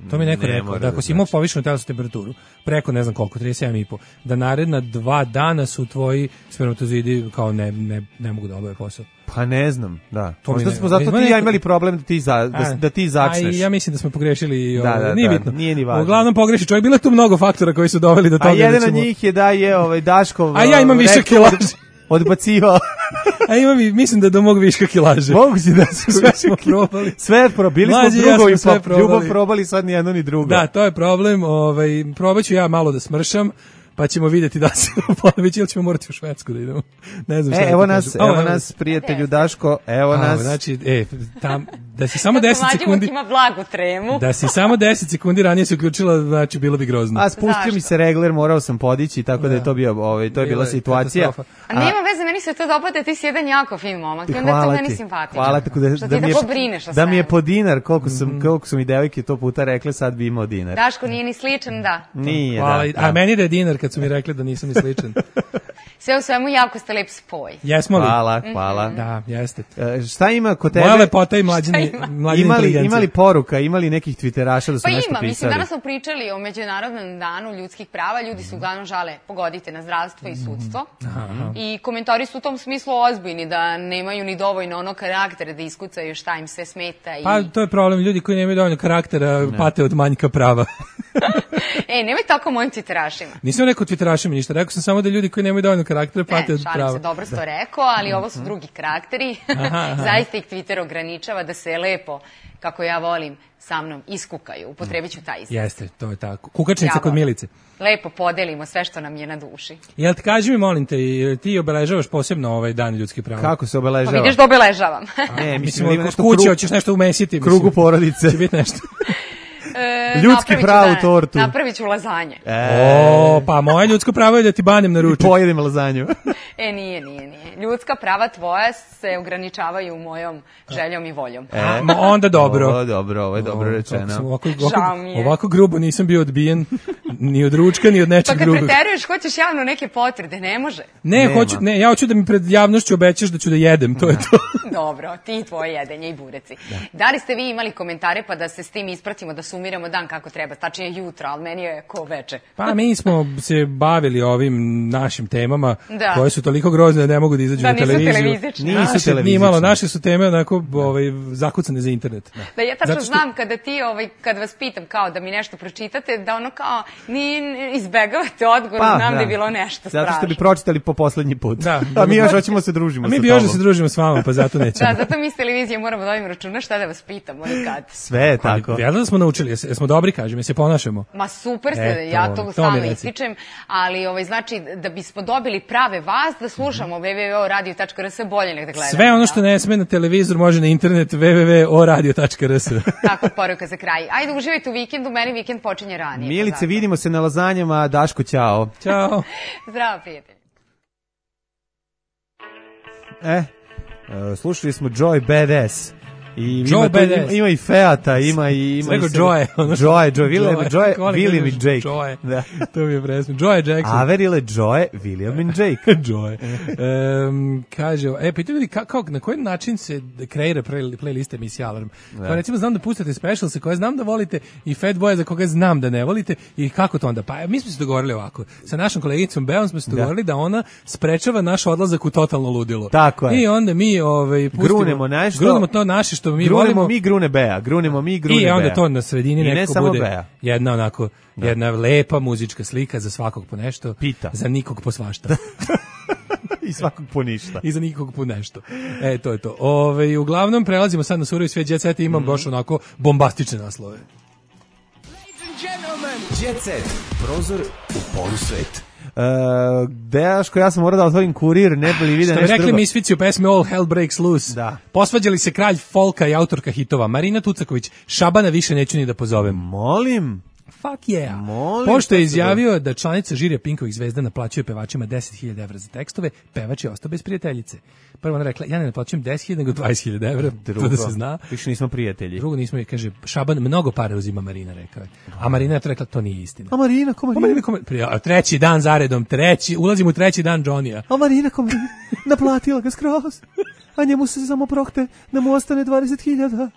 To mi neko ne rekao, da ako si imao povišenu telesnu temperaturu, preko ne znam koliko, trideset sedam i po, da naredna dva dana su tvoji spermatozidi kao ne, ne, ne mogu da obave posao. Pa ne znam, da. To Možda smo zato ti neko... ja imali problem da ti, za, da, da ti začneš. A ja mislim da smo pogrešili, da, da, nije da, bitno. Nije ni važno. Uglavnom pogreši čovjek, bilo je tu mnogo faktora koji su doveli do toga. A jedan od njih je da je ovaj Daškov. A ja imam više kilaže. Odbacivao. A imam i mislim da do mog viška kilaže. Mogu si da su sve smo probali. Sve probili smo drugo i pa ljubav probali sad ni jedno ni drugo. Da, to je problem, ovaj probaću ja malo da smršam. Pa ćemo vidjeti da se ponović ili ćemo morati u Švedsku da idemo. Ne znam šta. E, evo nas, evo, evo nas prijatelju Daško, evo A, nas. Znači, e, tam da si samo deset sekundi ima blagu tremu. Da si samo deset sekundi ranije se uključila, znači bilo bi grozno. A spustio mi se regler, morao sam podići, tako da, da je to bio, ovaj, to je bila situacija. A nema veze, meni se to dopada, ti si jedan jako fin momak. Onda to meni simpatično. Hvala ti da, da, da, mi je, da mi je po dinar, koliko sam, mm. koliko su mi devojke to puta rekle, sad bi imao dinar. Daško nije ni sličan, da. Nije, Hvala, da, da. A meni da je dinar kad su mi rekli da nisam ni sličan. Sve u svemu jako ste lep spoj. Jesmo li? Hvala, hvala. Da, jeste. E, šta ima kod tebe? Moja lepota i mlađine, mlađine imali, imali poruka, imali nekih twitteraša da su pa nešto ima, pisali? Mislim, danas smo pričali o Međunarodnom danu ljudskih prava, ljudi su uglavnom žale, pogodite, na zdravstvo i sudstvo. Aha. I komentari su u tom smislu ozbiljni, da nemaju ni dovoljno ono karaktera da iskucaju šta im sve smeta. I... Pa to je problem, ljudi koji nemaju dovoljno karaktera ne. pate od manjka prava. E, nemoj tako mojim twitterašima. Nisam rekao twitterašima ništa, rekao sam samo da ljudi koji nemaju dovoljno karaktera pate od prava. Ne, šalim se, dobro si to rekao, ali ovo su drugi karakteri. Zaista ih Twitter ograničava da se lepo, kako ja volim, sa mnom iskukaju. Upotrebit ću taj izraz. Jeste, to je tako. Kukačnica kod Milice. Lepo podelimo sve što nam je na duši. Jel ti kaži mi, molim te, ti obeležavaš posebno ovaj dan ljudskih prava? Kako se obeležava? Pa vidiš da obeležavam. Ne, mislim, kod kuće hoćeš nešto umesiti. Krugu porodice. Će biti nešto. E, ljudski pravu tortu. Napravit ću lazanje. E. O, pa moje ljudsko pravo je da ti banem na ručak. I pojedem lazanju. E, nije, nije, nije. Ljudska prava tvoja se ograničavaju mojom željom i voljom. E, ma onda dobro. Ovo je dobro, ovo je dobro rečeno. Ovako, ovako, ovako grubo nisam bio odbijen ni od ručka, ni od nečeg drugog. Pa kad preteruješ, hoćeš javno neke potvrde, ne može. Ne, hoću, ne, ja hoću da mi pred javnošću obećaš da ću da jedem, to je to. Dobro, ti i tvoje jedenje i bureci. Da. da li ste vi imali komentare pa da se s tim ispratimo, da sumiramo dan kako treba, tačnije jutro, ali meni je ko veče. Pa mi smo se bavili ovim našim temama, da. koje su toliko grozne da ne mogu da izađu da, na televiziju. Televizične. Nisu naše, televizične. Malo, naše su teme onako ovaj, zakucane za internet. Da, da ja tačno što... znam kada ti, ovaj, kad vas pitam kao da mi nešto pročitate, da ono kao ni izbegavate odgovor, pa, znam da. da je bilo nešto strašno. Zato što bi pročitali po poslednji put. Da, a mi još hoćemo se družimo a mi sa bi još da se družimo s vama, pa zato nećemo. Da, zato mi s televizije moramo da ovim računa šta da vas pitamo i kad. Sve je tako. Jel da smo naučili, jesmo dobri, kažem, se ponašamo. Ma super ste, e, ja to, to stalno ističem, ali ovaj, znači da bismo dobili prave vas, da slušamo w w w tačka o radio tačka r s bolje nek da gledamo. Sve ono što ne sme na televizor može na internet w w w tačka o radio tačka r s. Tako, poruka za kraj. Ajde, uživajte u vikendu, meni vikend počinje ranije. Milice, vidimo se na lazanjama, Daško, ćao. Ćao. Zdravo, prijatelj. E, uh, slušali smo Joy Badass. I Joe ima, ima, ima i Feata, ima i... Ima Svego i Joe. Joe, Joe, William, Joe, William i Jake. Joe, da. To mi je presno. Joe Jackson. Averile Joe, William i Jake. Joe. Um, kaže, e, pitaju ljudi kako, na koji način se kreira playlist emisije Alarm. Da. Kao recimo znam da pustate specialse koje znam da volite i Fatboya za koga znam da ne volite i kako to onda? Pa mi smo se dogovorili ovako. Sa našom kolegicom Beom smo se dogovorili da, da ona sprečava naš odlazak u totalno ludilo. Tako je. I onda mi ovaj, pustimo, grunemo nešto. Grunemo to naše što mi grunemo volimo. mi grune Bea, grunemo mi grune Bea. I onda Bea. To na sredini ne nekako bude Bea. Jedna onako, da. Jedna lepa muzička slika za svakog po nešto. Pita. Za nikog po svašta. I svakog po ništa. I za nikog po nešto. E, to je to. Ove, uglavnom, prelazimo sad na surovi svijet Jet Set i imam mm. baš onako bombastične naslove. Ladies and gentlemen, Jet Set, prozor u polusvet. Uh, Dejaško, ja sam morao da otvorim kurir, ne bi li vidio nešto drugo. Što rekli Misfici u pesmi All Hell Breaks Loose. Da. Posvađali se kralj folka i autorka hitova Marina Tucaković. Šabana više neću ni da pozovem. Molim. Fuck yeah. Molim, pošto je izjavio da članica žirija Pinkovih zvezda naplaćuje pevačima deset hiljada evra za tekstove, pevač je ostao bez prijateljice. Prvo ona rekla, ja ne naplaćujem deset hiljada, nego dvadeset hiljada evra, drugo, to da se zna. Više nismo prijatelji. Drugo nismo, kaže, Šaban mnogo para uzima, Marina rekao je. A Marina je to rekla, to nije istina. A Marina, ko Marina? Marina, ko Marina? Treći dan zaredom, treći, ulazim u treći dan Johnny-a. A Marina, ko Marina? Naplatila ga skroz. A njemu se samo prokte da mu ostane dvadeset hiljada.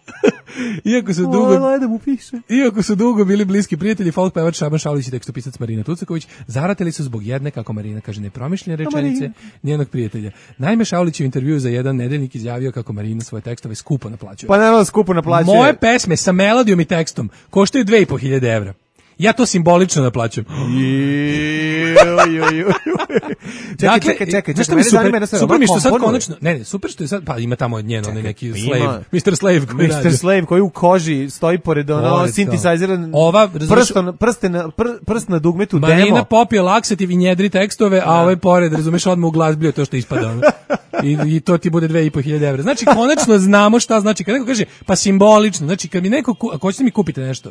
Iako su dugo, da mu piše. Iako su dugo bili bliski prijatelji, folk pevač Šaban Šaulić i tekstopisac Marina Tucaković zaratili su zbog jedne, kako Marina kaže, nepromišljene rečenice njenog prijatelja. Naime, Šaulić u intervjuu za jedan nedeljnik izjavio kako Marina svoje tekstove skupo naplaćuje. Pa naravno skupo naplaćuje. Moje pesme sa melodijom i tekstom koštaju dve i po hiljade evra. Ja to simbolično naplaćujem. Dakle, čekaj, čekaj, čekaj, mene zanima jedna stvar. Super mi što sad konačno, ne, ne, super što je sad, pa ima tamo njeno, onaj neki slave, mister Slave koji radi. mister Slave koji u koži stoji pored ono synthesizer, ova prston, prste na, prst na dugmetu demo. Marina popije laksativ i njedri tekstove, a ovaj pored, razumeš, odmah u glas bio to što ispada. I, I to ti bude dve i po hiljade evra. Znači, konačno znamo šta znači. Kad neko kaže, pa simbolično, znači, kad mi neko, ako hoćete mi kupite nešto,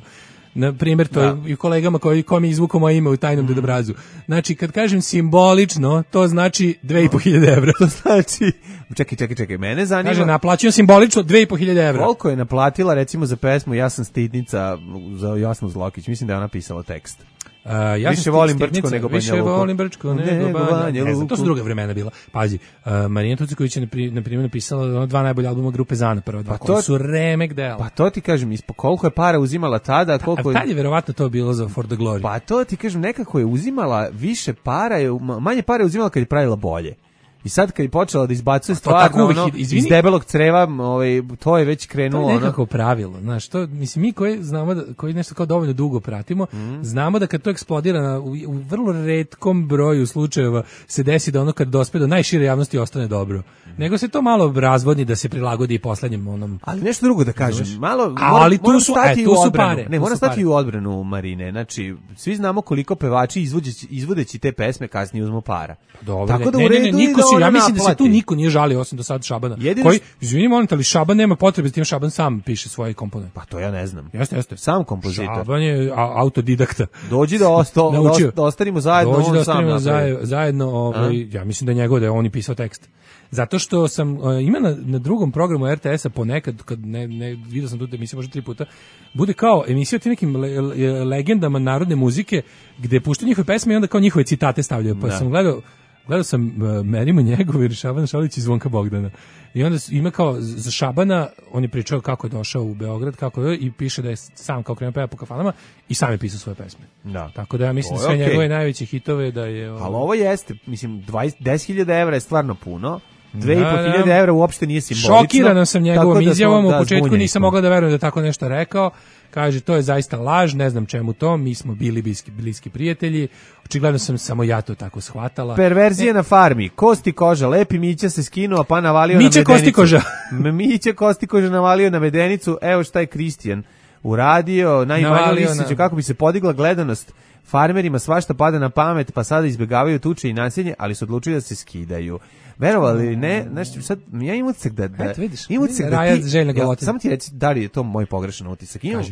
na primjer, to da. I kolegama koji ko mi izvuku moje ime u tajnom dedobrazu. Znači, kad kažem simbolično, to znači dve i po hiljade evra. To znači, čekaj, čekaj, čekaj, mene zanima. Kaže, naplaćujem simbolično dve i po hiljade evra. Koliko je naplatila, recimo, za pesmu Ja sam stidnica za Jasnu Zlokić? Mislim da je ona pisala tekst. Uh, ja više volim Brčko nego Banja Više Luku. volim Brčko nego, nego Banja, Banja Luku. To su druga vremena bila. Pazi, uh, Marina Tucaković je na primjer napisala dva najbolja albuma grupe Zana, prva dva, pa koji su remek dela. Pa to ti kažem, ispo koliko je para uzimala tada, koliko je... A tad je verovatno to bilo za For the Glory. Pa to ti kažem, nekako je uzimala više para, je, manje para je uzimala kad je pravila bolje. I sad kad je počela da izbacuje stvarno ono, iz debelog creva, ovaj, to je već krenulo. To je nekako ono pravilo, znaš, to, mislim, mi koji znamo, da, koji nešto kao dovoljno dugo pratimo, mm. znamo da kad to eksplodira na, u, u vrlo retkom broju slučajeva se desi da ono kad dospe do najšire javnosti ostane dobro. Mm. Nego se to malo razvodni da se prilagodi i poslednjem onom. Ali nešto drugo da kažem, znaš, malo, A, ali tu su, stati e, tu u su odbranu. pare. Ne, mora stati pare. u odbranu Marine, znači, svi znamo koliko pevači izvodeći, izvodeći te pesme kasnije uzmu para. Dobro, tako da ne, u redu ne, ne, niko da se, ja mislim naplati. da se tu niko nije žalio osim do sad Šabana. Jedino koji, što... izvini, molim te, ali Šaban nema potrebe s tim, Šaban sam piše svoje komponente. Pa to ja ne znam. Jeste, jeste. Sam kompozitor. Šaban je a, autodidakta. Dođi da, osto, da, da ostanimo zajedno. Dođi on da ostanimo sam zajedno, ovaj, ja mislim da je njegov, da je on i pisao tekst. Zato što sam, uh, ima na, na drugom programu er te esa ponekad, kad ne, ne, vidio sam tu emisiju možda tri puta, bude kao emisija o tim nekim le, le, legendama narodne muzike, gde puštaju njihove pesme i onda kao njihove citate stavljaju. Pa da. sam gledao, gledao sam uh, Merimo Njegov i Šabana Šalić i Zvonka Bogdana. I onda ima kao, za Šabana, on je pričao kako je došao u Beograd, kako je, i piše da je sam kao krenuo peva po kafanama i sam je pisao svoje pesme. Da. Tako da ja mislim sve okay. njegove najveće hitove da je... Ali ovo jeste, mislim, dvadeset, deset hiljada evra je stvarno puno. Dve i po hiljade evra uopšte nije simbolično. Šokirana sam njegovom da izjavom, da, u početku nisam mogla da verujem da tako nešto rekao. Kaže, to je zaista laž, ne znam čemu to, mi smo bili bliski, bliski prijatelji, očigledno sam samo ja to tako shvatala. Perverzije e, na farmi, kosti koža, lepi Mića se skinuo pa navalio Miće na medenicu. Kosti koža. Miće kosti koža navalio na medenicu, evo šta je Kristijan uradio, najmanje listiću, na... kako bi se podigla gledanost. Farmerima svašta pada na pamet, pa sada izbjegavaju tuče i nasilje, ali su odlučili da se skidaju. Verovali ne, znači sad ja imam utisak da da Eto, vidiš, imam utisak da ti, ja, samo ti reci da li je to moj pogrešan utisak. Imam,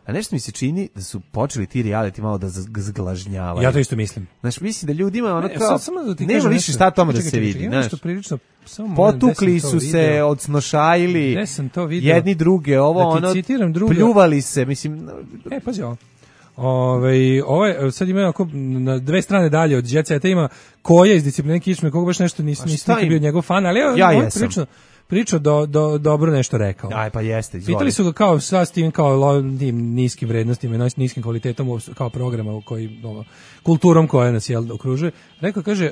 a nešto mi se čini da su počeli ti reality malo da zglažnjavaju. Ja to isto mislim. Znači mislim da ljudima ono ne, kao da nema više šta tome da se vidi, znači prilično samo potukli su se, odsnošajili jedni druge, ovo da ono druga... pljuvali se, mislim. E pazi ovo. Ove, ovo sad ima ako na dve strane dalje od Jet Seta ima Koja iz Discipline Kičme, koga baš nešto nisam nisam bio njegov fan, ali evo, ja on prilično pričao do, do, dobro nešto rekao. Aj, pa jeste, izvoli. Pitali su ga kao sa s tim kao tim niskim vrednostima, niskim kvalitetom kao programa u koji ovo, kulturom koja nas jel okružuje. Rekao, kaže, e,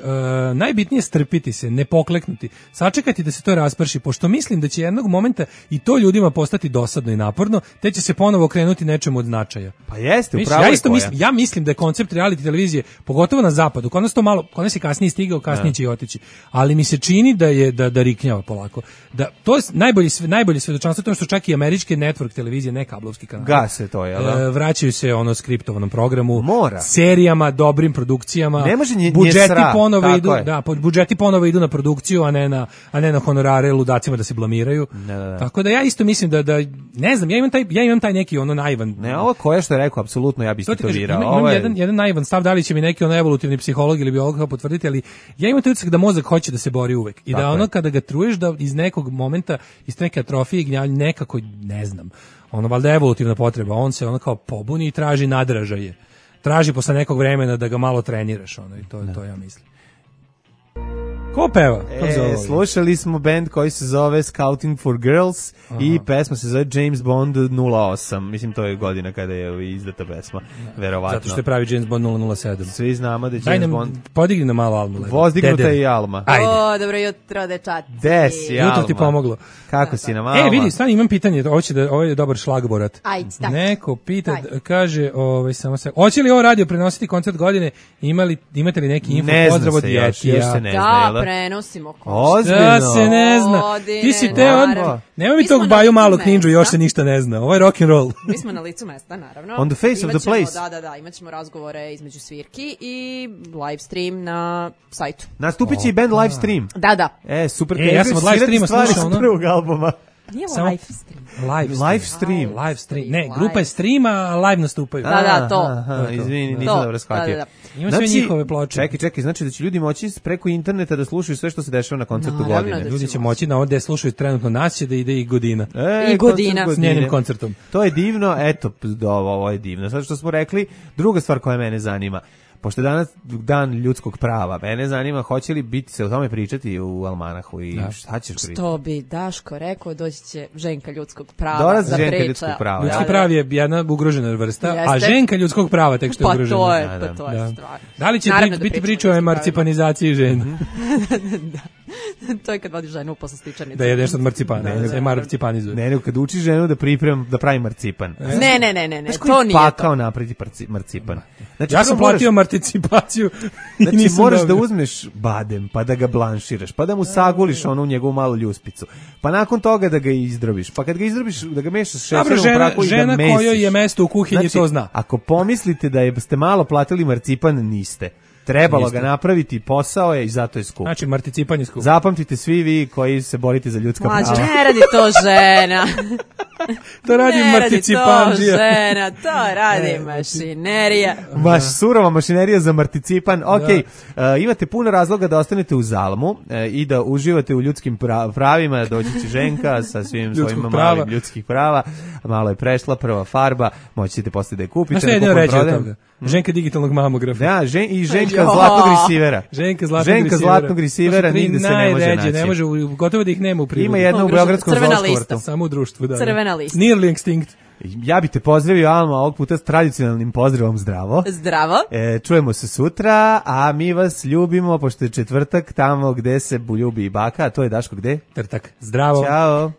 najbitnije je strpiti se, ne pokleknuti, sačekati da se to rasprši, pošto mislim da će jednog momenta i to ljudima postati dosadno i naporno, te će se ponovo okrenuti nečemu od značaja. Pa jeste, Miš, upravo ja isto mislim, ja mislim da je koncept reality televizije, pogotovo na zapadu, kod nas to malo, kod nas je kasnije stigao, kasnije će i otići, ali mi se čini da je da da riknjava polako. Da to je najbolji najbolje svedočanstvo to što čak i američke network televizije, ne kablovski kanali. Gase to je, da? E, vraćaju se ono skriptovanom programu, Mora. serijama, dobrim produkcijama. Ne može nje, budžeti sra, ponovo idu, je. da, budžeti ponovo idu na produkciju, a ne na a ne na honorare ludacima da se blamiraju. Ne, ne, ne. Tako da ja isto mislim da da ne znam, ja imam taj ja imam taj neki ono naivan. Ne, ovo koje što je rekao apsolutno ja bih istetovirao. Imam, imam jedan jedan naivan stav, da li će mi neki on evolutivni psiholog ili biolog potvrditi, ali ja imam taj utisak da mozak hoće da se bori uvek i tako da ono je. Kada ga truješ da iz nekog momenta iz neke atrofije gnjavlja nekako ne znam. Ono valjda evolutivna potreba, on se ono kao pobuni i traži nadražaje. Traži posle nekog vremena da ga malo treniraš, ono i to to ja mislim. Ko peva? E, slušali smo band koji se zove Scouting for Girls. Aha. I pesma se zove James Bond nula osam. Mislim, to je godina kada je izdata pesma. Verovatno. Zato što je pravi James Bond nula nula sedam. Svi znamo da je James nam, Bond... Podigni na malo Almu. Vozdignuta je i Alma. Ajde. O, dobro jutro, dečaci. Gde si, Alma? Jutro ti pomoglo. Kako si nam, Alma? E, vidi, stani, imam pitanje. Ovo, će da, ovo je dobar šlagborat. Ajde, stavite. Neko pita, Ajde. kaže, ovaj, samo se... Hoće li ovo radio prenositi koncert godine? Imali, imate li neki info? Ne pozdrav od Jetija? Da, prenosimo Ozbiljno. Da se ne zna. Godine, Ti si te on... Nema mi tog baju malo knjiđu, još se ništa ne zna. Ovo je rock and roll. Mi smo na licu mesta, naravno. On the face of the place. Da, da, da, imat ćemo razgovore između svirki i live stream na sajtu. Nastupit će i band live stream. Da, da. E, super. E, ja sam od live streama slušao, ono. Prvog albuma. Nije live stream. Live stream. Live stream. Live stream. Ne, grupa je streama, a live nastupaju. Da, da, to. Aha, izvini, nisam dobro shvatio. Da, da, da. Ima sve njihove ploče. Čekaj, čekaj, znači da će ljudi moći preko interneta da slušaju sve što se dešava na koncertu no, godine. Da ljudi će moći na ovde slušaju trenutno nas će da ide i Godina. E, I Godina. S njenim koncertom. To je divno, eto, ovo je divno. Sad što smo rekli, druga stvar koja mene zanima. Pošto je danas dan ljudskog prava, mene zanima hoće li biti se o tome pričati u Almanahu i da. Šta ćeš pričati? Što bi Daško rekao, doći će ženka ljudskog prava. Dolazi ženka priča. ljudskog prava. Ljudski prav je jedna ugrožena vrsta, Jeste. a ženka ljudskog prava tek što je pa ugrožena. To je, da, pa to je da. stvar. Da li će Naravno biti da priča o emancipanizaciji žena? da. To je kad vodi ženu posle stičanice. Da je nešto od marcipana, da, da se marcipanizuje. Ne, ne, kad uči ženu da priprema, da pravi marcipan. Ne, ne, ne, ne, ne, to nije to. Pakao napraviti marcipan. Znači, ja sam platio moraš, marticipaciju. Znači, moraš dobio. Da uzmeš badem, pa da ga blanširaš, pa da mu saguliš onu njegovu malu ljuspicu. Pa nakon toga da ga izdrobiš. Pa kad ga izdrobiš, da ga mešaš šećerom u prahu i da mesiš. Žena kojoj je mesto u kuhinji znači, to zna. Ako pomislite da je, ste malo platili marcipan, niste. Trebalo Niste. Ga napraviti, posao je i zato je skup. Znači, marticipan je skup. Zapamtite svi vi koji se borite za ljudska Mlađe, prava. ne radi to žena. To radi ne marticipanđija. Ne radi to žena, to radi mašinerija. Maš, surova mašinerija za marticipan. Ok, da. uh, imate puno razloga da ostanete u Zalmu uh, i da uživate u ljudskim pravima. Doći će Ženka sa svim svojim malim ljudskih prava. Malo je prešla prva farba, moći ćete posle da je kupite. A što je jedno reći od toga? Ženka digitalnog mamografa. Da, žen, i Ženka zlatnog risivera. Ženka zlatnog Ženka risivera. zlatnog risivera nigde se ne može naći. Ne može, gotovo da ih nema u prirodi. Ima jedna u Beogradskom zoološkom vrtu. Samo u društvu, da. Crvena lista. Nearly extinct. Ja bih te pozdravio, Alma, ovog puta s tradicionalnim pozdravom zdravo. Zdravo. E, čujemo se sutra, a mi vas ljubimo, pošto je četvrtak, tamo gde se ljubi i baka, a to je Daško gde? Trtak. Zdravo. Ćao.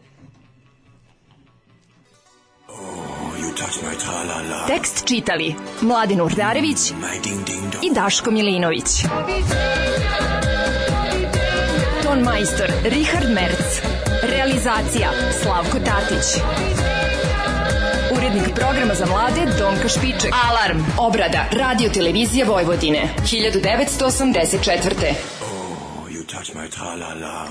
Tekst čitali Mladin Urdarević i Daško Milinović. Ton majstor Richard Merc. Realizacija Slavko Tatić. Urednik programa za mlade Donka Špiček. Alarm. Obrada Radio Televizije Vojvodine. hiljadu devetsto osamdeset četvrte. Oh, you touch my tra-la-la.